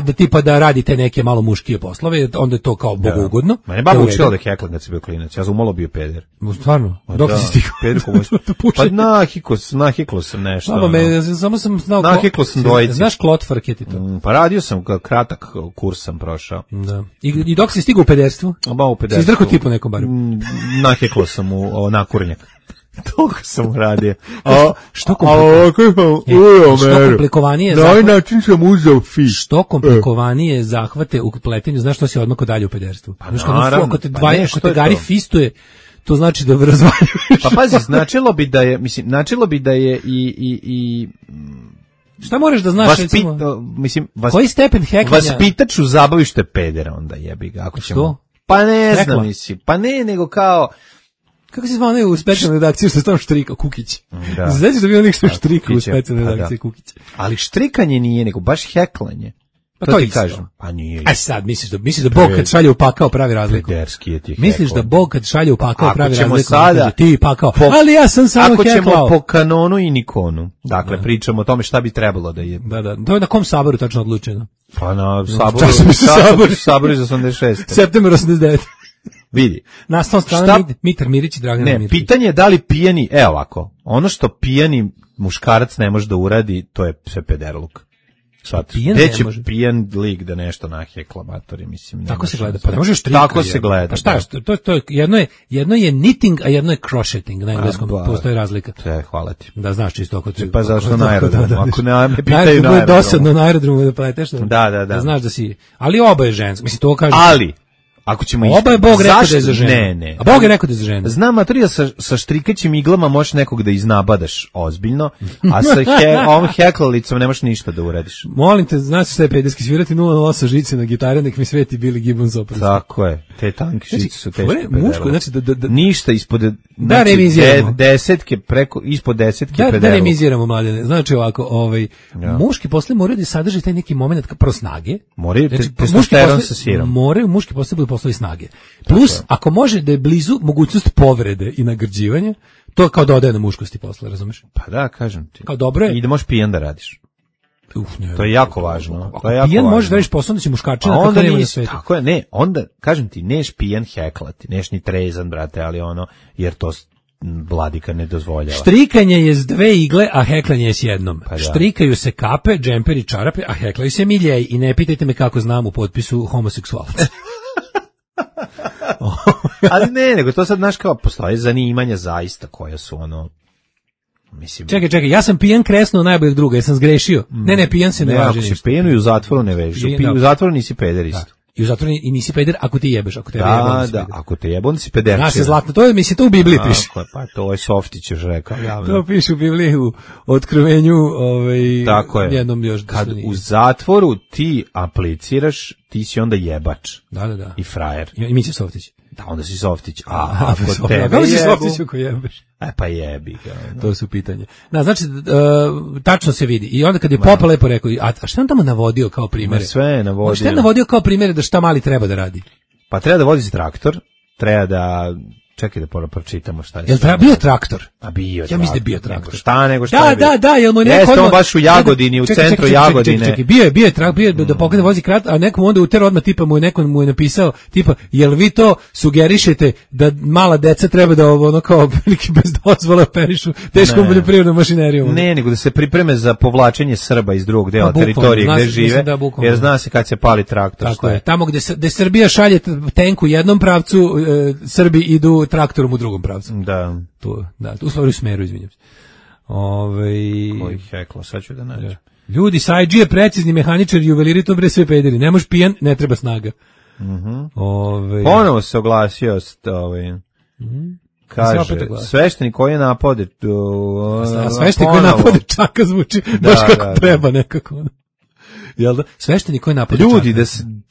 radi te neke malo muškije poslove, onda je to kao bogougodno. Mene baba učila da heklam kad si bio klinac. Ja sam umalo bio peder. Stvarno? Dok si stigao? Pa nahiklo sam nešto. Samo sam znao. Nahiklo sam dvojici. Znaš klotfarket i to? Pa radio sam, kratak kurs sam prošao. Da. I dok si stigao u pederstvu? Ba, u pederstvu. Si izdrkao tipu nekom baru? Nahiklo sam u nakurnjak. Toliko sam radio. Što komplikovanije na ovaj način sam uzeo fi. Što komplikovanije zahvate u pletenju, znaš što si odmah dalje u pederstvu? Pa naravno. Ako te gari fistuje, to znači da razvaljuješ. Pa pazi, značilo bi da je i šta moraš da znaš, koji stepen heklanja? Vaspitač u zabavište pedera, onda jebi ga. Ako ćemo. Što? Pa ne znam, mislim. Pa ne, nego kao... Kako se zvane u specijalnoj redakciji što je tamo štrika, Kukić? Da. Znači da bi onih što štrika u specijalnoj redakciji, Kukić. Ali štrikanje nije, nego baš heklanje. Pa to ti kažem. Pa nije. Aj sad, misliš da Bog kad šalje u pakao pravi razliku? Pederski je ti. Misliš da Bog kad šalje u pakao pravi razliku? Sada, ti pakao. Ali ja sam samo heklao. Ako ćemo po kanonu i nikonu. Dakle, pričamo o tome šta bi trebalo da je. Da. To je na kom saboru tačno odlučeno? Pa na saboru iz 86. September 89. Vidi. Nastavna strana Mitar Mirić i Dragan Mirić. Ne, pitanje je da li pijani, ovako, ono što pijani muškarac ne može da uradi, to je sve pederluk. Gde će pijan lik da nešto nahekla matori, mislim. Tako se gleda, pa ne možeš trika. Tako se gleda. Pa šta je, to je, jedno je knitting, a jedno je crocheting, na engleskom postoji razlika. Hvala ti. Da znaš čisto ako Pa zašto na aerodromu, ako ne me pitaju na aerodromu. Najbolje dosadno na aerodromu da pleteš. Da. Znaš da si, ali oba je žensko, mislim to kaže. Ali ako ćemo oba je Bog rekao da je za ženu. Ne. A Bog je rekao da je za ženu. Znam, Matorija, sa štrikaćim iglama možeš nekog da iznabadaš ozbiljno, a sa ovom heklalicom nemaš ništa da uradiš. Molim te, znaš šta je pederski, svirati 008 žice na gitare, nek mi sveti Billy Gibbons opravo. Tako je, te tanke žice su teške pedale. Muško, znači da ništa ispod desetke, ispod desetke pedale. Da remiziramo, mladene. Znači ovako, muški posle moraju da sadrži taj neki moment prvo snage. Moraju testosteron sa sirom. Moraju muški posle budu poslovi snage. Plus, ako može da je blizu mogućnost povrede i nagrđivanja, to kao dodaje na muškosti posle, razumeš? Pa da, kažem ti. Kao dobro je. I da možeš pijan da radiš. To je jako važno. Ako pijan možeš da radiš posao, onda će muškačina tako nema na svetu. Tako je, ne, onda, kažem ti, neš pijan heklati, neš ni trezan, brate, ali jer to vladika ne dozvoljava. Štrikanje je s dve igle, a heklanje je s jednom. Pa štrikaju se kape, džemperi, čarape, a heklaju se miljeji. I ne pitajte me kako znam u potpisu homoseksualaca. Ali ne, nego to sad, znaš, kao postoje zanimanja zaista koja su mislim... Čekaj, ja sam pijan kresno najboljeg druga, jesam zgrešio. Ne, pijan se ne važi ništa. Ako si pijan i u zatvoru ne vežiš, u zatvoru nisi peder isto. I u zatvoru i nisi peder ako ti jebeš, ako te jebe. Da, ako te jebe, onda si peder. Znaš se zlatno, to je, to u Bibliji piše. Pa to je Softić još rekao. To piše u Bibliji u Otkrivenju, tako je. Jednom još. Kad u zatvoru ti apliciraš, ti si onda jebač. Da. I frajer. I Mića Softić. Da, onda si softić. A ako tebe jebu... si softić ako jebeš? Pa jebi ga. To su pitanje. Znači, tačno se vidi. I onda kad je Popa lepo rekao, a šta on tamo navodio kao primjere? Sve je navodio. Šta je navodio kao primjere da šta mali treba da radi? Pa treba da vozi traktor, treba da... Čekaj da pročitamo šta je. Jel bio traktor? A bio. Ja mislim da je bio traktor. Šta nego šta je? Da, jel mu neko odmah baš u Jagodini, u centru Jagodine. Čekaj, bio je traktor, da pokrene vozi krat, a nekom onda utero odmah tipa mu je napisao tipa jel vi to sugerišete da mala deca treba da ono kao veliki bez dozvole operišu teškom poljoprivrednom mašinerijom. Ne, nego da se pripreme za povlačenje Srba iz drugog dela teritorije gde žive. Jer zna se kad se pali traktor. Tako je. Tamo gde Srbija šalje tenku u jednom pravcu, Srbi idu traktorom u drugom pravcu. Da. U stvari u smeru, izvinjam se. Koji hekla, sad ću da nađem. Ljudi, Sajđi je precizni mehaničar, juveliri, to bre sve pederi. Ne možeš pijan, ne treba snaga. Ponovo se oglasio kaže, sveštenik koji je napade sveštenik koji je napade čaka zvuči baš kako treba nekako. Jel da? Sveštenik koji napade ljudi,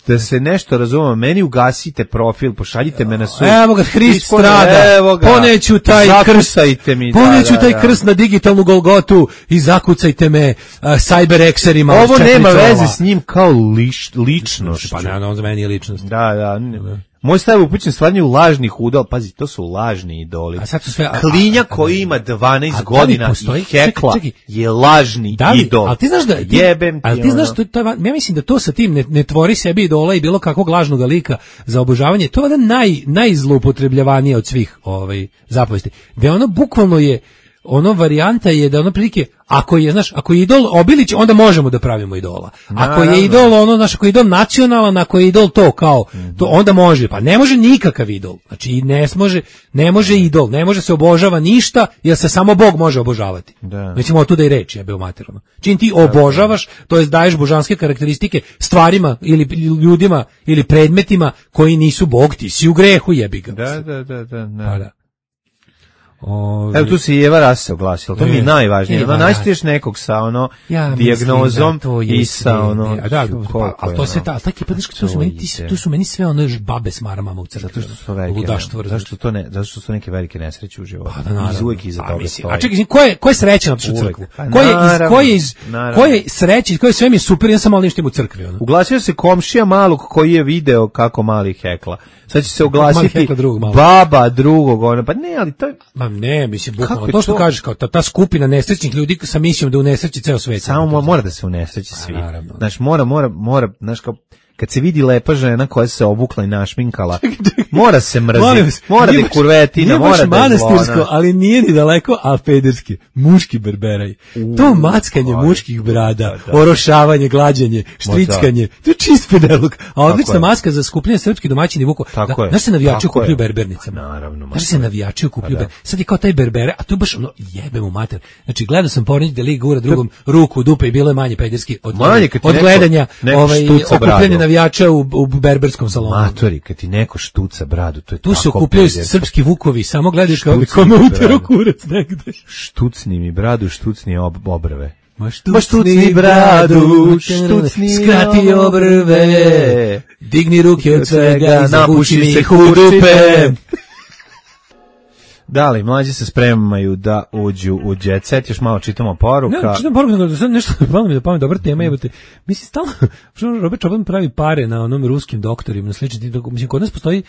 da se nešto razumemo, meni ugasite profil, pošaljite me na sud. Evo ga, Hrist strada, poneću taj krst, poneću taj krst na digitalnu Golgotu i zakucajte me cyber-ekserima. Ovo nema veze s njim kao ličnost. Pa ne, on za meni je ličnost. Da. Moj stav je upućen stvarnju lažnih udala, pazi, to su lažni idoli. A sad su sve, Klinja koji ima 12 godina i hekla je lažni idol. Ali ti znaš da ja mislim da to sa tim ne tvori sebi idola i bilo kakvog lažnog lika za obožavanje, to je najzloupotrebljavanije od svih zapovesti. Da ono bukvalno je varijanta je da ono prilike ako je idol Obilić, onda možemo da pravimo idola. Ako je idol ako je idol nacionalan, ako je idol to kao, to onda može. Pa ne može nikakav idol. Znači ne može idol, ne može se obožava ništa, jer se samo Bog može obožavati. Nećemo od tuda i reći, jebe umaterano. Čim ti obožavaš, to jest daješ božanske karakteristike stvarima ili ljudima ili predmetima koji nisu Bog, ti si u grehu, jebi ga. Da. Evo tu se i Eva Rasa oglasila, to mi je najvažnije. Najstiješ nekog sa dijagnozom i sa ali to sve to su meni sve babe s maramama u crkvi. Zato što su velike. Zato što su neke velike nesreće u životu. Uvijek iza toga stoji. A čekaj, ko je srećan otišao u crkvu? Ko je srećan, ko je sve mi super, ja sam malo nešto u crkvi. Uglasio se komšija malog koji je video kako mali hekla. Sad će se oglasiti baba drugog, pa ne, ali to je... Ne, mislim, bukvalno, to što kažeš, kao ta skupina nesrećnih ljudi sa misijom da unesreći ceo svet. Samo mora da se unesreći svi. Znaš, mora, znaš, kao, kad se vidi lepa žena koja se obukla i našminkala, mora se mrziti, mora da je kurvetina, mora da je zlona. Ali nije ni daleko, ali pederski, muški berberaj. To mackanje muških brada, orošavanje, glađanje, štrickanje, to je čist pedeluk. A odlična maska za skupljanje srpskih domaćini vuko. Znaš se navijači okupljuju berbernicama. Znaš se navijači okupljuju berbernicama. Sad je kao taj berbere, a to je baš jebemo mater. Znači, gledao sam pornić da lik gura drugom ruku u dupe i bilo je manje pederski od gledanja okupljanje navijača u berberskom salonu. Matori, kad ti neko štuca bradu, to je tu se okupljaju srpski vukovi, samo gledaš kao kome utero kurac negde. Štucni mi bradu, štucni obrve. Ma štucni bradu, skrati obrve, digni ruke od svega, napuši mi ih u dupe. Da li, mlađi se spremaju da uđu u jet set, još malo čitamo poruka. Ne, čitam poruka, nego sad nešto palo mi da pamet, dobra tema, jebate. Mislim, stalno, Robert Čoban pravi pare na onom ruskim doktorima, na slični, mislim, kod nas postoji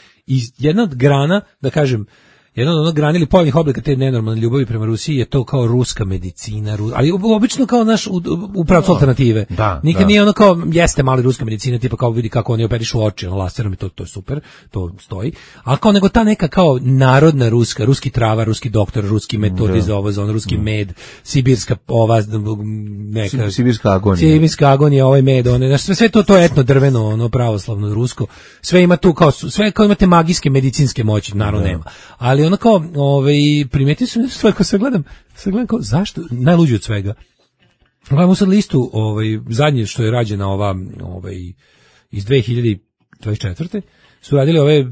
jedna od grana, da kažem, jedna od onog grana ili pojavnih oblika te nenormalne ljubavi prema Rusiji je to kao ruska medicina, ali obično kao naš u pravcu alternative. Nikad nije ono kao, jeste mali ruska medicina, tipa kao vidi kako oni operišu oči, laserom i to je super, to stoji, ali kao nego ta neka kao narodna ruski trava, ruski doktor, ruski metodi za ovo, za ono, ruski med, sibirska neka... Sibirska agonija, ovaj med, sve to etno drveno, ono pravoslavno rusko, sve ima tu kao, sve kao imate magijske medicinske moći, naravno nema. Ali ono kao, primetio sam nešto stvar, ko se gledam kao, zašto, najluđi od svega. Gledamo sad listu, zadnje što je rađena ova, iz 2024. su radili ove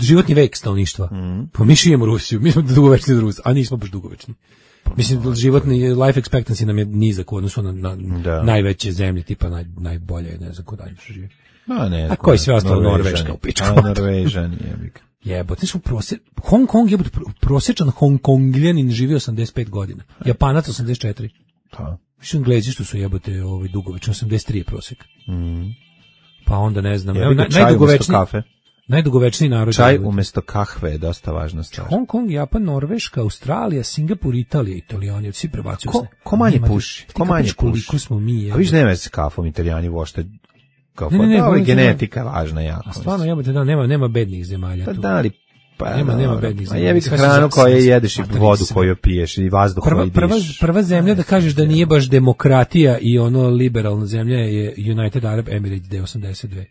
životni vek stanovništva. Pa mi živimo Rusiju, mi smo dugovečni Rus, a nismo baš dugovečni. Mislim, životni life expectancy nam je nizak u odnosu na najveće zemlje, tipa najbolje, ne znam ko dalje što živi. A koji sve ostalo Norveška u pičku. Norvežan je. Jebote, su Hong Kong je prosječan Hongkongljanin živi 85 godina. Japanac 84. Pa. Što Englezi što su jebote dugovečni, 83 je prosjek. Pa onda ne znam, najdugovečniji narod. Čaj umjesto kahve je dosta važna stvar. Hong Kong, Japan, Norveška, Australija, Singapur, Italija, Italijani, svi prebacuju se. Ko manje puši? Koliko smo mi? A viš nema se kafom, Italijani vošte. Ne, genetika važna jako. A stvarno jebote, da, nema bednih zemalja tu. Da li nema bednih zemalja. Jebi hranu koju jedeš i vodu koju piješ i vazduh koji dišeš. Prva zemlja da kažeš da nije baš demokratija i ono liberalna zemlja je United Arab Emirates 82.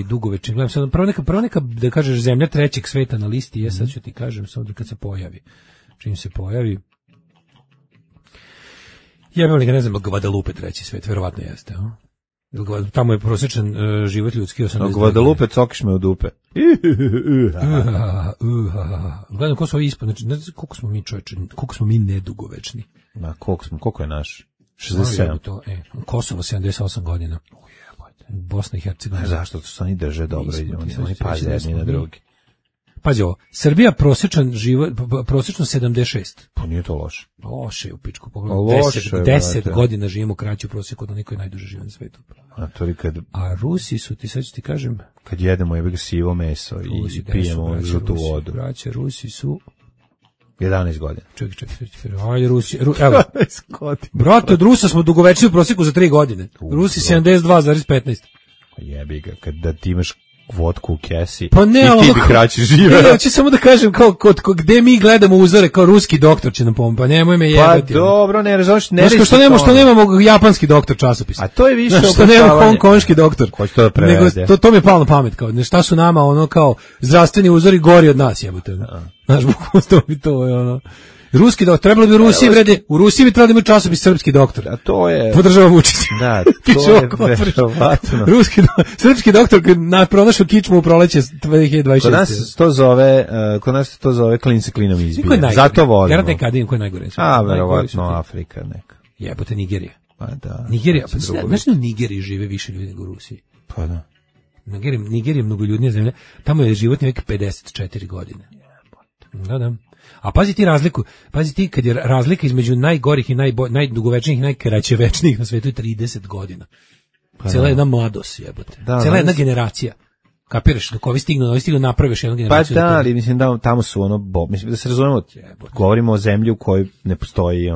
Dugovečni. Gledam sad, prva neka da kažeš zemlja trećeg sveta na listi je, sad ću ti kažem sad kad se pojavi. Čim se pojavi. Jebem li ga, ne znam, Guadalupe treći svet, verovatno jeste, tamo je prosječan život ljudski 80. Guadalupe, cokiš me u dupe. Gledam ko su ovi ispod, znači, koliko smo mi čovječe, koliko smo mi nedugovečni. Koliko je naš? 67. Kosovo 78 godina. Bosna i Hercegovina. Zašto su oni drže dobro, oni paze jedni na drugi. Pazi ovo, Srbija prosječno 76. Pa nije to loše. Loše je u pičku pogledu. 10 godina živimo kraće u prosjeku od onih koji najduže žive na svetu. A Rusi su, sad ću ti kažem... Kad jedemo je sivo meso i pijemo žutu vodu. Rusi su... 11 godina. Čekaj. Ajde, Rusi... Evo. 11 godina. Brate, od Rusa smo dugovečni u prosjeku za 3 godine. Rusi 72,15. Jebi ga, da ti imaš vodku u kesi pa ne, i ti bi kraće živeo. Ne, hoću samo da kažem gde mi gledamo uzore, kao ruski doktor će nam pomoći, pa nemoj me jebati. Pa dobro, ne razumiješ, što nemamo japanski doktor časopis. A to je više što nemamo hongkonški doktor. Ko će to da prevede? To mi je palo na pamet, kao šta su nama ono kao zdravstveni uzori gori od nas, jebote. Znaš, bukvalno to je ono. Ruski doktor, trebalo bi u Rusiji bi trebalo da ima časopis srpski doktor. A to je... Podržava Vučić. Da, to je verovatno. Srpski doktor pronašao kičmu u proleće 2026. Kod nas to zove klin se klinom izbije. Zato volimo. Vjerojatno je Kadin koji je najgore. Verovatno Afrika neka. Jebote, Nigerija. Pa da. Nigerija, znaš, u Nigeriji žive više ljudi nego u Rusiji. Pa da. Nigerija je mnogoljudnija zemlja. Tamo je životni vek 54 godine. Da. A pazi ti kad je razlika između najgorih i najdugovečnijih i najkraćevečnijih na svetu je 30 godina. Cijela jedna mladost, jebote. Cijela jedna generacija. Kapiraš, dok ovi stignu napraviš jednu generaciju. Pa da, ali mislim da tamo su mislim da se razumemo, govorimo o zemlji u kojoj ne postoji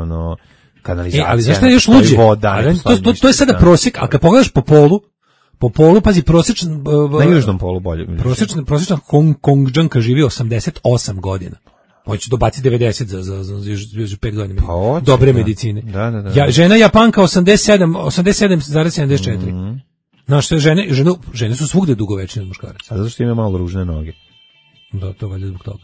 kanalizacija, ali zašto je još luđe? Voda, to je sada prosjek, ali kad pogledaš po polu, pazi, prosječan... Na južnom polu bolje. Prosječna Hongkongđanka živi 88 godina. Hoće dobaciti 90 za 5 godina. Pa dobre medicine. Da. Žena Japanka 87,74. Znaš, žene su svugde dugovečne od muškaraca. A zato što ima malo ružne noge. Da, to valjda zbog toga.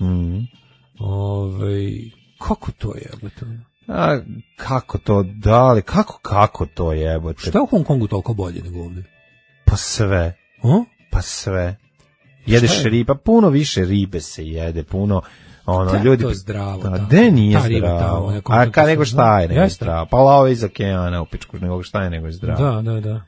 Kako to jebote? A kako to, dali, kako to jebote? Šta je u Hong Kongu toliko bolje nego ovdje? Pa sve. Pa sve. Jedeš riba, puno više ribe se jede, puno... ljudi to zdravo. Gde nije zdravo? A nego šta je nego zdravo? Pa love iz okeana u pičku, nego šta je nego zdravo? Da.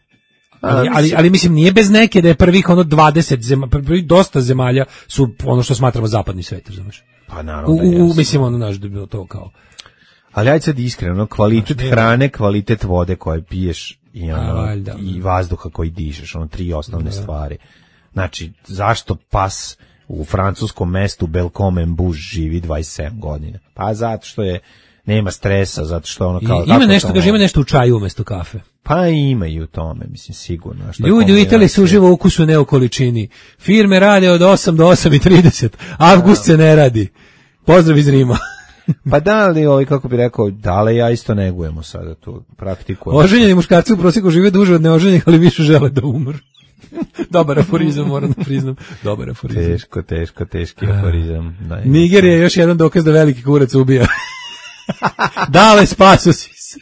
Ali mislim, nije bez neke da je prvih 20 zemalja, dosta zemalja su ono što smatramo zapadni svet, znaš. Pa naravno. Mislim, naš da je bilo to kao... Ali ajde sad iskreno, kvalitet hrane, kvalitet vode koje piješ i vazduha koji dišeš, 3 osnovne stvari. Znači, zašto pas u francuskom mestu Belcom-en-Bouge živi 27 godina? Pa zato što nema stresa, zato što kao... Ima nešto u čaju umjesto kafe. Pa ima i u tome, mislim, sigurno. Ljudi u Italiji su uživo ukusu, ne u količini. Firme rade od 8 do 8:30. Avgust se ne radi. Pozdrav iz Rima. Pa da li, kako bi rekao, da ja isto negujemo sada tu praktikujem. Oženjeni muškarci u prosjeku žive duže od neoženjenih, ali više žele da umru. Dobar aforizam, moram da priznam. Dobar aforizam. Teški aforizam. Nigerija je još jedan dokaz da veliki kurac ubija. Dale, spaso si se.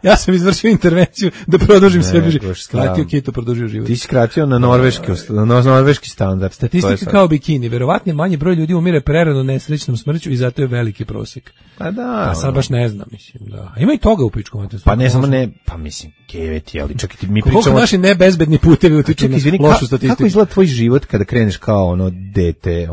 Ja sam izvršio intervenciju da produžim sebi život. Skratio keto, produžio život. Ti si skratio na norveški standard. Statistika kao bikini. Verovatno manji broj ljudi umire prerano nesrećnom smrću i zato je veliki prosjek. Pa da. A sad baš ne znam, mislim, da. A ima i toga u pičkom. Pa ne samo ne, pa mislim, keveti, ali čak i mi pričamo... Koliko naši nebezbedni putevi utiču na lošu statistiku. Kako izgleda tvoj život kada kreneš kao ono dete,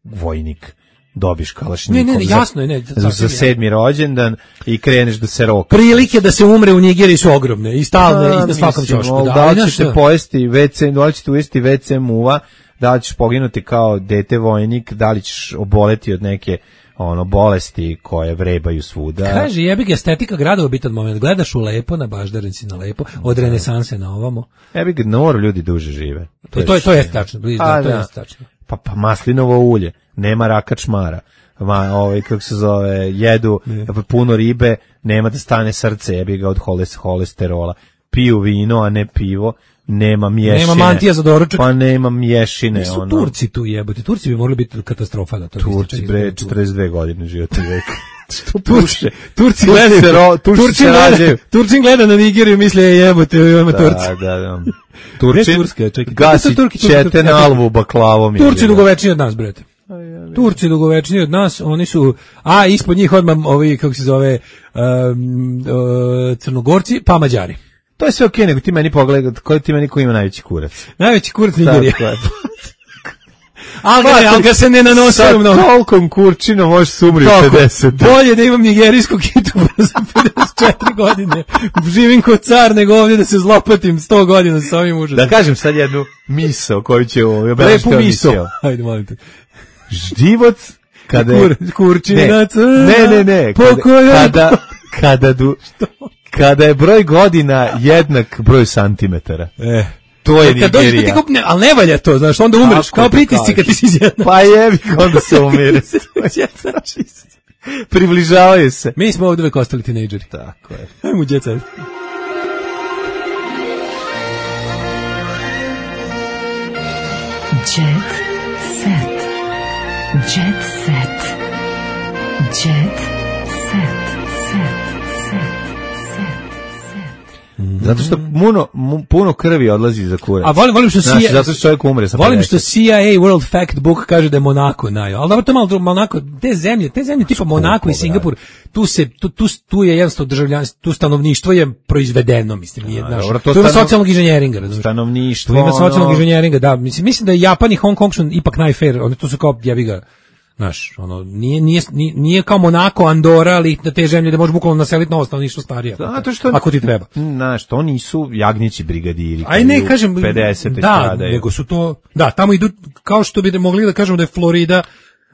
vojnik? Dobiš kalašnjikov jasno je, za 7. rođendan i kreneš da se roka. Prilike da se umre u Nigeriji su ogromne i stalne i na svakom ćošku. Da li ćete pojesti WC, da li ćete uvesti WC muva, da li ćeš poginuti kao dete vojnik, da li ćeš oboleti od neke bolesti koje vrebaju svuda. Kaže, jebi ga, estetika grada je bitan moment. Gledaš u lepo, na Baždarenci na lepo, od renesanse na ovamo. Jebi ga, ljudi duže žive. To je tačno, to je tačno. Pa maslinovo ulje, nema raka čmara. Kako se zove, jedu puno ribe, nema da stane srce, jebi ga, od holesterola. Piju vino, a ne pivo. Nema mješine. Nema mantija za doručak. Pa nema mješine. Nisu Turci tu jebote. Turci bi morali biti katastrofa da to. Turci bre 42 godine životni vek. Turci gledaju. Turci gleda na Nigeriju, misle jebote, ima Turci. Da. Turci gasi ćete na alvu baklavom. Turci dugovečniji od nas, brete. Turci dugovečniji od nas, oni su, ispod njih odmah ovi, kako se zove, Crnogorci, pa Mađari. To je sve okej, nego ti meni pogledaj, ti meni ko ima najveći kurac. Najveći kurac Nigerija. Ali ga se ne nanosio mnogo. Sa tolkom kurčinom možeš se umri u 50. Bolje da imam nigerijsku kitu za 54 godine. Živim kod car, nego ovdje da se zlopatim 100 godina sa ovim užasom. Da kažem sad jednu misao koju će ovo. Lepu misao. Hajde, molim te. Život kada je... Kurčinac. Ne. Kada je broj godina jednak broju santimetara. To je Nigerija. Ali ne valja to, znaš, onda umreš, kao pritisci kad ti si izjednač. Pa jebi, onda se umire. Približavaju se. Mi smo ovdje uvek ostali tinejdžeri. Tako je. Ajmo u Jet Set. Jet Set. Jet Set. Jet Set. Zato što puno krvi odlazi za kurac. A volim što CIA, zato što čovjek umre sa 50. Volim što CIA World Fact Book kaže da je Monako ali dobro, to malo Monako, te zemlje tipa Monako i Singapur, tu je jednostavno državljanstvo, tu stanovništvo je proizvedeno, mislim, nije naš. To ima socijalnog inženjeringa, razumiješ? Stanovništvo. To ima socijalnog inženjeringa, da, mislim da Japan i Hong Kong su ipak najfair, oni tu su kao jebi ga. Znaš, nije kao Monako, Andora, ali na te zemlje da možeš bukvalno naseliti novo stanovništvo starije. Ako ti treba. Znaš, to nisu jagnjeći brigadiri. Aj ne, kažem, 50 da, nego su to, da, tamo idu, kao što bi mogli da kažemo da je Florida,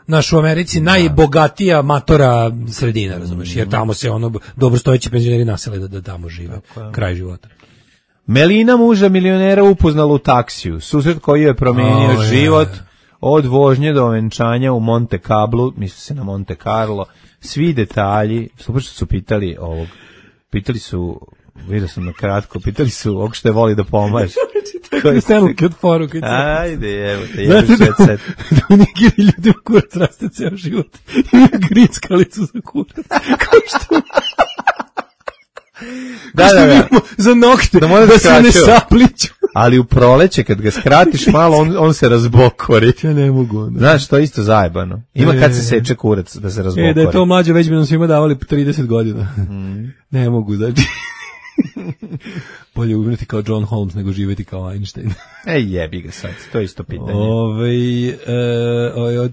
naš u Americi, najbogatija matora sredina, razumeš, jer tamo se dobrostojeći penzioneri nasele da tamo žive, kraj života. Melina muža milionera upoznala u taksiju, susret koji je promenio život. Od vožnje do venčanja u Monte Carlo, misli se na Monte Carlo, svi detalji, super što su pitali su, vidio sam na kratko, pitali su ovog što je voli da pomaže. Ajde, evo te, jebi Jet Set. Da u Nigeriji ljudima kurac raste ceo život. Imaju grickalicu za kurac. Kao što... Da. Za nokte, da se ne sapliću. Ali u proleće, kad ga skratiš malo, on se razbokori. Ja ne mogu. Ne. Znaš, to je isto zajebano. Ima kad se seče kurac da se razbokori. Da je to mlađe, već bi nam svima davali 30 godina. Ne mogu, znači. Bolje umreti kao John Holmes nego živjeti kao Einstein. Jebi ga sad, to je isto pitanje.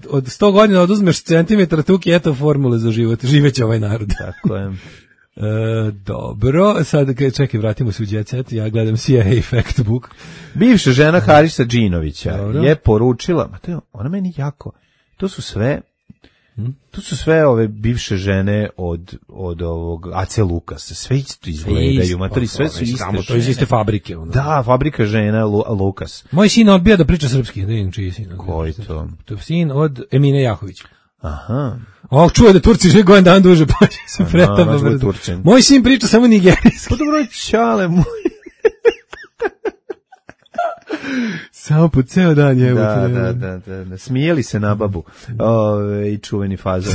Od 100 godina oduzmeš centimetar tuki, eto formule za život. Živeće ovaj narod. Tako je. Dobro, sad čekaj, vratimo se u Jet Set, ja gledam CIA Fact Book. Bivša žena Harisa Džinovića je poručila, ona meni jako, to su sve ove bivše žene od ovog AC Lukasa, sve isto izgledaju, sve su iste žene. To iz iste fabrike. Da, fabrika žena Lukas. Moj sin odbija da priča srpski, da vidim čiji sin. Koji to? To je sin od Emine Jahovića. Aha. Čuje da Turci žive godin dan duže, pa će se pretaba. Moj sin priča samo nigerijski. Pa dobro, čale moj. Samo po ceo dan je. Da. Smijeli se na babu. I čuveni fazon.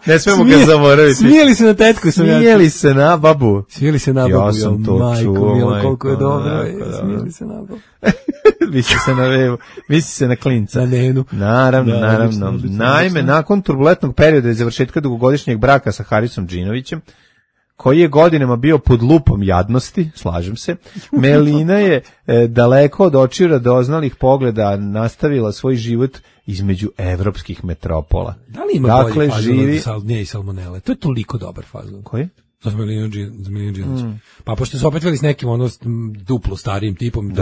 Ne smemo ga zaboraviti. Smijeli se na tetku. Smijeli se na babu. Smijeli se na babu. Ja sam to majko, milo, koliko je dobro. Smijeli se na babu. Misli se na vevu, misli se na klinca. Na nenu. Naravno. Naime, nakon turbulentnog perioda i završetka dugogodišnjeg braka sa Harisom Džinovićem, koji je godinama bio pod lupom jadnosti, slažem se, Melina je daleko od očiju radoznalih pogleda nastavila svoj život između evropskih metropola. Da li ima bolji fazon od nje i salmonele? To je toliko dobar fazon. Koji? Za Melinu Džinović. Pa pošto su opet veli s nekim duplo starijim tipom,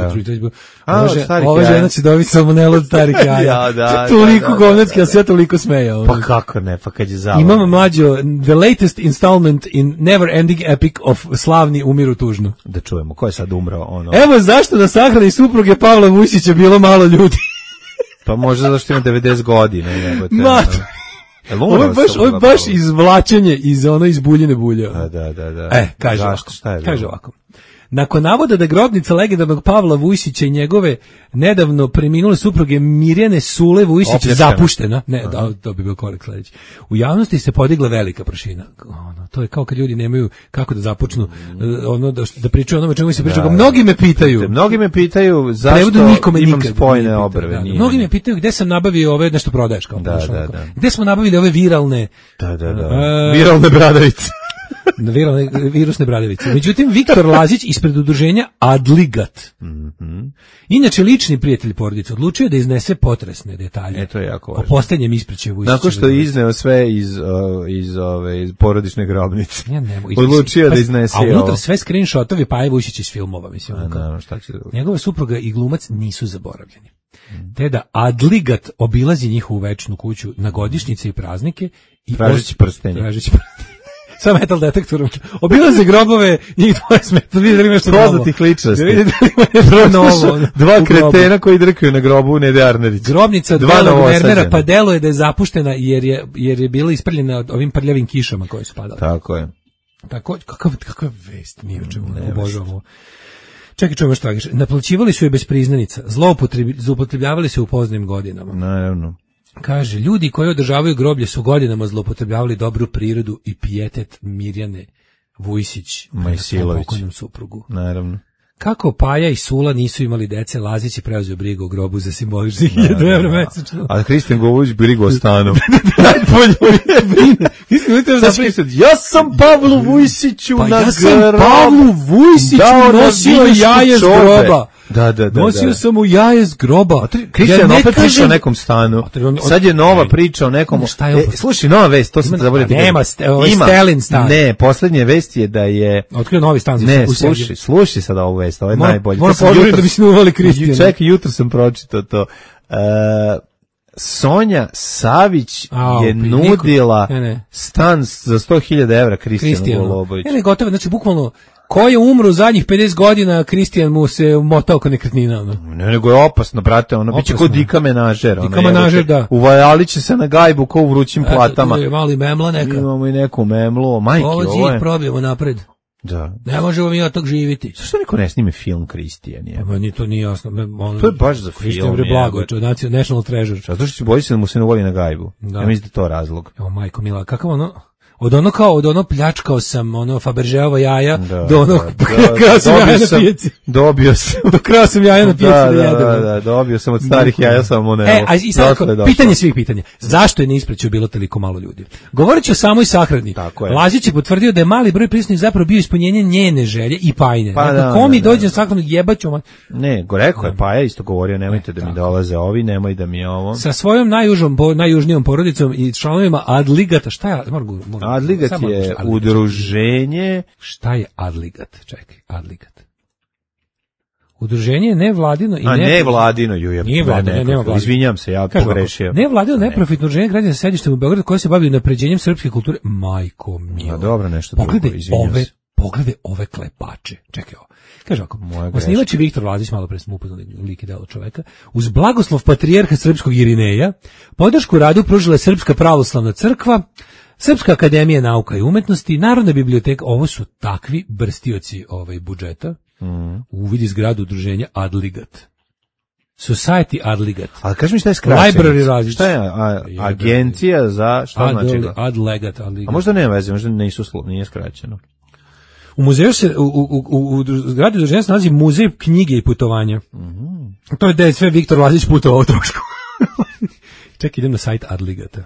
ova žena će dobiti salmonelu od starih jaja. Toliko govnetski, a sve toliko smejao. Pa kako ne, pa kad je zabavno. Imamo mlađo, the latest installment in never ending epic of slavni umiru tužno. Da čujemo, ko je sad umrao? Evo zašto na sahrani supruge Pavla Vujsića bilo malo ljudi. Pa možda zašto ima 90 godina. Ovo je baš izvlačenje iz buljine bulje. Da. Kaže ovako. Nakon navoda da grobnica legendarnog Pavla Vujsića i njegove nedavno preminule supruge Mirjane Sule Vujsića zapuštena, to bi bio korak sledeći. U javnosti se podigla velika prašina. To je kao kad ljudi nemaju kako da započnu da pričaju onome čemu se priča. Mnogi me pitaju zašto imam spojene obrve. Mnogi me pitaju gde sam nabavio ove nešto prodaješ kao. Gde smo nabavili ove viralne viralne bradavice. Virusne bradavice. Međutim, Viktor Lazić ispred udruženja Adligat, inače lični prijatelj porodice, odlučio da iznese potresne detalje o posljednjem ispraćaju Vujsića. Nakon što je izneo sve iz porodične grobnice. Odlučio da iznese a unutra sve screenshotovi Paje Vujsića iz filmova. Mislim, njegova supruga i glumac nisu zaboravljeni. Te da Adligat obilazi njihovu večnu kuću na godišnjice i praznike i tražeći prstenje. Sa metal detektorom. Obilaze grobove, njih 20 metara, vidjeli nešto novo. Poznatih ličnosti. Dva kretena koji drkaju na grobu Nede Arnerić. Grobnica Delog Wernera, pa delo je da je zapuštena jer je bila isprljena ovim prljavim kišama koje su padale. Tako je. Kakva vest, mi o čemu obožavamo. Čekaj, čujemo što kaže. Naplaćivali su je bez priznanica, zloupotrebljavali se u poznim godinama. Naravno. Kaže, ljudi koji održavaju groblje su godinama zloupotrebljavali dobru prirodu i pijetet Mirjane Vujsić na svom pokojnom suprugu. Naravno. Kako Paja i Sula nisu imali dece, Lazić je preuzeo brigu o grobu za simboličnih 1.000 evra mesečno. A Hristijan Govović brigu o stanu. Ja sam Pavlu Vujsiću na grobu. Ja sam Pavlu Vujsiću nosio jaje s groba. Nosio sam mu jaje s groba. Hristijan opet priča o nekom stanu. Sad je nova priča o nekom. Slušaj, nova vest, to sam te zaboravio. Nema, Stelin stan. Ne, poslednja vest je da je otkrio novi stan. Ne, slušaj sad ovu vest, ovo je najbolje. Moram požuriti da bi se uvali Hristijan. Čekaj, jutro sam pročitao to. Sonja Savić je nudila stan za 100.000 evra Hristijanu Goluboviću. Ne, gotovo, znači bukvalno ko je umro zadnjih 50 godina, Hristijan mu se motao kao nekretnina. Ne, nego je opasno, brate, biće kao Dika menažer. Dika menažer, da. Uvajali će se na gajbu kao u vrućim platama. Eto, mali memla neka. Imamo i neku memlu, majke, ovo je. Ovo zid probijemo napred. Da. Ne možemo mi od tog živiti. Zašto niko ne snime film Hristijan? Meni to nije jasno. To je baš za film. Hristijan bre blago, National Treasure. Zato što boji se da mu se ne uvali na gajbu. Ja mislim da to razlog. Evo, majko mila, kakav od ono pljačkao sam Fabergeova jaja do onog krao sam jaja na pijaci. Dobio sam. Do krao sam jaja na pijaci da jedem. Da, dobio sam od starih jaja salmonelu. I sad pitanje svih pitanja. Zašto je na ispraćaju bilo toliko malo ljudi? Govorit ću o samoj sahrani. Lazić je potvrdio da je mali broj prisutnih zapravo bio ispunjenje njene želje i Pajine. Ko mi dođe na sahranu jebaću. Ne, rekao je Paja, isto govorio, nemojte da mi dolaze ovi, nemoj da mi ovo. Sa svojom najjužnijom porodicom i članovima Adligata, šta je? Adligat je udruženje. Šta je Adligat? Čekaj, Adligat. Udruženje je nevladino i nevladino, izvinjam se, ja pogrešio. Nevladino neprofitno udruženje građana sa sedištem u Beogradu koje se bavi unapređenjem srpske kulture. Majko milo. Dobro, nešto drugo, izvinjam se. Pogledaj ove klepače. Čekaj ovo. Kaže ovako, osnivač je Viktor Lazić, malo pre smo upoznali lik i delo čoveka, uz blagoslov patrijarha srpskog Irineja, podršku radu pružila je Srpska pravoslavna crkva, Srpska akademija nauka i umetnosti, Narodna biblioteka. Ovo su takvi brstioci budžeta. Uvidi zgradu udruženja Adligat. Society Adligat. A kaži mi šta je skraćenica? Library različit. Šta je agencija za šta znači? Adlegat. A možda nema veze, možda nije skraćeno. U muzeju se, u zgradi udruženja se nalazi muzej knjige i putovanja. To je da je sve Viktor Lazić putovao u trošku. Ček, idem na sajt Adligata.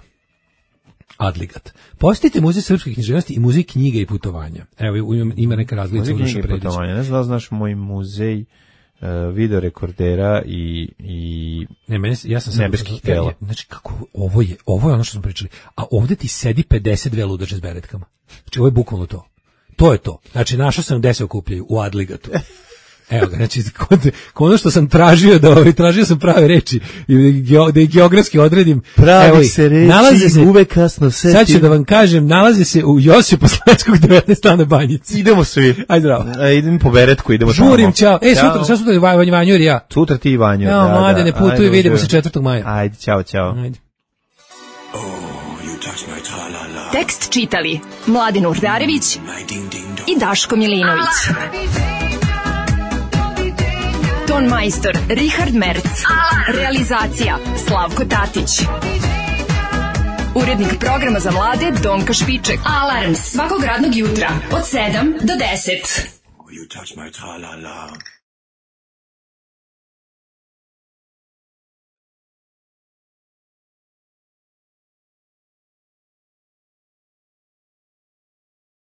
Adligat. Posjetite muzej srpske književnosti i muzej knjige i putovanja. Evo, ima neka razlica u našoj predici. Ne znam da znaš moj muzej videorekordera i ja sam nebeskih tela. Znači, kako, ovo je ono što smo pričali. A ovde ti sedi 52 ludače s beretkama. Znači, ovo je bukvalno to. To je to. Znači, našao sam gde se okupljaju, u Adligatu. Evo ga, znači, ono što sam tražio, tražio sam prave reči, da ih geografski odredim. Pravi se reči, uvek kasno setim. Sad ću da vam kažem, nalazi se u Josipa Slanskog 19 na Banjici. Idemo svi. Ajde, zdravo. Idem po beretku, idemo tamo. Žurim, čao. Sutra je Vanjur i ja. Sutra ti i Vanjur, da. Mlade, ne putuju, vidimo se 4. maja. Ajde, čao. Ajde. Tekst čitali Mladin Urdarević i Daško Milinović. Ton majstor Richard Merc. Realizacija Slavko Tatić. Urednik programa za mlade Donka Špiček. Alarms svakog radnog jutra od 7 do 10.